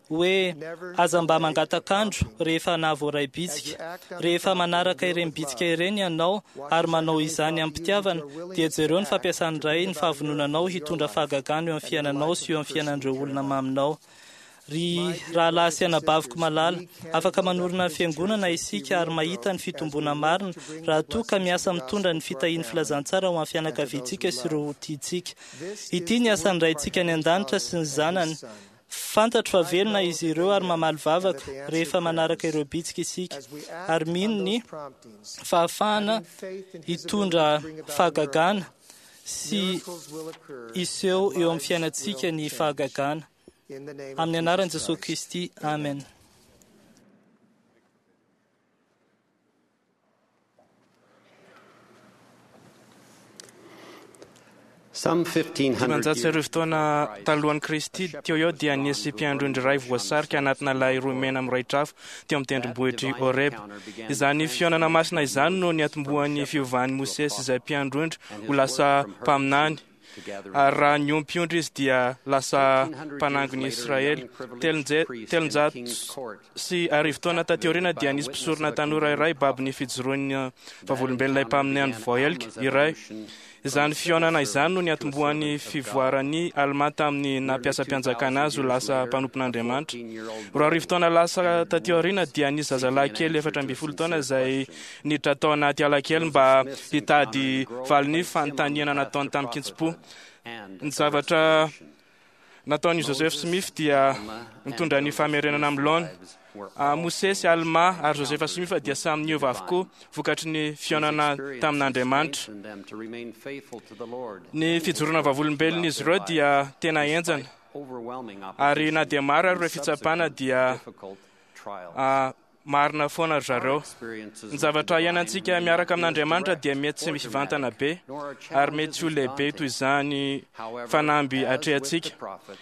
[SPEAKER 9] hoe aza mba mangatak'andro rehefa nahavoaray bitsika. Rehefa manaraka ireny bitsika ireny ianao ary manao izany amim-pitiavana, dia jereo ny fampiasan'ny Ray ny fahavononanao hitondra fahagagana eo amin'ny fiainanao sy eo amin'ny fiainan'ireo olona maminao. Ry rahalahy sy anabaviko malala, afaka manorina ny fiangonana isika ary mahita ny fitomboana marina raha toa ka miasa mitondra ny fitahian'ny filazantsara ho an'ny fianakaviantsika sy ireo tiantsika. Ity ny asan'ny Raintsika any an-danitra sy ny Zanany. Fantatro fa velona izy ireo ary mamaly vavaka rehefa manaraka ireo bitsika isika ary mino ny fahafahana hitondra fahagagana sy hiseho eo amin'ny fiainantsika ny fahagagana. Amin'ny anaran'i Jesosy Kristy, amen.
[SPEAKER 10] Some 1500
[SPEAKER 2] 1500 taona talohan'i Kristy teo eo dia nisy mpiandry ondry iray voasarika anatina lay rohy mena mirehitra afo teo amin'ny tendrombohitr'i Horeb. Izany fihaonana masina izany no niatombohan'ny fiovan'i Mosesy izay mpiandry ondry ho lasa mpaminany. Ary raha niompy ondry izy dia lasa mpanangon'i Israely. 1300 taona taty aoriana dia nisy mpisorona tanora iray babo ny fijoroan'ny vavolombelon'ilay mpaminany voahelika iray. Izany fihaonana izany no niatombohan'ny fivoaran'i Almà tamin'ny nampiasam-pianjakana azy ho lasa mpanompon'Andriamanitra. 2000 taona lasa taty aoriana dia nisy zazalahy kely 14 taona izay niditra tao anaty ala kely mba hitady valin'ny fanontaniana nataony tamin-kitsim-po. Ny zavatra nataon'i Joseph Smith dia nitondra ny famerenana amin'ny laona. Mosesy, Almà ary Joseph Smith dia samy niova avokoa vokatry ny fihaonana tamin'Andriamanitra. Ny fijoroana vavolombelon'izy ireo dia tena henjana, ary na dia maro ary ireo fitsapana dia marina foana ry zareo. Ny zavatra iainantsika miaraka amin'Andriamanitra dia mety tsy mivantana be ary mety tsy ho lehibe toy izany fanamby atrehantsika.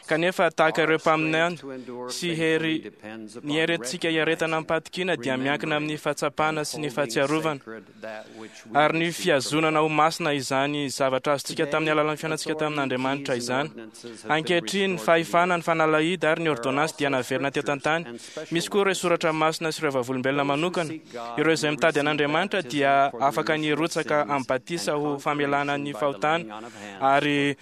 [SPEAKER 2] Kanefa tahaka ireo mpaminany sy hery ny hery entintsika hiaretana amim-pahatokiana dia miankina amin'ny fahatsapana sy ny fahatsiarovana ary ny fihazonana ho masina izany zavatra azontsika tamin'ny alalan'ny fiainantsika tamin'Andriamanitra izany. Ankehitriny, ny fahefana, ny fanalahidy ary ny ôrdônansy dia naverina teto an-tany. Misy koa ireo soratra masina sy ireo vavolombelona manokana. Ireo izay mitady an'Andriamanitra dia afaka ny hirotsaka amin'ny batisa ho famelana ny fahotana ary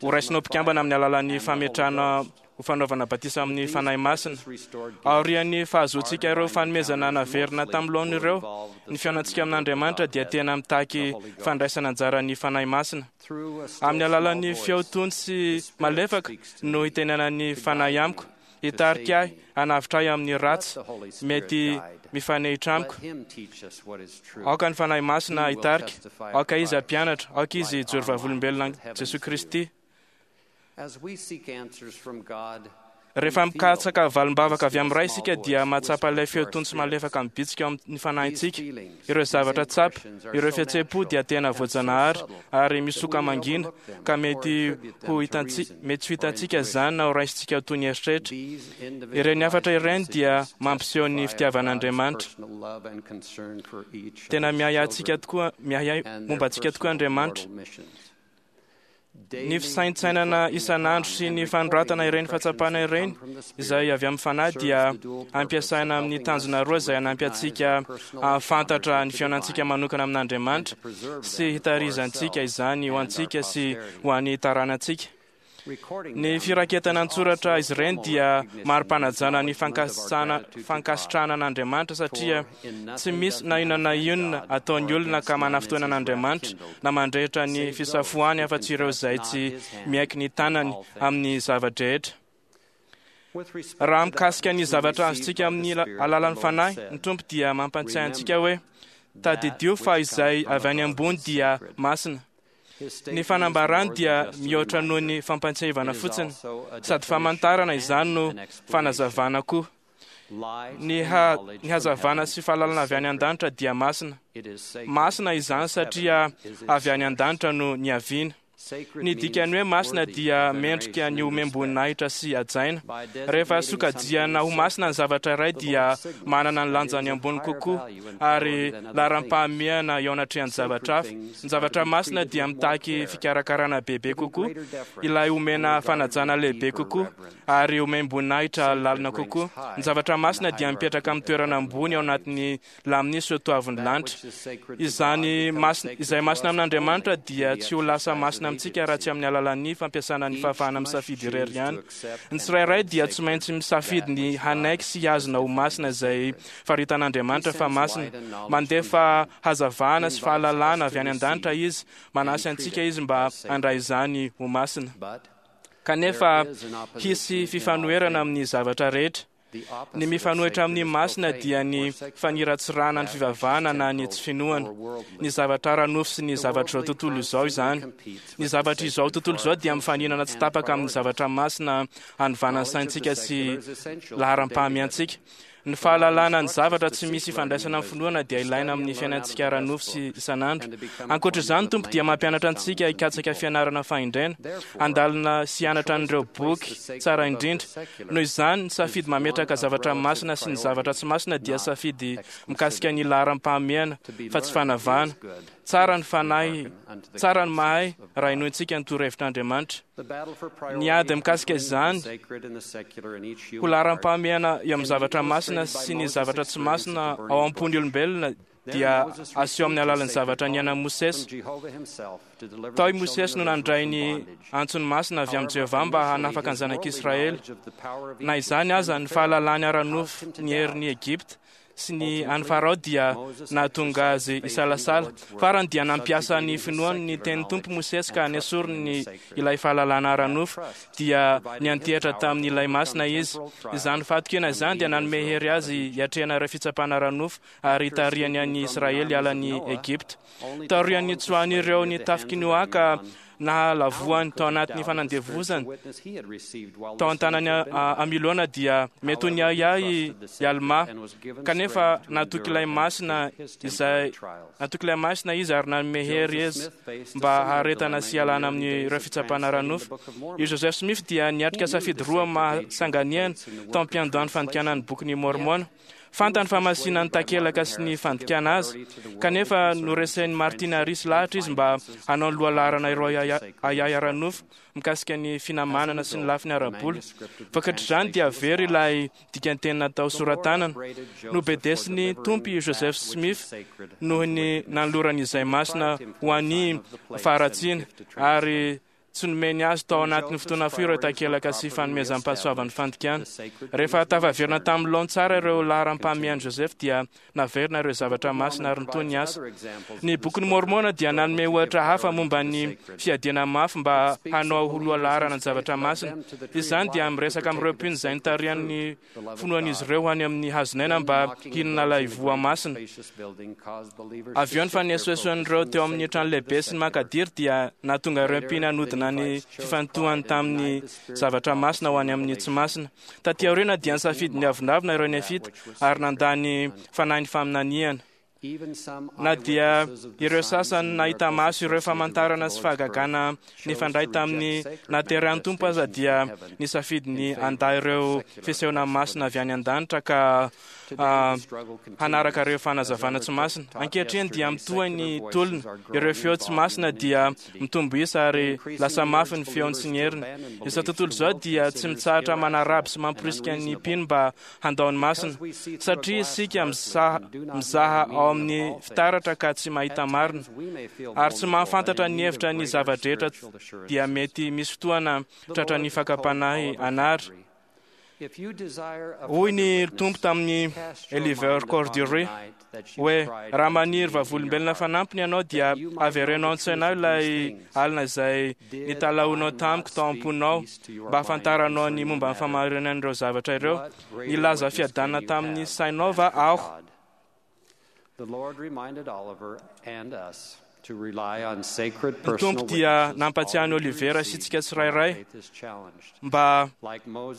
[SPEAKER 2] horaisina ho mpikambana amin'ny alalan'ny fametrahana ho fanaovana batisa amin'ny Fanahy Masina. Aorian'ny fahazoantsika ireo fanomezana naverina tamin'ny laoniny ireo, ny fihaonantsika amin'Andriamanitra dia tena mitaky fandraisana anjara ny Fanahy Masina. Amin'ny alalan'ny feo tony sy malefaka no hitenenan'ny Fanahy amiko, hitarika ahy, hanavotra ahy amin'ny ratsy mety mifanehitra amiko. Aoka ny Fanahy Masina hitarika, aoka Izy hampianatra, aoka Izy hijoro vavolombelona an'i Jesoa Kristy. Rehefa mikatsaka valim-bavaka avy amin'ny Ray isika dia mahatsapa ilay feo tony sy malefaka mibitsika ao amin'ny fanahintsika. Ireo zavatra tsapa, ireo fihetseham-po dia tena voajanahary ary misoka mangina ka mety ho hitantsika, mety tsy ho hitantsika izany na ho raisintsika ho toy ny eritreritra. Ireny hafatra ireny dia mampiseho ny fitiavan'Andriamanitra. Tena miahy antsika tokoa, miahy momba antsika tokoa Andriamanitra. Ny fisaintsainana isan'andro sy ny fanoratana ireny fahatsapana ireny izay avy amin'ny Fanahy dia ampiasaina amin'ny tanjona roa izay hanampy antsika hahafantatra ny fihaonantsika manokana amin'Andriamanitra sy hitarizantsika izany ho antsika sy ho an'ny taranantsika. Ny firaketana an-tsoratra izy ireny dia mari-panajana ny fankasitrahana an'Andriamanitra, satria tsy misy na inona na inona ataon'ny olona ka manafintohina an'Andriamanitra na mandrehitra ny fisafoany afa-tsy ireo izay tsy miaiky ny tanany amin'ny zava-drehetra. Raha mikasika ny zavatra azontsika amin'ny alalan'ny Fanahy, ny Tompo dia mampatsiahy antsika hoe, Tadidio fa izay avy any ambony dia masina. Ny fanambarany dia mihoatra noho ny fampatsiahivana fotsiny, sady famantarana izany no fanazavana koa. Ny hazavana sy fahalalana avy any an-danitra dia masina. Masina izany satria avy any an-danitra no niaviana. Ny dikan'ny hoe masina dia mendrika ny homem-boninahitra sy hajaina. Rehefa sokajiana ho masina ny zavatra iray dia manana ny lanjany ambony kokoa ary laharam-pahamehana eo anatrehan'ny zavatra hafa. Ny zavatra masina dia mitaky fikarakarana bebe kokoa, ilay omena fanajana lehibe kokoa ary omem-boninahitra lalina kokoa. Ny zavatra masina dia mipetraka amin'ny toerana ambony ao anatin'ny lamin'ny soatoavin'ny lanitra. Izany masina, izay masina amin'Andriamanitra dia tsy ho lasa masina amintsika raha tsy amin'ny alalan'ny fampiasana ny fahafahana misafidy irery ihany. Ny tsirairay dia tsy maintsy misafidy ny hanaiky sy hihazona ho masina izay faritan'Andriamanitra fa masina. Mandefa hazavana sy fahalalana avy any an-danitra Izy, manasy antsika Izy mba handray izany ho masina. Kanefa hisy fifanoherana amin'ny zavatra rehetra. Ny mifanohitra amin'ny masina dia ny faniratsirana ny fivavahana na ny tsy finoana. Ny zavatra ara-nofo sy ny zavatr'izao tontolo izao izany. Ny zavatr'izao tontolo izao dia mifaninana tsy tapaka amin'ny zavatra masina hanovana ny saintsika sy laharam-pahamiantsika. Ny fahalalana ny zavatra tsy misy ifandraisana amin'ny finoana dia ilaina amin'ny fiainantsika ara-nofo sy isan'andro. Ankoatra izany, Tompo dia mampianatra antsika hikatsaka fianarana fahendrena, handalina sy hianatra an'ireo boky tsara indrindra. Noho izany, ny safidy mametraka zavatra masina sy ny zavatra tsy masina dia safidy mikasika ny laharam-pahamehana fa tsy fanavahana. Tsara ny fanahy, tsara ny mahay raha henointsika ny torohevitr'Andriamanitra. Ny ady mikasika izany ho laharam-pahamehana eo amin'ny zavatra masina sy ny zavatra tsy masina ao am-pon'ny olombelona dia aseho amin'ny alalan'ny zavatra niainan'i Mosesy. Tao i Mosesy no nandray ny antsony masina avy amin'i Jehovah mba hanafaka ny zanak'Israely. Na izany aza, ny fahalalany ara-nofo ny herin'i Egypta sy ny an'i Farao dia nahatonga azy hisalasala. Farany dia nampiasa ny finoany ny tenin'ny Tompo Mosesy ka nesoriny ilay fahalalana ara-nofo, dia niantehitra tamin'ilay Masina izy. Izany fahatokiana izany dia nanome hery azy hiatrehana ireo fitsapana ara-nofo ary hitarihany an'i Israely hiala an'i Egypta. Taorian'ny nitsoahan'ireo ny tafik'i Noa ka nahalavoany tao anatin'ny fanandevozana tao an-tanan'i Amilona dia mety ho niahiahy i Almà, kanefa natoky ilay Masina izay natoky ilay Masina izy ary nanome hery izy mba haharetana sy hialana amin'ireo fitsapana ara-nofo. I Joseph Smith dia niatrika safidy roa mahasanganehana tao am-piandohan'ny fandikana ny Bokin'i Môrmôna. Fantany fa masina ny takelaka sy ny fandikana azy, kanefa noresen'i Martin Harris lahatra izy mba hanao ny lohalaharana ireo ahiahy ara-nofo mikasika ny finamanana sy ny lafiny ara-bola. Vokatr'izany dia very ilay dikanteny natao sora-tanana. Nobedesin'ny Tompo i Joseph Smith noho ny nanolorany izay masina ho an'ny faharatsiana, ary Tsy nomeny azy tao anatin'ny fotoana fohy ireo takelaka sy fanomezam-pahasoavan'ny fandikana. Rehefa tafaverina tamin'ny laony tsara ireo laharam-pahamehan'i Joseph dia naverina ireo zavatra masina ary nitohy ny asa. Ny Bokin'i Môrmôna dia nanome ohatra hafa momba ny fiadiana mafy mba hanao ho lohalaharana ny zavatra masina. Izany dia miresaka amin'ireo mpino izay nitarihan'ny finoan'izy ireo ho any amin'ny hazon'aina mba hihinana ilay voa masina. Avy eo ny fanesoesoan'ireo teo amin'ny trano lehibe sy ny mankadiry dia nahatonga ireo mpino hanodina ny fifantohany tamin'ny zavatra masina ho any amin'ny tsy masina. Taty aoriana dia nisafidy ny avonavona ireo Nefita ary nandà ny fanahin'ny faminaniana. Na dia ireo sasany nahita maso ireo famantarana sy fahagagana nifandray tamin'ny nahaterahan'ny Tompo aza dia nisafidy ny handà ireo fisehoana masina avy any an-danitra ka hanaraka ireo fanazavana tsy masina. Ankehitriny dia mitohy ny tolona. Ireo feo tsy masina dia mitombo isa ary lasa mafy ny feony sy ny heriny. Izao tontolo izao dia tsy mitsahatra manaraby sy mamporisika ny mpino mba handao ny masina. Satria isika mizaha ao amin'ny fitaratra ka tsy mahita marina ary tsy mahafantatra ny hevitra ny zava-drehetra dia mety misy fotoana tratran'ny fakam-panahy hanary. Hoy ny Tompo tamin'i Oliver Cowdery hoe, Raha maniry vavolombelona fanampiny ianao dia avereno ao an-tsainao ilay alina izay nitalahoanao tamiko tao am-ponao mba hahafantaranao ny momba ny fahamarinan'ireo zavatra ireo. Nilaza fiadanana tamin'ny sainao va aho? Ny Tompo dia nampatsiahy an'i Oliver sy isika tsirairay mba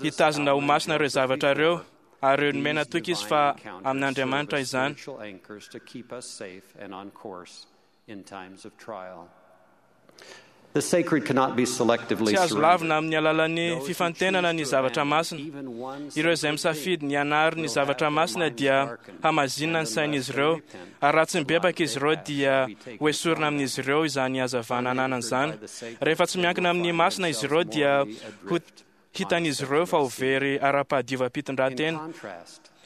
[SPEAKER 2] hitazona ho masina ireo zavatra ireo, ary nomena toky izy fa amin'Andriamanitra izany. Tsy azo lavina amin'ny alalan'ny fifantenana ny zavatra masina. Ireo izay misafidy ny hanary ny zavatra masina dia hamazinina ny sain'izy ireo, ary raha tsy mibebaka izy ireo dia hoesorina amin'izy ireo izany hazavana ananany izany. Rehefa tsy miankina amin'ny masina izy ireo dia ho hitan'izy ireo fa ho very ara-pahadiovam-pitondrantena.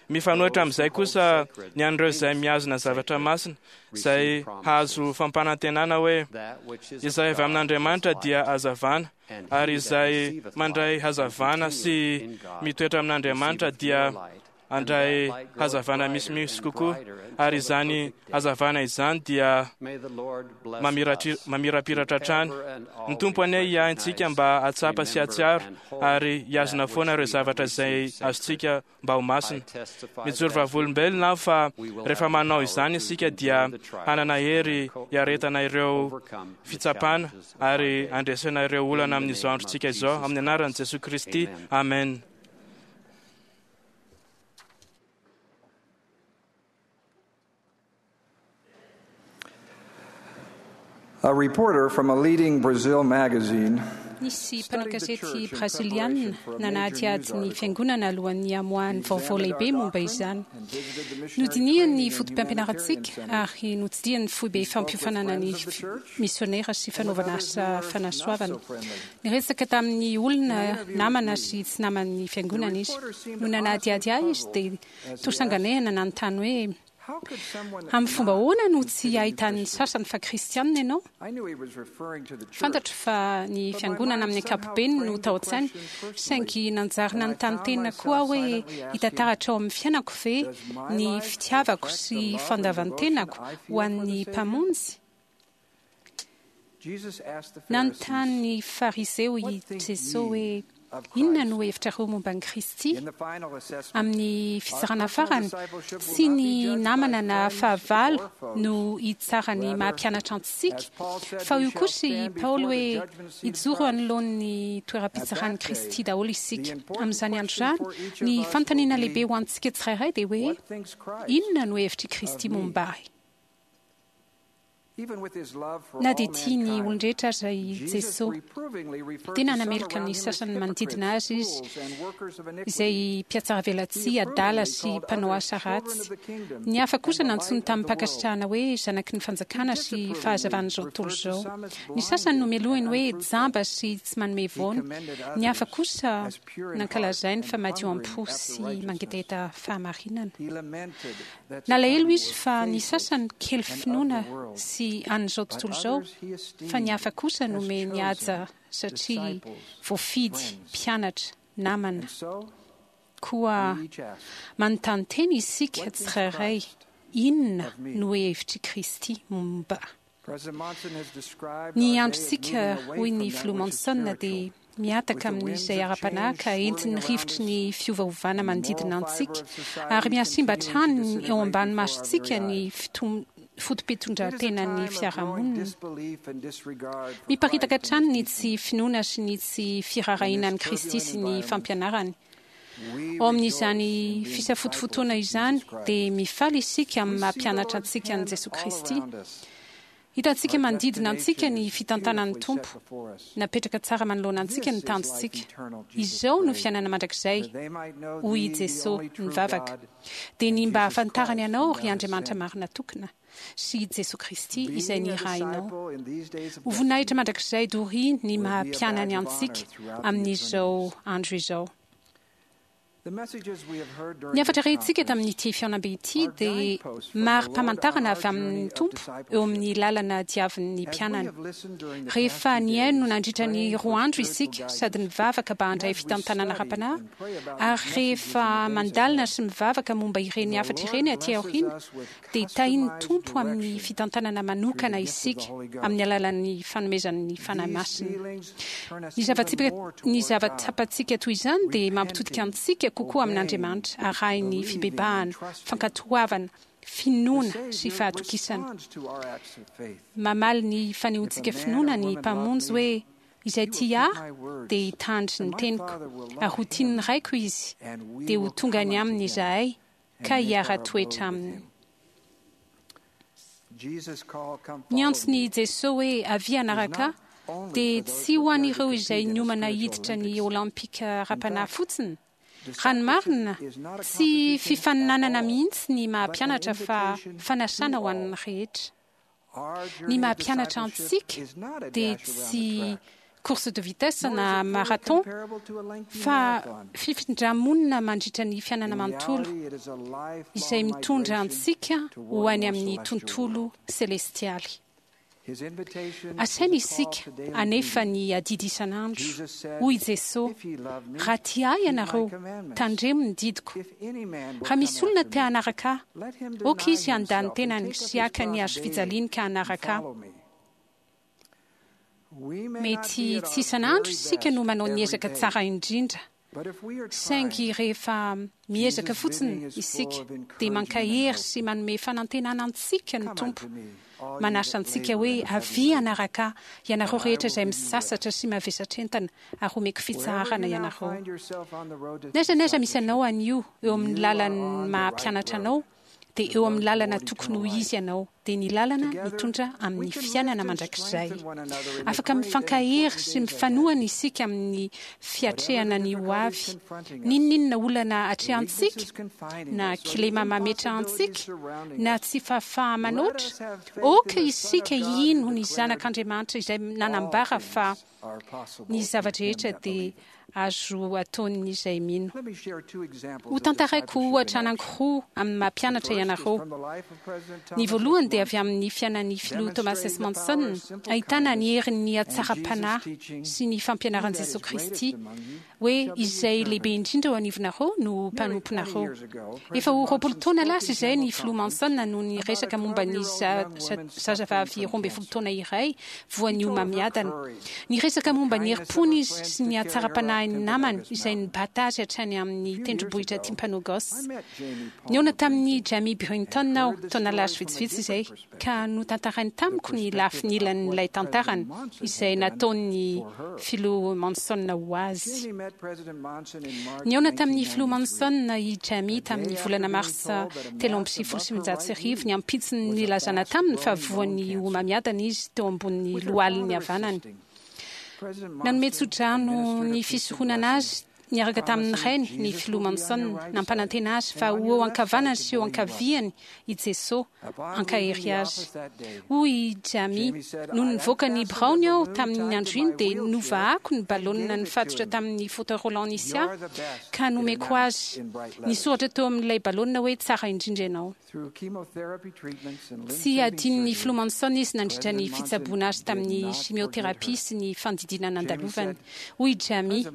[SPEAKER 2] Mifanohitra amin'izay kosa ny an'ireo izay mihazona zavatra masina, izay hahazo fampanantenana hoe, Izay avy amin'Andriamanitra dia hazavana, ary izay mandray hazavana sy mitoetra amin'Andriamanitra dia handray hazavana misimisy kokoa, ary izany hazavana izany dia mamirapiratra hatrany. Ny Tompo anie hiahy antsika mba hahatsapa sy hahatsiaro ary hihazona foana ireo zavatra izay azontsika mba ho masina. Mijoro vavolombelona aho fa rehefa manao izany isika dia hanana hery hiaretana ireo fitsapana ary handresena ireo olana amin'izao androntsika izao. Amin'ny anaran'i Jesoa Kristy, amen.
[SPEAKER 11] A reporter from a leading Brazil magazine
[SPEAKER 6] Nisy mpanao gazety brazilianina nanadihady ny fiangonana alohan'ny hamoahany vaovao lehibe momba izany. Nodinihany ny foto-pampianarantsika ary notsidihany ny foibe fampiofanana ny misionera sy fanaovana asa fanasoavana. Niresaka tamin'ny olona namana sy tsy naman'ny fiangonana izy. Nony nanadihady ahy izy dia toa sanganehana nanontany hoe, Amin'ny fomba ahoana no tsy ahitan'ny sasany fa kristianina ianao? Fantatro fa ny fiangonana amin'ny ankapobeny no tao an-tsainy, saingy nanjary nanontany tena koa aho hoe hita taratra ao amin'ny fiainako ve ny fitiavako sy fandavan-tenako ho an'ny Mpamonjy? Nanontany ny Fariseo i Jesoa hoe, Inona no hevitrareo momba an'i Kristy? Amin'ny fitsarana farany, tsy ny namana na fahavalo no hitsara ny maha-mpianatra antsika, fa hoy kosa i Paoly hoe, Hijoro anoloan'ny toeram-pitsaran'i Kristy daholo isika. Amin'izany andro izany, ny fanontaniana lehibe ho antsika tsirairay dia hoe, Inona no hevitr'i Kristy momba ahy? Na dia tia ny olon-drehetra aza i Jesoa, dia nanameloka ny sasany manodidina azy izy, izay mpihatsaravelatsihy, adala sy mpanao asa ratsy. Ny hafa kosa nantsoiny tamim-pankasitrahana hoe zanaky ny fanjakana sy fahazavan'izao tontolo izao. Ny sasany nomelohiny hoe jamba sy tsy manome voany. Ny hafa kosa nankalazainy fa madio am-po sy mangetaheta fahamarinana. Nalahelo izy fa ny sasany kely finoana sy an'izao tontolo izao, fa ny hafa kosa nomeny haja satria voafidy, mpianatra, namana. Koa manontany tena isika tsirairay, inona no hevitr'i Kristy momba Ny androntsika, hoy ny Filoha Monson, dia mihataka amin'izay ara-panahy ka entin'ny rivotry ny fiovaovana manodidina antsika, ary mihasimba hatrany eo ambany masontsika ny foto-pitondran-tenan'ny fiarahamonina. Miparitaka hatrany ny tsy finoana sy ny tsy firaharahiana an'i Kristy sy ny fampianarany. Ao amin'izany fisafotofotoana izany dia mifaly isika amin'ny maha mpianatra antsika an'i Jesoa Kristy. Hitantsika manodidina antsika ny fitantanan'ny Tompo. Napetraka tsara manoloana antsika ny tanjontsika. Izao no fiainana mandrakizay, hoy i Jesoa nivavaka, dia ny mba hahafantarany Anao, ry Andriamanitra marina tokana, sy i Jesoa Kristy izay nirahinao. Ho voninahitra mandrakizay doria ny maha mpianany antsika amin'izao andro izao. Ny hafatra rentsika tamin'ity fihaonambe ity dia mari-pamantarana avy amin'ny Tompo eo amin'ny lalana diavin'ny mpianany. Rehefa nihaino nandritra ny roa andro isika sady nivavaka mba handray fitantanana ara-panahy, ary rehefa mandalina sy mivavaka momba ireny hafatra ireny aty aoriana, dia tahin'ny Tompo amin'ny fitantanana manokana isika amin'ny alalan'ny fanomezan'ny Fanahy Masina. Ny zava-tsipika, ny zava-tsapantsika toy izany dia mampitodika antsika kokoa amin'Andriamanitra, arahin'ny fibebahana, fankatoavana, finoana sy fahatokisana. Mamaly ny fanehoantsika finoana ny Mpamonjy hoe, Izay tia Ahy dia hitandry ny teniko, ary ho tian'ny Raiko izy, dia ho tonga any aminy izahay, ka hiara-toetra aminy. Ny antson'i Jesoa hoe avia hanaraka Ahy dia tsy ho an'ireo izay niomana hiditra ny Olympika ara-panahy fotsiny. Raha ny marina, tsy fifaninanana mihitsy ny maha-mpianatra fa fanasana ho an'ny rehetra. Ny maha mpianatra antsika dia tsy course de vitesse na marathon fa fifindra-monina mandritra ny fiainana manontolo izay mitondra antsika ho any amin'ny tontolo selestialy. Asaina isika hanefa ny adidy isan'andro. Hoy i Jesoa, Raha tia Ahy ianareo, tandremo ny didiko. Raha misy olona te hanaraka Ahy, aoka izy handà ny tenany sy haka ny hazofijaliany ka hanaraka Ahy. Mety tsy isan'andro isika no manao ny ezaka tsara indrindra, saingy rehefa miezaka fotsiny isika dia mankahery sy manome fanantenana antsika ny Tompo. Manasa antsika hoe, Avia hanaraka Ahy, ianareo rehetra izay misasatra sy mavesatra entana, ary homeko fitsaharana ianareo. N'aiza n'aiza misy anao anio eo amin'ny lalan'ny maha-mpianatra anao, dia eo amin'ny lalana tokony ho izy ianao, dia ny lalana mitondra amin'ny fiainana mandrakizay. Afaka mifankahery sy mifanohana isika amin'ny fiatrehana ny ho avy. N'inon'inona olana atrehantsika, na kilema mametra antsika, na tsy fahafaha-manoatra, aoka isika hino ny Zanak'Andriamanitra izay nanambara fa Ny zava-drehetra dia azo ataon'izay mino. Hotantaraiko ohatra anankiroa amin'ny maha mpianatra ianareo. Ny voalohany dia avy amin'ny fiainan'ny Filoha Thomas S. Monson, ahitana ny herin'ny hatsaram-panahy sy ny fampianaran'i Jesoa Kristy hoe izay lehibe indrindra eo anivonareo no ho mpanomponareo. Efa ho 20 taona lasa izay ny Filoha Monson no niresaka momba ny zazavavy 12 taona iray voan'ny homamiadana. Niresaka momba ny herim-pony izy sy ny hatsaram-panahin'ny namany izay nibata azy hatrany amin'ny tendrombohitra Timpanogos. Nihaona tamin'i Jamie Brinton aho taona lasa vitsivitsy izay. ka notantarainy tamiko ny lafiny ilan'ilay tantarany izay nataon'ny Filoha Monson ho azy. Nihaona tamin'ny Filoha Monson i Jamie tamin'ny volana marsa 1993, ny ampitson'ny nilazana taminy fa voan'ny homamiadana izy teo ambonin'ny lohaliny havanany. Nanome tsodrano ny fisoronana azy Niaraka tamin'ny rainy ny Filoha Monson, nampanantena azy fa ho eo ankavanany sy eo ankaviany i Jesoa hankahery azy. Hoy i Jamie, Nony nivoaka ny biraony aho tamin'iny andro iny dia novahako ny balaonina nifatotra tamin'ny fauteuil roulant nisy ahy ka nomeko azy. Nisoratra teo amin'ilay balaonina hoe Tsara indrindra ianao. Tsy adinon'ny Filoha Monson izy nandritra ny fitsaboana azy tamin'ny chimiothérapie sy ny fandidiana nandalovany. Hoy i Jamie,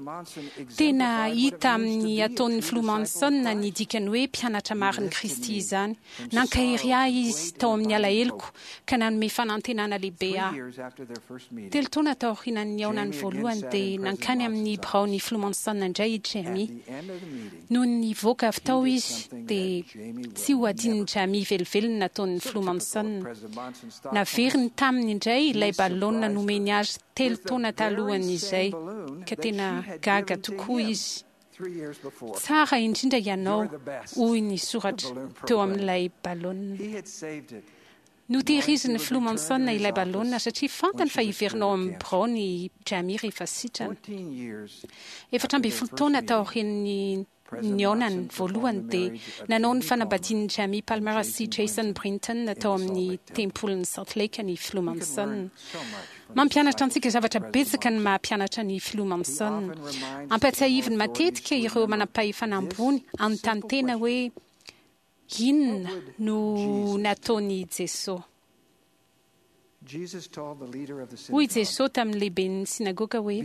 [SPEAKER 6] Tena hita amin'ny ataon'ny Filoha Monson ny dikan'ny hoe mpianatra marin'i Kristy izany. Nankahery ahy izy tao amin'ny alaheloko ka nanome fanantenana lehibe ahy. Telo taona taorian'ny nihaonany voalohany dia nankany amin'ny biraon'ny Filoha Monson indray i Jamie. Nony nivoaka avy tao izy dia tsy ho adinon'i Jamie velively ny nataon'ny Filoha Monson. Naveriny taminy indray ilay balaonina nomeny azy telo taona talohan'izay, ka tena gaga tokoa izy. Tsara indrindra ianao, hoy ny soratra teo amin'ilay balaonina. Notehirizin'ny Filoha Monson ilay balaonina satria fantany fa hiverina ao amin'ny biraony i Jamie rehefa sitrana. 14 taona taorian'ny nihaonany voalohany dia nanao ny fanambadian'i Jamie Palmer sy Jason Brinton tao amin'ny Tempolin'i Salt Lake ny Filoha Monson. Mampianatra antsika zavatra betsaka ny maha mpianatra ny Filoha Monson. Ampahatsiahiviny matetika ireo manampahefana ambony hanontany tena hoe, Inona no nataon'i Jesoa? Hoy Jesoa tamin'ny lehiben'ny synagoga hoe,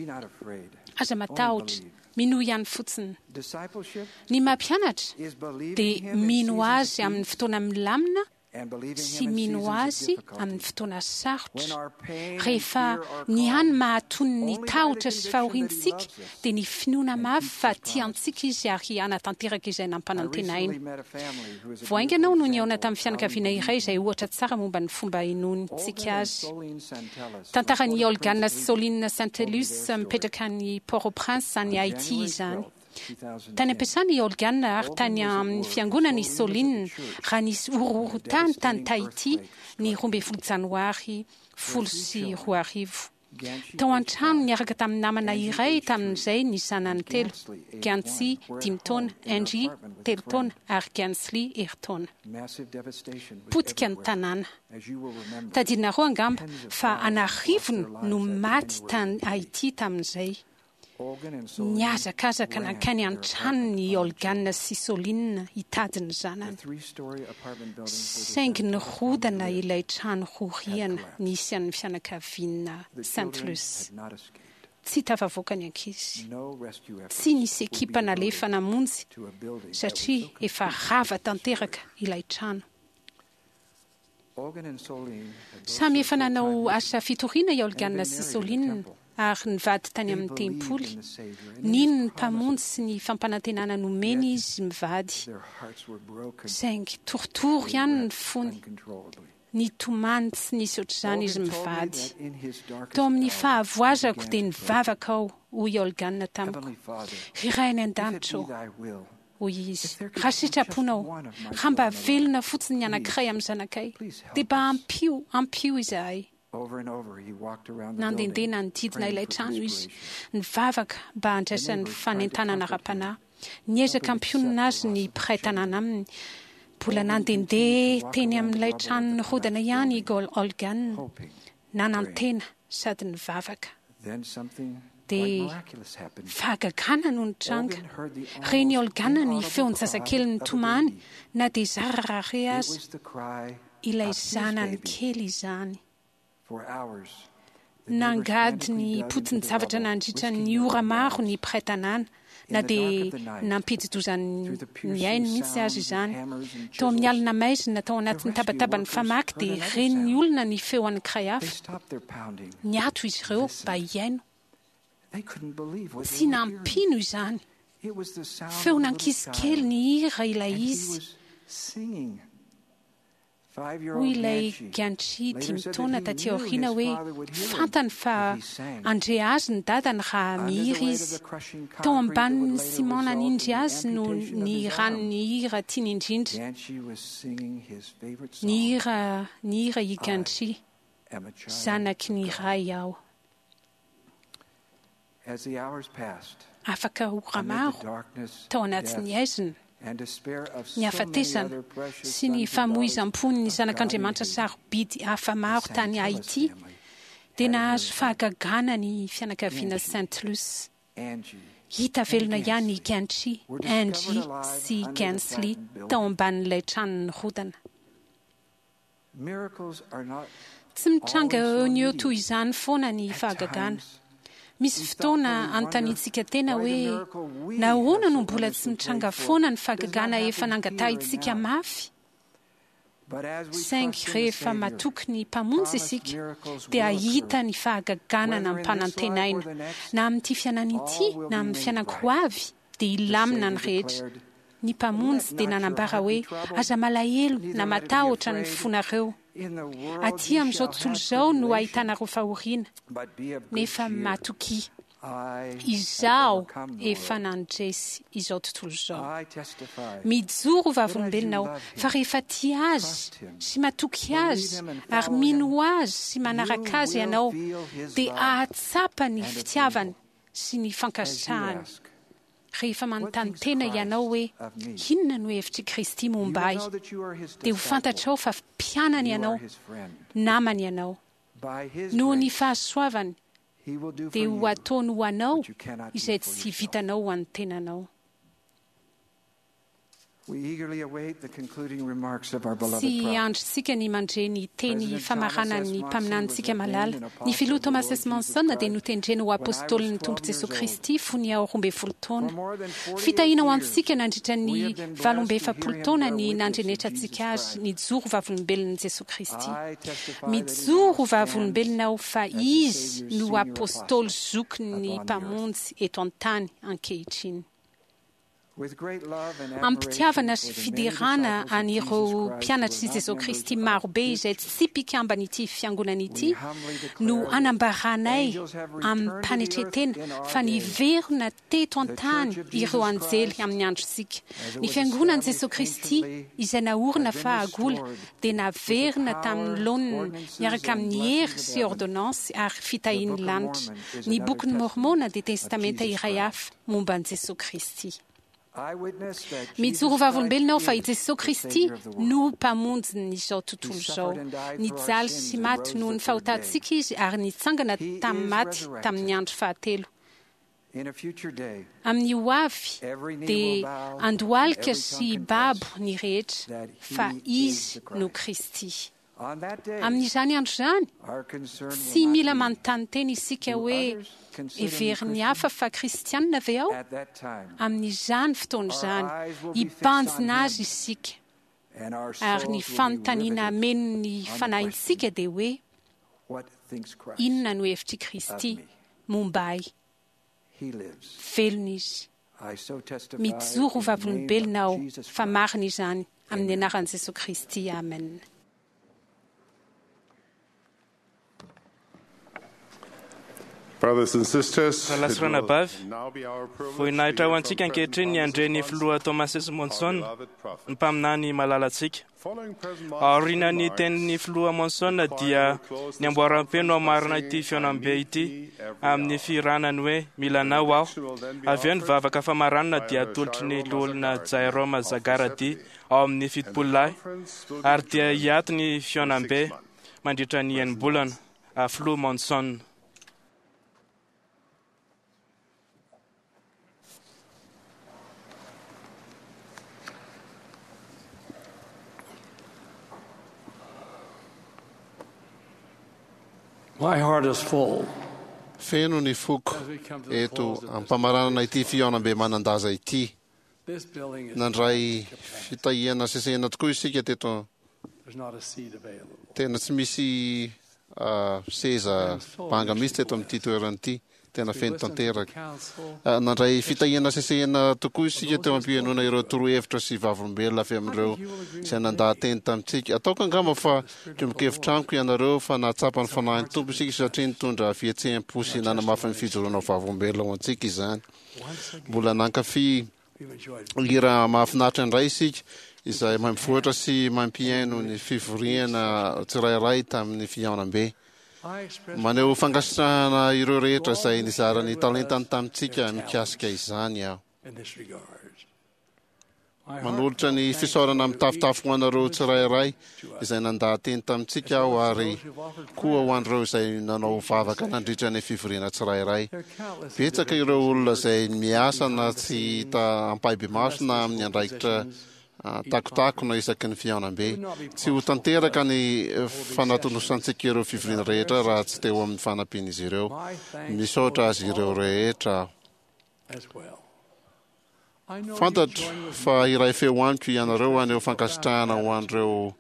[SPEAKER 6] Aza matahotra, minoa ihany fotsiny. Ny maha mpianatra dia mino Azy amin'ny fotoana milamina sy mino Azy amin'ny fotoana sarotra. Rehefa ny hany mahatony ny tahotra sy fahoriantsika dia ny finoana mafy fa tia antsika Izy ary hanatanteraka izay nampanantenainy. Vao haingana aho no nihaona tamin'ny fianakaviana iray izay ohatra tsara momba ny fomba inoantsika Azy. Tantaran'i Olgan sy Soline Saintelus mipetraka any Port-au-Prince any Haïti izany. Tany am-piasana i Olgan ary tany amin'ny fiangonana i Soline raha nisy horohorontany tany Tahiti ny 12 Janoary 2010. Tao an-trano niaraka tamin'ny namana iray tamin'izay ny zanany telo, Gansi, dimy taona, Angie, telo taona, ary Gansly, herintaona. Potika ny tanàna. Tadidinareo angamba fa an'arivony no maty tany Haiti tamin'izay. Nihazakazaka nankany an-tranony i Olgan sy Soline hitady ny zanany. Saingy nirodana ilay trano roa rihana nisy an'ny fianakaviana Sainte-Luce. Tsy tafavoaka ny ankizy. Tsy nisy ekipa nalefa namonjy satria efa rava tanteraka ilay trano. Samy efa nanao asa fitoriana i Olgan sy Soline ary nivady tany amin'ny tempoly. Nino ny Mpamonjy sy ny fampanantenana nomeny izy mivady. Saingy torotoro ihany ny fony. Nitomany tsy nisy ohatr'izany izy mivady. Tao amin'ny fahavoazako dia nivavaka aho, hoy i Olgan tamiko. Ry Ray any An-danitra ô! Hoy izy, Raha sitraponao, raha mba velona fotsiny ny anankiray amin'ny zanakay, dia mba ampio, ampio izahay. Nandehandeha nanodidina ilay trano izy, nivavaka mba handraisany fanentanana ara-panahy. Niezaka hampionona azy ny mpiray tanàna aminy. Mbola nandehandeha teny amin'ilay trano nirodana ihany i Olgan, nanantena sady nivavaka. Dia fahagagana no nitranga. Ren'i Olgana ny feon-jazakely nitomany, na dia zara raha re aza. Ilay zanany kely izany. Nangady ny potin-javatra nandritra ny ora maro ny mpiray tanàna, na dia nampidi-doza ny ainy mihitsy aza izany. Tao amin'ny alina maizina, tao anatin'ny tabataban'ny famaky, dia ren'ny olona ny feo anankiray hafa. Niato izy ireo mba hihaino. Tsy nampino izany. Feon'ankizy kely nihira ilay izy. Hoy ilay Gantry dimy taona taty aoriana hoe fantany fa handre azy ny dadany raha mihira izy. Tao ambanin'ny ciment nanindry azy no nihirany ny hira tiany indrindra. Nihira nihira i Gantry, Zanaky ny Ray aho. Afaka ora maro, tao anatin'ny haizina, ny hafatesana, sy ny famoizam-pon'ny zanak'Andriamanitra sarobidy hafa maro tany Haiti, dia nahazo fahagagana ny fianakaviana Saint Luce. Hita velona ihany i Gantry, Angie sy Gansley tao ambanin'ilay trano nirodana. Tsy mitranga eo no eo toy izany foana ny fahagagana. Misy fotoana anontaniantsika tena hoe, 'Nahoana no mbola tsy mitranga foana ny fahagagana efa nangatahintsika mafy? Saingy rehefa matoky ny Mpamonjy isika, dia hahita ny fahagagana nampanantenaina, na amin'ity fiainana ity na amin'ny fiainan-ko avy, dia hilamina ny rehetra. Ny Mpamonjy dia nanambara hoe, Aza malahelo na matahotra ny fonareo. Aty amin'izao tontolo izao no ahitanareo fahoriana, nefa matokia. Izaho efa nandresy izao tontolo izao. Mijoro ho vavolombelona aho fa rehefa tia Azy sy matoky Azy ary mino Azy sy manaraka Azy ianao, dia hahatsapa ny fitiavany sy ny fankasitrahany. Rehefa manontany tena ianao hoe, Inona no hevitr'i Kristy momba ahy? dia ho fantatrao fa mpianany ianao, namany ianao. Noho ny fahasoavany, dia ho ataony ho anao izay tsy vitanao ho an'ny tenanao. Tsy andrintsika ny mandre ny teny famaranan'ny mpaminanintsika malala. Ny Filoha Thomas S. Monson dia notendrena ho Apôstôlin'ny Tompo Jesoa Kristy fony aho 12 taona. Fitahiana ho antsika nandritra ny 48 taona ny nandrenetrantsika azy nijoro vavolombelon'i Jesoa Kristy. Mijoro ho vavolombelona aho fa izy no Apôstôly zokin'ny Mpamonjy eto an-tany ankehitriny. Amim-pitiavana sy fiderana an'ireo mpianatr'i Jesoa Kristy marobe izay tsy mpikamban'ity Fiangonana ity no anambaranay amim-panetren-tena fa niverina teto an-tany ireo anjely amin'ny androntsika. Ny Fiangonan'i Jesoa Kristy izay naorina fahagola dia naverina tamin'ny laoniny miaraka amin'ny hery sy ôrdônansy ary fitahian'ny lanitra. Ny Bokin'i Môrmôna dia testamenta iray hafa momba an'i Jesoa Kristy. Mijoro ho vavolombelona aho fa i Jesoa Kristy no Mpamonjin'izao tontolo izao. Nijaly sy maty noho ny fahotantsika Izy ary nitsangana tamin'ny maty tamin'ny andro fahatelo. Amin'ny ho avy dia handohalika sy hibabo ny rehetra fa Izy no Kristy. Amin'izany andro izany, tsy mila manontany tena isika hoe, 'Heverin'ny hafa fa Kristianina ve aho? Amin'izany fotoana izany, hibanjina azy isika, ary ny fanontaniana hameno ny fanahintsika dia hoe, 'Inona no hevitr'i Kristy momba ahy? Velona izy. Mijoro ho vavolombelona aho fa marina izany amin'ny anaran'i Jesoa Kristy, amen.
[SPEAKER 12] Brothers and sisters,
[SPEAKER 2] Rahalahy sy ranabavy, voninahitra ho antsika ankehitriny ny handre ny Filoha Thomas S. Monson, ny mpaminany malalantsika. Aorian'ny tenin'ny Filoha Monson dia ny amboaram-peo no hamarana ity fihaonambe ity amin'ny fihirana ny hoe Mila Anao Aho. Avy eo ny vavaka famaranana dia atolotry ny Loholona Jairoma Zagaradi ao amin'ny Fitopololahy ary dia hiato ny fihaonambe mandritra ny enim-bolana. Filoha Monson.
[SPEAKER 13] My heart is full.
[SPEAKER 14] Feno ny foko eto am-pamaranana ity fihaonambe manan-daza ity. Nandray fitahiana sesehena tokoa isika teto. Tena tsy misy seza banga mihitsy teto amin'ity toerana ity. Tena feno tanteraka. Nandray fitahiana sesehena tokoa isika teo am-pihainoana ireo torohevitra sy vavolombelona avy amin'ireo izay nandaha-teny tamintsika. Ataoko angamba fa miombon-kevitra amiko ianareo fa nahatsapa ny Fanahin'ny Tompo isika satria nitondra fihetseham-po sy nanamafy ny fijoroana ho vavolombelona ho antsika izany. Mbola nankafy hira mahafinaritra indray isika izay mampivoatra sy mampihaino ny fivoriana tsirairay tamin'ny fihaonambe. Maneho fankasitrahana ireo rehetra izay nizara ny talentany tamintsika mikasika izany aho. Manolotra ny fisaorana mitafotafo ho anareo tsirairay izay nandaha-teny tamintsika aho ary koa ho an'ireo izay nanao vavaka nandritra ny fivoriana tsirairay. Betsaka ireo olona izay miasa na tsy hita ampahibemaso na amin'ny andraikitra takotakona isaky ny fihaonambe. Tsy ho tanteraka ny fanatonosantsika ireo fivoriana rehetra raha tsy teo amin'ny fanampian'izy ireo. Misaotra azy ireo rehetra aho. Fantatro fa hiray feo amiko ianareo haneho fankasitrahana ho an'ireo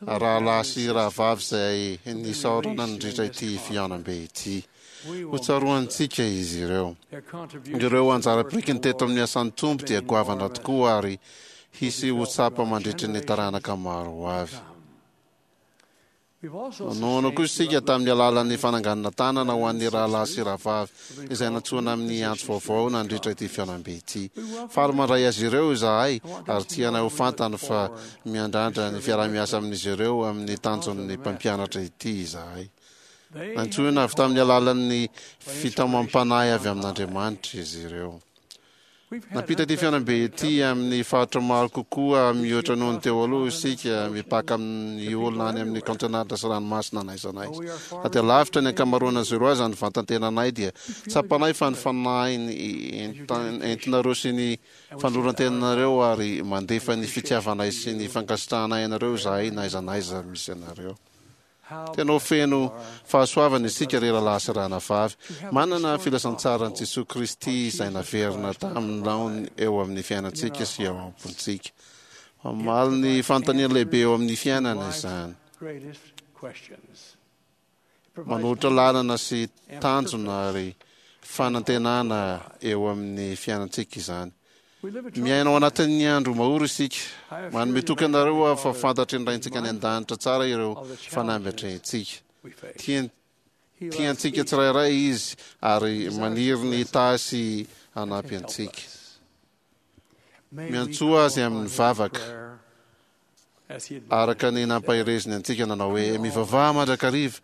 [SPEAKER 14] rahalahy sy rahavavy izay nisaorana nandritra ity fihaonambe ity. Hotsaroantsika izy ireo. Ireo anjara birikiny teto amin'ny asan'ny Tompo dia goavana tokoa ary hisy ho tsapa mandritry ny taranaka maro ho avy. Nanohana koa isika tamin'ny alalan'ny fananganana tanana ho an'ny rahalahy sy rahavavy izay nantsoina amin'ny antso vaovao nandritra ity fihaonambe ity. Faly mandray azy ireo izahay ary tianay ho fantany fa miandrandra ny fiaraha-miasa amin'izy ireo amin'ny tanjon'ny mpampianatra ity izahay. Nantsoina avy tamin'ny alalan'ny fitaomam-panahy avy amin'Andriamanitra izy ireo. Nampita ity fihaonambe ity amin'ny faritra maro kokoa mihoatra noho ny teo aloha isika, mipaka amin'ny olona any amin'ny kaontinanta sy ranomasina n'aiza n'aiza. Na dia lavitra ny ankamaroan'izy ireo aza ny vantan-tenanay dia tsapanay fa ny fanahy entinareo sy ny fanoloran-tenanareo ary mandefa ny fitiavanay sy ny fankasitrahanay anareo izahay n'aiza n'aiza misy anareo. Tena ho feno fahasoavana isika ry rahalahy sy rahanavavy, manana filazantsaran'i Jesoa Kristy izay naverina tamin'ny laoniny eo amin'ny fiainantsika sy ao am-pontsika. Mamaly ny fanontaniana lehibe eo amin'ny fiainana izany. Manolotra lalana sy tanjona ary fanantenana eo amin'ny fiainantsika izany. Miaina ao anatin'ny andro mahory isika. Manome toky anareo aho fa fantatry ny Raintsika any An-danitra tsara ireo fanamby atrehintsika. Tiany, tia antsika tsirairay Izy ary maniry ny hitahy sy hanampy antsika. Miantsoa Azy amin'ny vavaka. Araka ny nampahereziny antsika nanao hoe, Mivavaha mandrakariva,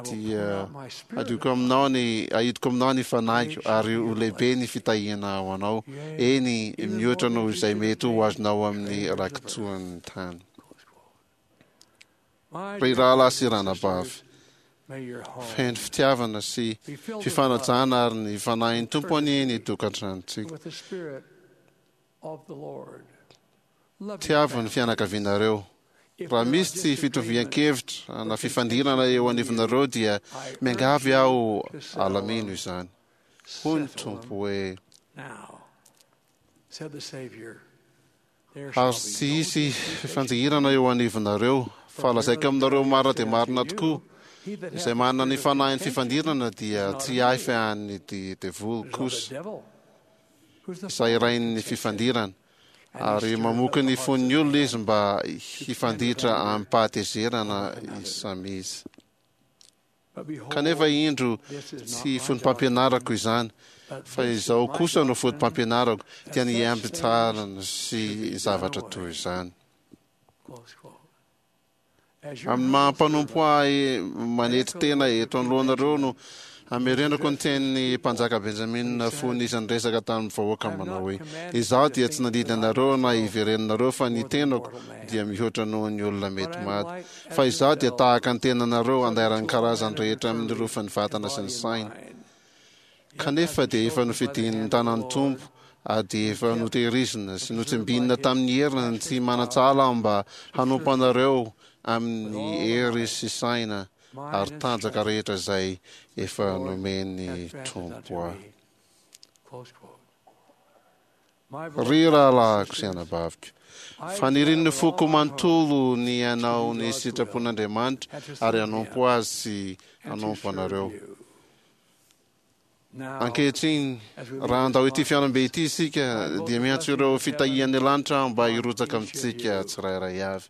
[SPEAKER 14] dia hadioko aminao ny, hahidiko aminao ny fanahiko, ary ho lehibe ny fitahiana ho anao, eny, mihoatra noho izay mety ho azonao amin'ny rakitsoan'ny tany. Ry rahalahy sy ranabavy, feno fitiavana sy fifanajana ary ny fanahin'ny Tompo anie ny tokantranontsika. Tiavo ny fianakavianareo. Raha misy tsy fitovian-kevitra na fifandirana eo anivonareo dia miangavy aho alamino izany. Hoy ny Tompo hoe, Ary tsy hisy fifanjihirana eo anivonareo, fa lazaiko aminareo marina dia marina tokoa, izay manana ny fanahin'ny fifandirana dia tsy ahy fa an'ny devoly kosa, izay rain'ny fifandirana. Ary mamoky ny fon'ny olona izy mba hifanditra amim-pahatezerana izy samy izy. Kanefa indro, tsy fotopampianarako izany, fa izao kosa no fotopampianarako, dia ny hiambin-tsarana sy zavatra toy izany. Amin'ny maha mpanompo ahy manetry tena eto anoloanareo no hamerenako ny tenin'ny mpanjaka Benjamina fony izy niresaka tamin'ny vahoaka manao hoe, Izaho dia tsy nandidy anareo na hiverenanareo fa ny tenako dia mihoatra noho ny olona mety maty. Fa izaho dia tahaka ny tenanareo andairan'ny karazany rehetra amin'ny rofin'ny vatana sy ny saina. Kanefa dia efa nofidin'ny tanan'ny Tompo ary dia efa notehirizina sy notsimbinina tamin'ny heriny tsy manan-tsahala aho mba hanompo anareo amin'ny hery sy saina ary tanjaka rehetra izay efa nomen'ny Tompo ahy. Ry rahalahiko sy anabaviko, fanirian'ny foko manontolo ny hanao ny sitrapon'Andriamanitra ary hanompo Azy sy hanompo anareo. Ankehitriny, raha handao ity fihaonambe ity isika, dia miantso ireo fitahian'ny lanitra aho mba hirotsaka amintsika tsirairay avy.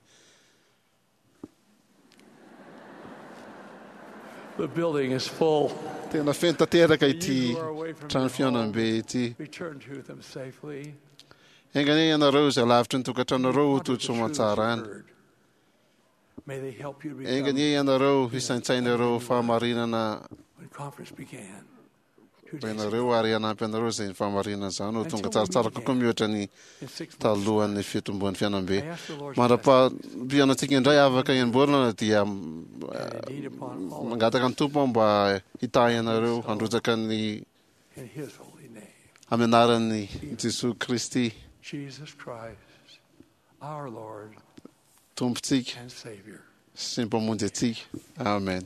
[SPEAKER 14] Tena feno tanteraka ity trano fihaonambe ity. Enga anie ianareo izay lavitry ny tokantranonareo ho tody soamantsara any. Enga anie ianareo hisaintsaina ireo fahamarinana renareo ary hanampy anareo izay fahamarinana izany ho tonga tsaratsara kokoa mihoatra ny talohan'ny fitomboan'ny fiainam-be. Mandra-pampianantsika indray afaka enim-bolana dia mangataka ny Tompo aho mba hitahy anareo handrotsaka ny amin'ny anaran'i Jesoa Kristy. Tompontsika sy Mpamonjy antsika. Amen.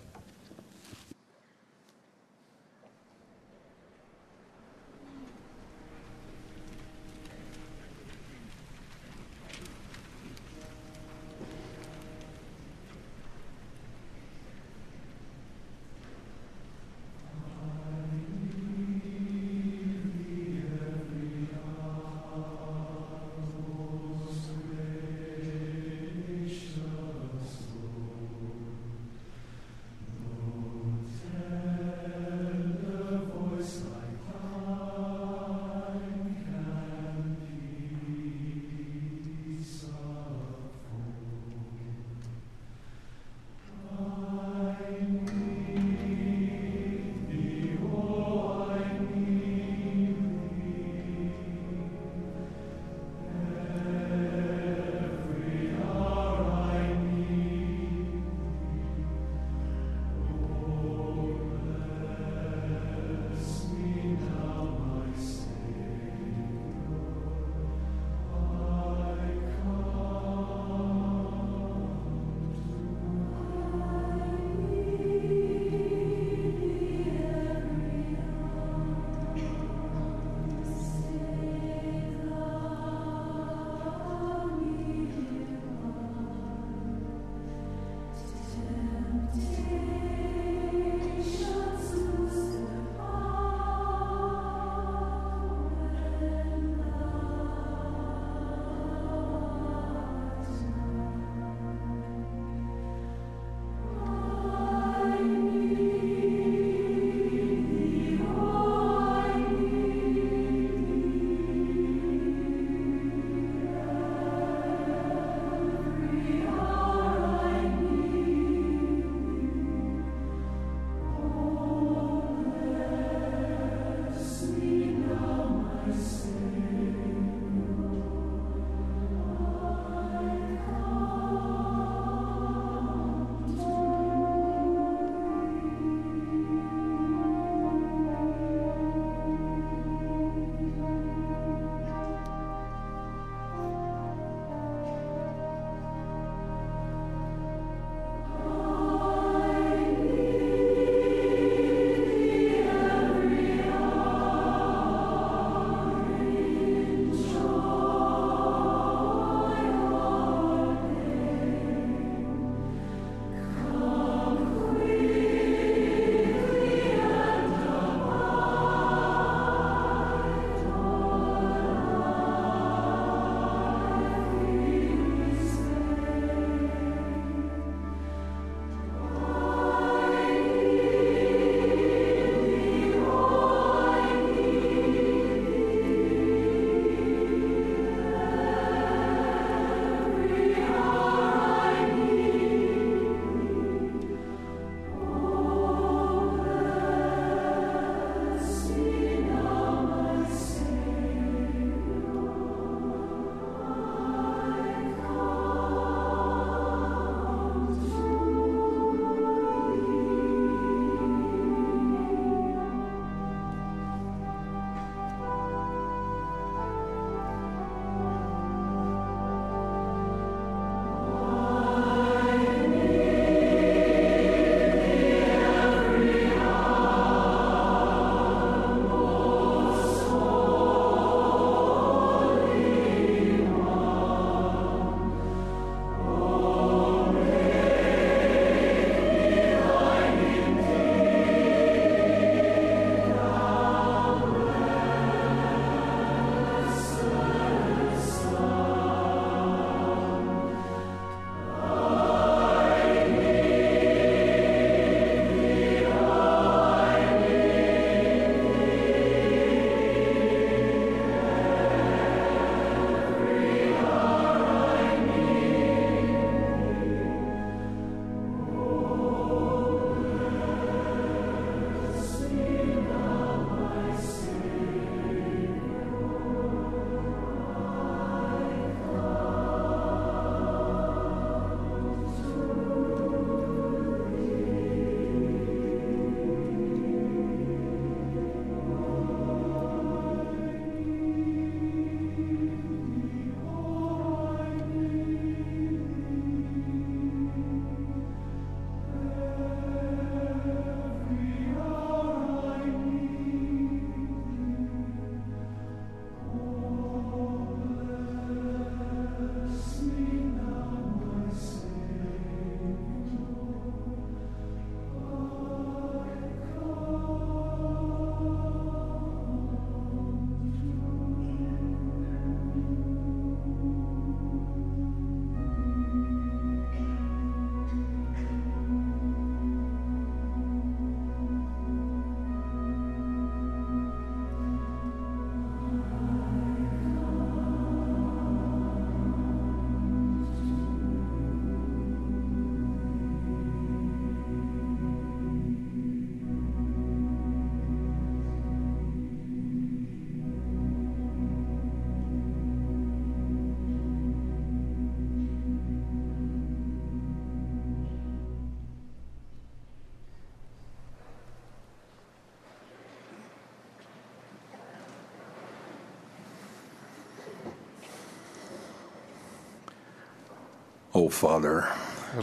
[SPEAKER 13] O Father,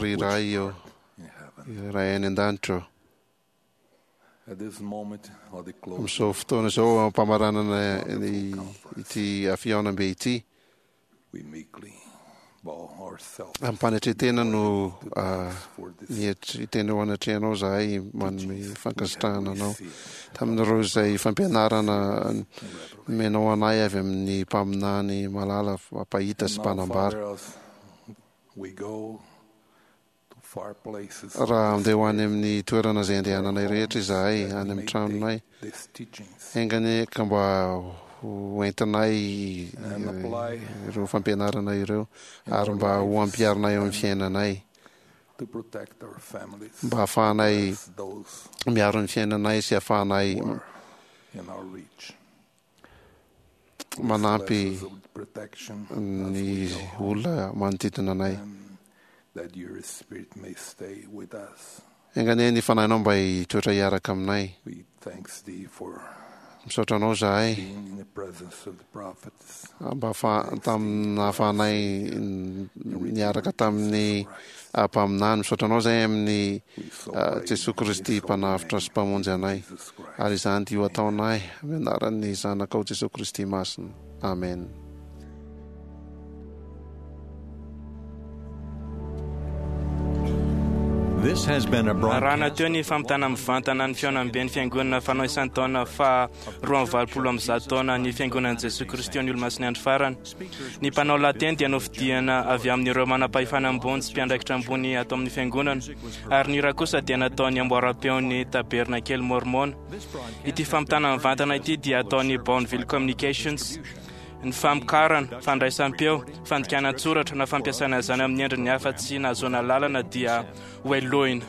[SPEAKER 14] Ry Ray ô, Ray any an-danitra ô,
[SPEAKER 13] at this moment of the closing,
[SPEAKER 14] amin'izao fotoana izao ampamaranana ny ity fihaonambe ity,
[SPEAKER 13] we meekly bow ourselves
[SPEAKER 14] amim-panetren-tena no mietry tena eo anatrehanao izahay manome fankasitrahana anao tamin'ireo izay fampianarana nomenao anay avy amin'ny mpaminany malala mpahita sy
[SPEAKER 13] And now,
[SPEAKER 14] mpanambara.
[SPEAKER 13] Father, as we go to far places,
[SPEAKER 14] Raha andeha ho any amin'ny toerana izay andehananay rehetra izahay, any amin'ny tranonay,
[SPEAKER 13] these teachings
[SPEAKER 14] enga anie ka mba ho entinay
[SPEAKER 13] And apply
[SPEAKER 14] ireo fampianarana ireo ary mba ho ampiharinay eo amin'ny fiainanay,
[SPEAKER 13] to protect our families,
[SPEAKER 14] mba hahafahanay
[SPEAKER 13] bless those
[SPEAKER 14] miaro ny fiainanay sy hahafahanay
[SPEAKER 13] in our reach.
[SPEAKER 14] manampy
[SPEAKER 13] Bless us with protection
[SPEAKER 14] ny olona manodidina anay.
[SPEAKER 13] that your spirit may stay with us.
[SPEAKER 14] Enga anie ny fanahinao mba hitoetra hiaraka aminay.
[SPEAKER 13] We thanks thee for
[SPEAKER 14] Misaotra anao izahay
[SPEAKER 13] being in the presence of the prophets.
[SPEAKER 14] mba ahafa- tamin'ny nahafahanay niaraka tamin'ny mpaminany. Misaotra anao izahay amin'ny Jesoa Kristy Mpanavotra sy Mpamonjy anay. Ary izany dia ho ataonay amin'ny anaran'ny Zanakao Jesoa Kristy Masina. Amen.
[SPEAKER 7] This has been a
[SPEAKER 2] Arahana
[SPEAKER 7] broadcast
[SPEAKER 2] teo ny fampitana mivantana ny fihaonamben'ny fiangonana fanao isan-taona fa 182 taona ny fiangonan'i Jesoa Kristy ny Olomasin'ny Andro Farany. Ny mpanao lahateny dia nofidiana avy amin'ireo manam-pahefana ambony sy mpiandraikitra ambony ato amin'ny fiangonana, ary ny hira kosa dia nataon'ny amboaram-peon'ny Tabernakely Mormona. Ity fampitana mivantana ity dia ataon'ny Bonneville Communications. Ny famokarana, fandraisam-peo, fandikana an-tsoratra na fampiasana izany amin'ny endriny hafa tsy nahazoana lalana dia hohelohina.